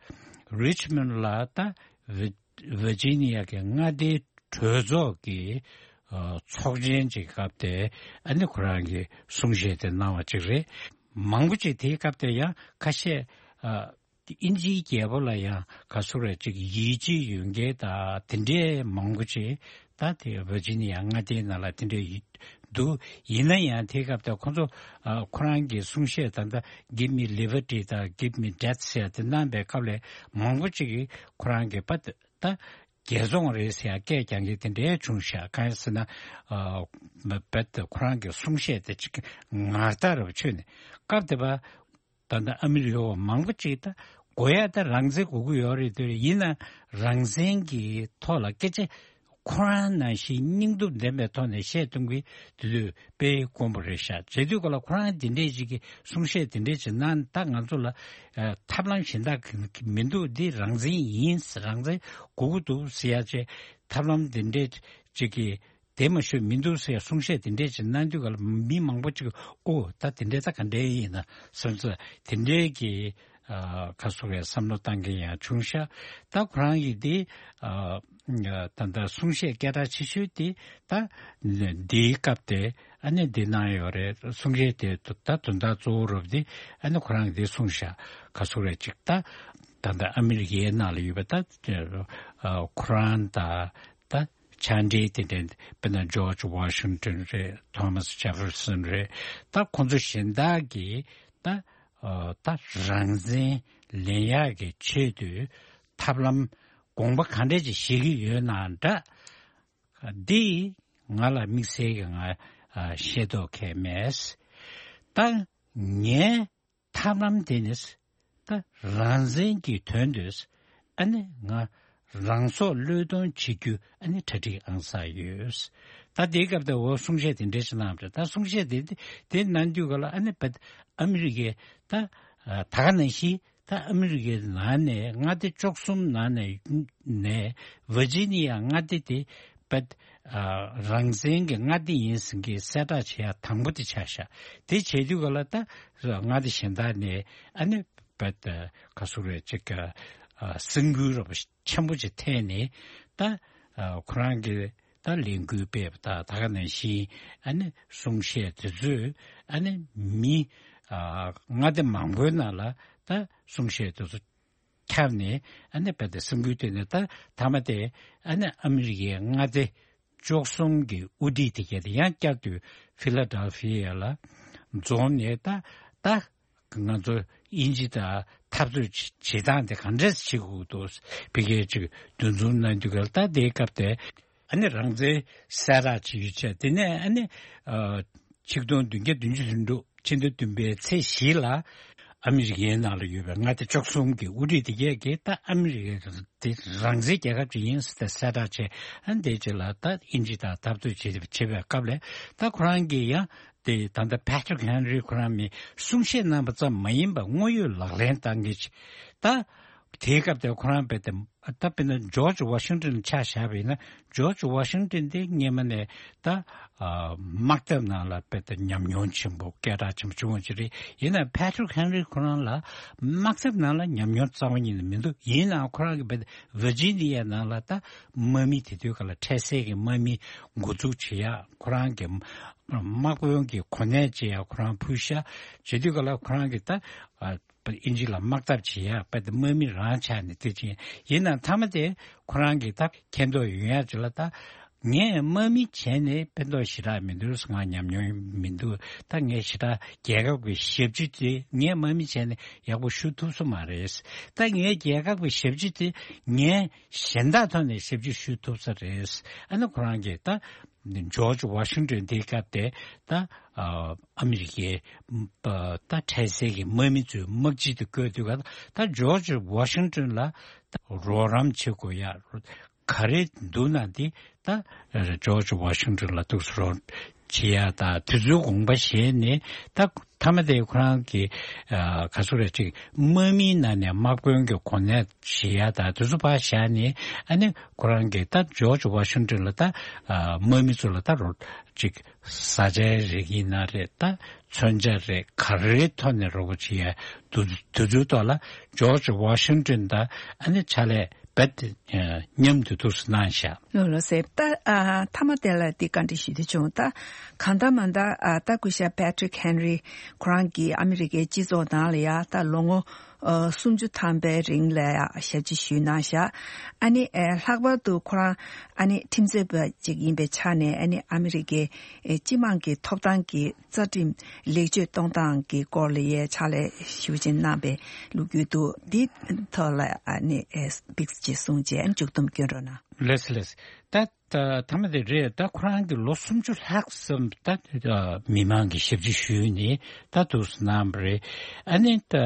རི་ཆི་མོན་ལ་ད་ཝི་ཝི་ཇི་ནི་ཡ་གི་མངའ་སྡེའི་གྲོས་ཚོགས་ཀྱི་ཨ་ཚོགས་ཆེན་ཅིག་སྐབས་དེ་ཨ་ནི་ཁོ་རང་གི་གསུང་བཤད་དེ་གནང་བ་ཅིག་རེད། མང་པོ་ཅིག་དེའི་སྐབས་དེ་ཡང་ཁ་ཤས་ཨ་ཨིན་ཇིའི་རྒྱལ་པོ་ལ་ཡང་ག་སུ་རེད་ཅིག་ཡིད་ཆེས་ཡོད་མཁན་དང་དེ་འདྲའི་མང་པོ་ཅིག་ད་དེ་ཝི་ཇི་ནི་ཡ་མངའ་སྡེའི་ནང་ལ་དེ་འདྲའི་ཡི་འདུག་ཡིན་ན་ཡང་དེའི་སྐབས་དེ་ཁོ་ཚོ་ཨ་ཁོ་རང་གི་གསུང་བཤད་ད་ལྟ་Give me liberty དང་Give me death ཟེར་དེ་གནང་པའི་སྐབས་ལ་མང་པོ་ཅིག་གིས་ཁོ་རང་གི་པ་ད་རྒྱལ་བཙོང་རེད་ཟེར་ཡ་སྐད་རྒྱག་མཁན་དེ་འདྲའི་བྱུང་ཤག་གང་ཡིན་ཟེར་ན་ཨ་རྦད་དེ་ཁོ་རང་གི་གསུང་བཤད་དེ་ཅིག་ངར་ཐག་རབ་ཆོད་ནས་སྐབས་དེ་པ། ད་ལྟ་ཨ་མི་རི་ཀའི་འོག་མང་པོ་ཅིག་ད་དགོས་ཡ་ད་རང་བཙན་དགོས་ཀྱི་ཡོད་རེད་འདོད་རེད། ཡིན་ན་རང་བཙན་གྱི་ཐོག་ལ་སྐད་ཆ་ཁོ་རང་ནང་བཞིན་སྙིང་སྟོབས་ལྡན་པའི་ཐོག་ནས་བཤད་གཏོང་གི་དེ་དུས་དཔེ་དཀོན་པོ་རེད་ཤག་བྱེད་དུས་ག་ལ་ཁོ་རང་དེ་འདྲས་ཅིག་གི་གསུང་བཤད་དེ་འདྲས་ཅིག་གནང་ད་ང་ཚོ་ལ་ཨ་ཐབས་ལམ་གཞན་དག་གི་མི་འདུག་འདི་རང་བཙན་ཡིན། རང་བཙན་དགོས་ཀྱི་འདུག་ཟེར་ཡ་ཅིག་ཐབས་ལམ་དེ་འདྲས་ཅིག་གི་དེ་མ་ཞུ་མི་འདུག་ཟེར་གསུང་བཤད་དེ་འདྲས་ཅིག་གནང་དུས་ག་ལ་མི་མང་པོ་ཅིག་ཨོ་ད་དེ་འདྲས་ད་ག་འདྲས་ཡིན་ན་བསམ་ཚུལ་དེ་འདྲས་ཀྱི་ཨ་ཁ་སོ་བའི་བསམ་བློ་བཏང་མཁན་ཡང་བྱུང་ཤག་ད་ཁོ་རང་གིས་དེ་ཨ་ད་ལྟ་གསུང་བཤད་སྐད་གྲགས་ཆེ་ཤོས་དེ་ད་འདིའི་སྐབས་དེ་ཨ་ནི་འདི་གནང་ཡོད་རེད། གསུང་བཤད་དེ་ད་དོན་དག་གཙོ་བོ་རུ་དེ་ཨ་ནི་ཁོ་རང་གིས་དེ་གསུངས་ཤག་ཁ་སོ་བའི་ཅིག་ད་ད་ལྟ་ཨ་མི་རི་ཀའི་ནང་ལ་ཡོད་པ་ད་ཨ་ཁོ་རང་ད་ད་ཕྱག་འབྲེལ་དེ་འདྲ་དཔེར་ན་ཇོརྗ་ཝ་ཤིང་ཏོན་རེད། ཐོ་མཱས་ཇེ་ཕེར་སན་རེད། ད་ཁོང་ཚོ་གཞན་དག་གིས་ད་ཨ་ད་རང་བཙན་ལེན་ཡག་གི་ཆེད་དུ་ཐབས་ལམ་དགོངས་པ་གང་འདྲ་ཅིག་བཞེས་ཀྱི་ཡོད་ན་འདྲ། འདི་ང་ལ་དམིགས་བསལ་གྱི་ང་ཨ་ཤེས་རྟོགས་མཁན་མེད། ད་ངས་ཐབས་ལམ་དེ་ནི་ད་རང་བཙན་གྱི་དོན་དུ་ཨ་ནི་ང་རང་སྲོག་བློས་གཏོང་བྱེད་རྒྱུ་ཨ་ནི་གྲ་སྒྲིག་ཨང་གསར་ཡོད། ད་དེའི་སྐབས་དེ་འོ་གསུང་བཤད་དེ་འདྲ་ཞིག་གནང་བ་རེད། ད་གསུང་བཤད་དེ་དེ་གནང་དུས་ག་ལ་ཨ་ནི་བད་ཨ་མི་རི་ཀའི་ད་ད་ག་ནང་བཞིན་ད་ཨ་མི་རི་ཀའི་ནང་ནས་མངའ་སྡེ་བཅུ་གསུམ་ནང་ནས་ནས་ཝི་ཇི་ནི་ཡ་མངའ་སྡེ་དེ་བད་ཨ་རང་བཙན་གྱི་མངའ་སྡེ་ཡིན་ཟེར་མཁན་གསལ་བསྒྲགས་བྱེད་ཡ་དང་པོ་དེ་ཆགས་ཤག་དེ་བྱེད་དུས་ག་ལ་ད་མངའ་སྡེ་གཞན་དག་ནས་ཨ་ནི་བད་ག་སུ་རེད་ཅིག་ག་ཨ་སེམས་འགུལ་རོབ་ཆེན་པོ་ཅིག་ཐེབས་ནས་ད་ཨ་ཁོ་རང་གི་ད་ལས་འགུལ་སྤེལ་བ་དང་ད་ག་ནང་བཞིན་ཨ་ནི་གསུང་བཤད་དེ་ཚོས་ཨ་ནི་མི་ཨ་མངའ་སྡེ་མང་པོའི་ནང་ལ་ད་གསུང་བཤད་དེ་ཚོ་ཁྱབ་ནས་ཨ་ནི་བད་དེ་སེམས་འགུལ་ཐེབས་ནས་ད་མཐའ་མ་དེ་ཨ་ནི་ཨ་མི་རི་ཀའི་མངའ་སྡེ་ བཅུ་གསུམ་གྱི་དབུ་ཁྲིད་དེ་གས་དེ་ཡང་བསྐྱར་དུ་ཕི་ལ་ཌེལ་ཕི་ཡ་ལ་འཛོམས་ནས། ད་ད་ང་ཚོ་དབྱིན་ཇི་དང་འཐབ་རྩོད་བྱེད་བྱེད་སྟངས་དེ་ག་འདྲས་བྱེད་དགོས་འདུག་བི་གས་ཅིག་འདུ་འཛོམས་གནང་དུས་ག་ལ། ད་དེའི་སྐབས་དེ་ཨ་ནི་རང་བཙན་གསལ་བསྒྲགས་བྱེད་ཡུལ་བྱས། དེ་ནས་ཨ་ནི་ཨ་ཆིག་སྟོང་བདུན་བརྒྱ་བདུན་ཅུ་དོན་དྲུག་ཕྱི་ཟླ་བདུན་པའི་ཚེས་བཞི་ལ་ཨ་མི་རི་ཀའི་ནང་ལ་ཡོད་པའི་མངའ་སྡེ་བཅུ་གསུམ་གྱི་དབུ་ཁྲིད་དེ་གས་ཀྱིས། ད་ཨ་མི་རི་ཀ་དེ་རང་བཙན་རྒྱལ་ཁབ་ཅིག་ཡིན་ཟེར་ཏེ་གསལ་བསྒྲགས་བྱས། ཨ་ནི་དེ་རྗེས་ལ་ད་དབྱིན་ཇི་དང་འཐབ་རྩོད་བྱེད་བྱེད་པའི་སྐབས་ལ། ད་ཁོ་རང་གིས་ཡང་དེ་ད་ལྟ་Patrick Henry ཁོ་རང་མི་གསུང་བཤད་གནང་བ་ཙམ་མ་ཡིན་པར་དངོས་ཡོད་ལག་ལེན་བསྟར་མཁན་ཅིག་ད་དེའི་སྐབས་དེར་ཁོ་རང་རྦད་དེ། ད་དཔེར་ན་ཇོརྗ་ཝ་ཤིང་ཏོན་ཆ་བཞག་པ་ཡིན་ན། ཇོརྗ་ཝ་ཤིང་ཏོན་དེ་སྔོན་མ་ནས་ད་ཨ་དམག་འཐབ་ནང་ལ་རྦད་དེ་ཉམས་མྱོང་ཆེན་པོ། སྐད་གྲགས་ཆེན་པོ་བྱུང་བ་ཅིག་རེད། ཡིན་ནའང་Patrick Henry ཁོ་རང་ལ་དམག་འཐབ་ནང་ལ་ཉམས་མྱོང་རྩ་བ་ཉིད་ནས་མི་འདུག་ཡིན་ནའང་ཁོ་རང་གིས་རྦད་དེ་ཝར་ཇི་ནི་ཡ་ནང་ལ་ད་དམག་མི། དེ་དུས་སྐབས་ལ་འཕྲལ་སེལ་གྱི་དམག་མི་འགོ་འཛུགས་བྱེད་ཡག་ཁོ་རང་གི་དམག་དཔོན་གྱི་གོ་གནས་བྱེད་ཡག་ཁོ་རང་ཕུལ་ཤག་བྱེད་དུས་སྐབས་ལ་ཁོ་རང་གིས་ད་ཨ་དབྱིན་ཇི་ལ་དམག་འཐབ་བྱེད་ཡག་རྦད་དེ་དམག་མི་རང་ཆགས་ནས་དེ་བྱས། ཡིན་ནའང་མཐའ་མ་དེ་ཁོ་རང་གིས་ད་མཁྱེན་རྟོགས་ཡོང་ཡག་ཅིག་ལ། ད་ངས་དམག་མི་བྱས་ནས་ཕན་ཐོགས་ཞེ་དྲག་མི་འདུག་ང་ཉམས་མྱོང་མི་འདུག་ད་ངས་ཞེ་དྲག་རྒྱལ་ཁབ་ཀྱི་ཞབས་ཕྱི་དེ་ངས་དམག་མི་བྱས་ནས་ཡག་པོ་ཞུ་ཐུབ་ས་མ་རེད། ད་ངའི་རྒྱལ་ཁབ་ཀྱི་ཞབས་ཕྱི་དེ་ངས་གཞན་དག་ཐོག་ནས་ཞབས་ཕྱི་ཞུ་ཐུབ་ས་རེད། ཨ་ནི་ཁོ་རང་གིས་ད་ཇོརྗ་ཝ་ཤིང་ཏོན་དེའི་སྐབས་དེ་ད་ཨ་ཨ་མི་རི་ཀའི་ད་འཕྲལ་སེལ་གྱི་དམག་མི་ཚོའི་དམག་སྤྱི་དེ་བསྐོས་དུས་ག་ད་ཇོརྗ་ཝ་ཤིང་ཏོན་ལ་ད་རོགས་རམ་བྱེད་དགོས་ཡ་ག་རེ་འདུག་ན། དེ་ད་ཇོརྗ་ཝ་ཤིང་ཏོན་ལ་འདུག་སེ་རོགས་བྱེད་ཡ་ད་དེ་ཚོའི་དགོངས་པ་བཞེས་ནས། ད་མཐའ་མ་དེ་ཁོ་རང་གིས་ཨ་ག་ཚོད་རེད་ཅིག་དམག་མིའི་ནང་ནས་དམག་དཔོན་གྱི་གོ་གནས་བཞེས་ཡ་ད་དེ་ཚོ་ཕར་བཞག་ནས། ཨ་ནི་ཁོ་རང་གིས་ད་ཇོརྗ་ཝ་ཤིང་ཏོན་ལ་ད་ཨ་དམག་མི་ཚོ་ལ་ད་རོགས་ཅིག་བཟའ་བཅའི་རིགས་ཡིན་ན་རེད། ད་མཚོན་ཆ་རེད། ག་རེའི་ཐོག་ནས་རོགས་པ་བྱེད་ཡ་འདུག་དེ་ཚོའི་ཐོག་ལ་ཇོརྗ་ཝ་ཤིང་ཏོན་དང་ཨ་ནི་ཕྱག་ལས་རྦད་དེ་མཉམ་དུ་འདུག་སེ་གནང་ཤག་ལགས་ལགས་སེ། ད་ཨ་མཐའ་མ་དེ་ལ་འདི་བཀའ་འདྲི་ཞུ་འདོད་བྱུང་། ད་གང་ལྟར་མ་ལྟར་ཨ་ད་སྐུ་ཞབས་Patrick Henry ཁོ་རང་གིས་ཨ་མི་རི་ཀའི་སྤྱི་ཚོགས་ནང་ལ་ཡ་ད་ལོ་ངོ་ཨ་སུམ་ཅུ་ཐམ་པའི་རིང་ལ་ཡ་ཞབས་ཕྱི་ཞུས་གནང་ཤག་ཨ་ནི་ཨ་ལྷག་པར་དུ་ཁོ་རང་ཨ་ནི་ཁྲིམས་རྩོད་པ་ཅིག་ཡིན་པའི་ཆ་ནས། ཨ་ནི་ཨ་མི་རི་ཀའི་ཨ་སྤྱི་དམངས་ཀྱི་ཐོབ་ཐང་གི་རྩ་ཁྲིམས་ལེགས་བཅོས་གཏོང་སྟངས་ཀྱི་སྐོར་ལ་ཡའི་ཕྱག་ལས་ཞུ་བ་ཅིག་གནང་པའི་ལོ་རྒྱུས་འདུག་འདི་ཐོག་ལ་ཨ་ནི་ཨེ་ཏིག་ཙམ་ཅིག་གསུངས་བྱས་ཨ་ནི་མཇུག་སྡོམ་སྐྱོན་རོགས་གནང་། ལགས་སོ་ལགས་སོ། ད་ད་མཐའ་མ་དེ་རེད། ད་ཁོ་རང་གིས་ལོ་སུམ་ཅུ་ལྷག་ཙམ་ད་མི་མང་གི་ཞབས་ཕྱི་ཞུས་ནས་ད་འདུག་སེ་གནང་བ་རེད། ཨ་ནི་ད་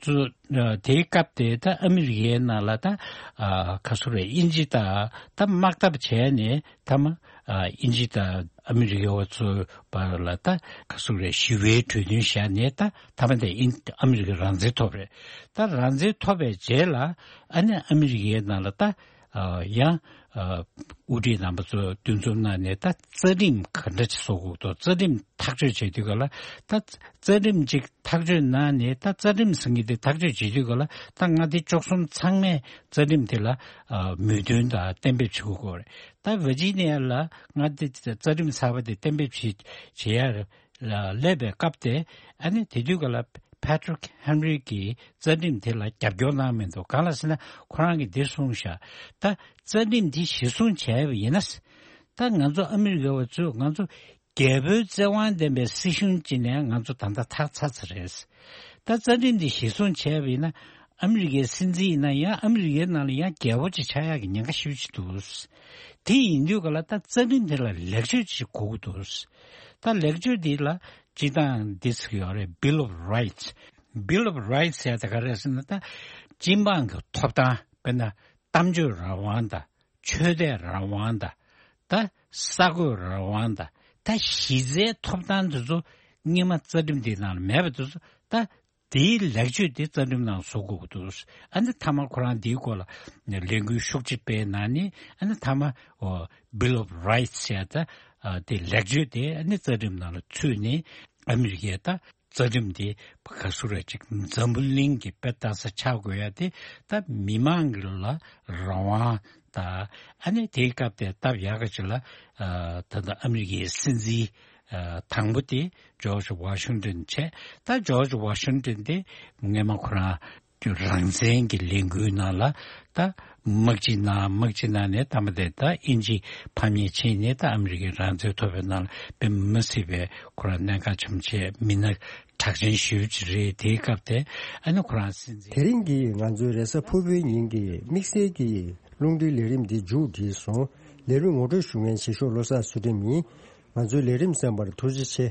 ཚོ་དེའི་སྐབས་དེ་ད་ཨ་མི་རི་ཀའི་ནང་ལ་ད་ཨ་ག་ཚོད་རེད། དབྱིན་ཇི་དང་ད་དམག་འཐབ་བྱས་ནས་མཐའ་མ་ཨ་དབྱིན་ཇི་དང་ཨ་མི་རི་ཀའི་བ་ཚོའི་བར་ལ་ད་ག་ཚོད་རེད། ཞི་བའི་གྲོས་མཐུན་བཞག་ནས་ད་མཐའ་མ་དེ་ཨིན་ཨ་མི་རི་ཀ་རང་བཙན་ཐོབ་རེད། ད་རང་བཙན་ཐོབ་པའི་རྗེས་ལ་ཨ་ནི་ཨ་མི་རི་ཀའི་ནང་ལ་ད་ཨ་ཡང་ཨ་དབུ་ཁྲིད་རྣམ་པ་ཚོ་འདུ་འཛོམས་གནང་ནས། ད་རྩ་ཁྲིམས་ག་འདྲ་ཅིག་བཟོ་དགོས་འདུག་རྩ་ཁྲིམས་ཐག་གཅོད་བྱེད་དུས་ག་ལ། ད་རྩ་ཁྲིམས་ཅིག་ཐག་གཅོད་གནང་ནས། ད་རྩ་ཁྲིམས་ཟེར་མཁན་དེ་ཐག་གཅོད་བྱེད་དུས་ག་ལ། ད་མངའ་སྡེ་བཅུ་གསུམ་ཚང་མས་རྩ་ཁྲིམས་དེ་ལ་ཨ་མོས་མཐུན་དང་གཏན་འབེབས་བྱེད་དགོས་རེད། ད་ཝར་ཇི་ནི་ཡ་ལ་མངའ་སྡེ་རྩ་ཁྲིམས་གསར་པ་དེ་གཏན་འབེབས་བྱེད་བྱེད་ཡ་ལ་སླེབས་པའི་སྐབས་དེ། ཨ་ནི་དེ་དུས་ག་ལ་Patrick Henry གིས་རྩ་ཁྲིམས་དེ་ལ་རྒྱབ་སྐྱོར་གནང་མི་འདུག་གང་ལ་ཟེར་ན་ཁོ་རང་གིས་འདི་གསུངས་ཤག་ད་རྩ་ཁྲིམས་འདི་གཞིར་བཟུང་བྱས་པ་ཡིན་ན། ད་ང་ཚོ་ཨ་མི་རི་ཀ་བ་ཚོས་ང་ཚོ་རྒྱལ་པོའི་བཙན་དབང་ལྡན་པའི་སྲིད་གཞུང་ཅིག་ནས་ང་ཚོ་ད་ལྟ་ཐར་ཚར་ཚར་རེད། ད་རྩ་ཁྲིམས་འདི་གཞིར་བཟུང་བྱས་པ་ཡིན་ན། ཨ་མི་རི་ཀའི་སྲིད་འཛིན་ཡིན་ན་ཡང་། ཨ་མི་རི་ཀའི་ནང་ལ་ཡང་རྒྱལ་པོ་ཅིག་ཆགས་ཡག་གི་ཉེན་ཁ་ཞེ་པོ་ཅིག་འདུག་དེ་ཡིན་དུས་ག་ལ་ད་རྩ་ཁྲིམས་དེ་ལ་ལེགས་བཅོས་ཅིག་དགོས་ཀྱི་འདུག་ད་ལེགས་བཅོས་འདི་ལ་སྤྱིར་བཏང་འདི་ཟེར་གྱི་ཡོད་རེད། Bill of Rights། Bill of Rights ཟེར་ཡ་དེ་ག་རེ་རེད་ཟེར་ན། ད་སྤྱི་འབངས་ཀྱི་ཐོབ་ཐང་། དཔེར་ན་གཏམ་བརྗོད་རང་དབང་དང་། ཆོས་དད་རང་དབང་དང་། ད་གསར་འགོད་རང་དབང་དང་། ད་གཞི་རྩའི་ཐོབ་ཐང་དེ་ཚོ་སྔོན་མ་རྩ་ཁྲིམས་དེའི་ནང་ལ་མེད་པ་དེ་ཚོ། ད་དེའི་ལེགས་བཅོས་དེ་རྩ་ཁྲིམས་ནང་བཟོ་དགོས་ཀྱི་འདུག་ཨ་ནི་མཐའ་མ་ཁོ་རང་དེའི་སྐོར་ལ་ལས་འགུལ་ཤུགས་ཆེ་སྤེལ་གནང་ནས། ཨ་ནི་མཐའ་མ་ཨོ་Bill of Rights ཟེར་ཡ་ད་ཨ་དེ་ལེགས་བཅོས་དེ་ཨ་ནི་རྩ་ཁྲིམས་ནང་ལ་ཚུད་ནས། ཨ་མི་རི་ཀའི་ད་རྩ་ཁྲིམས་དེ་ག་ཚོད་རེད་ཅིག་འཛམ་བུ་གླིང་གི་དཔེ་ལྟ་ས་ཆགས་དགོས་ཡ་དེ། ད་མི་མང་གི་ལ་རང་དབང་དང་། ཨ་ནི་དེའི་སྐབས་དེ་སྟབས་ཡག་ག་ཅིག་ལ་ཨ་ད་ལྟ་ཨ་མི་རི་ཀའི་སྲིད་འཛིན་ཨ་དང་པོ་དེ་ཇོརྗ་ཝ་ཤིང་ཏོན་བྱས། ད་ཇོརྗ་ཝ་ཤིང་ཏོན་དེ་སྔོན་མ་ཁོ་རང་ རང་བཙན་གྱི་ལས་འགུལ་ནང་ལ་ད་དམག་སྤྱི་ནང་དམག་སྤྱི་ནང་ནས་ད་མ་དེ་ད་དབྱིན་ཇི་ཕམ་ཉེས་བྱས་ནས་ད་ཨ་མི་རི་ཀའི་རང་བཙན་ཐོབ་པའི་ནང་ལ་དཔེ་མི་སྲིད་པའི་ཁོ་རང་གནད་འགག་ཆེན་པོ་བྱས། མི་སྣ་གྲགས་ཅན་ཞེ་པོ་ཅིག་རེད། དེའི་སྐབས་དེ་ཨ་ནི་ཁོ་རང་སྲིད་འཛིན། དེ་རིང་གི་ང་ཚོའི་རེས་གཟའ་ཕུར་བུའི་ཉིན་གྱི་དམིགས་བསལ་གྱི་རླུང་འཕྲིན་ལས་རིམ་འདི་མཇུག་བསྒྲིལ་སོང་། ལས་རིམ་ངོ་སྤྲོད་ཞུ་མཁན་བྱེད་ཤོག་བློ་བཟང་ཚུལ་ཁྲིམས་ཡིན། ང་ཚོའི་ལས་རིམ་གསན་པར་ཐུགས་རྗེ་ཆེ།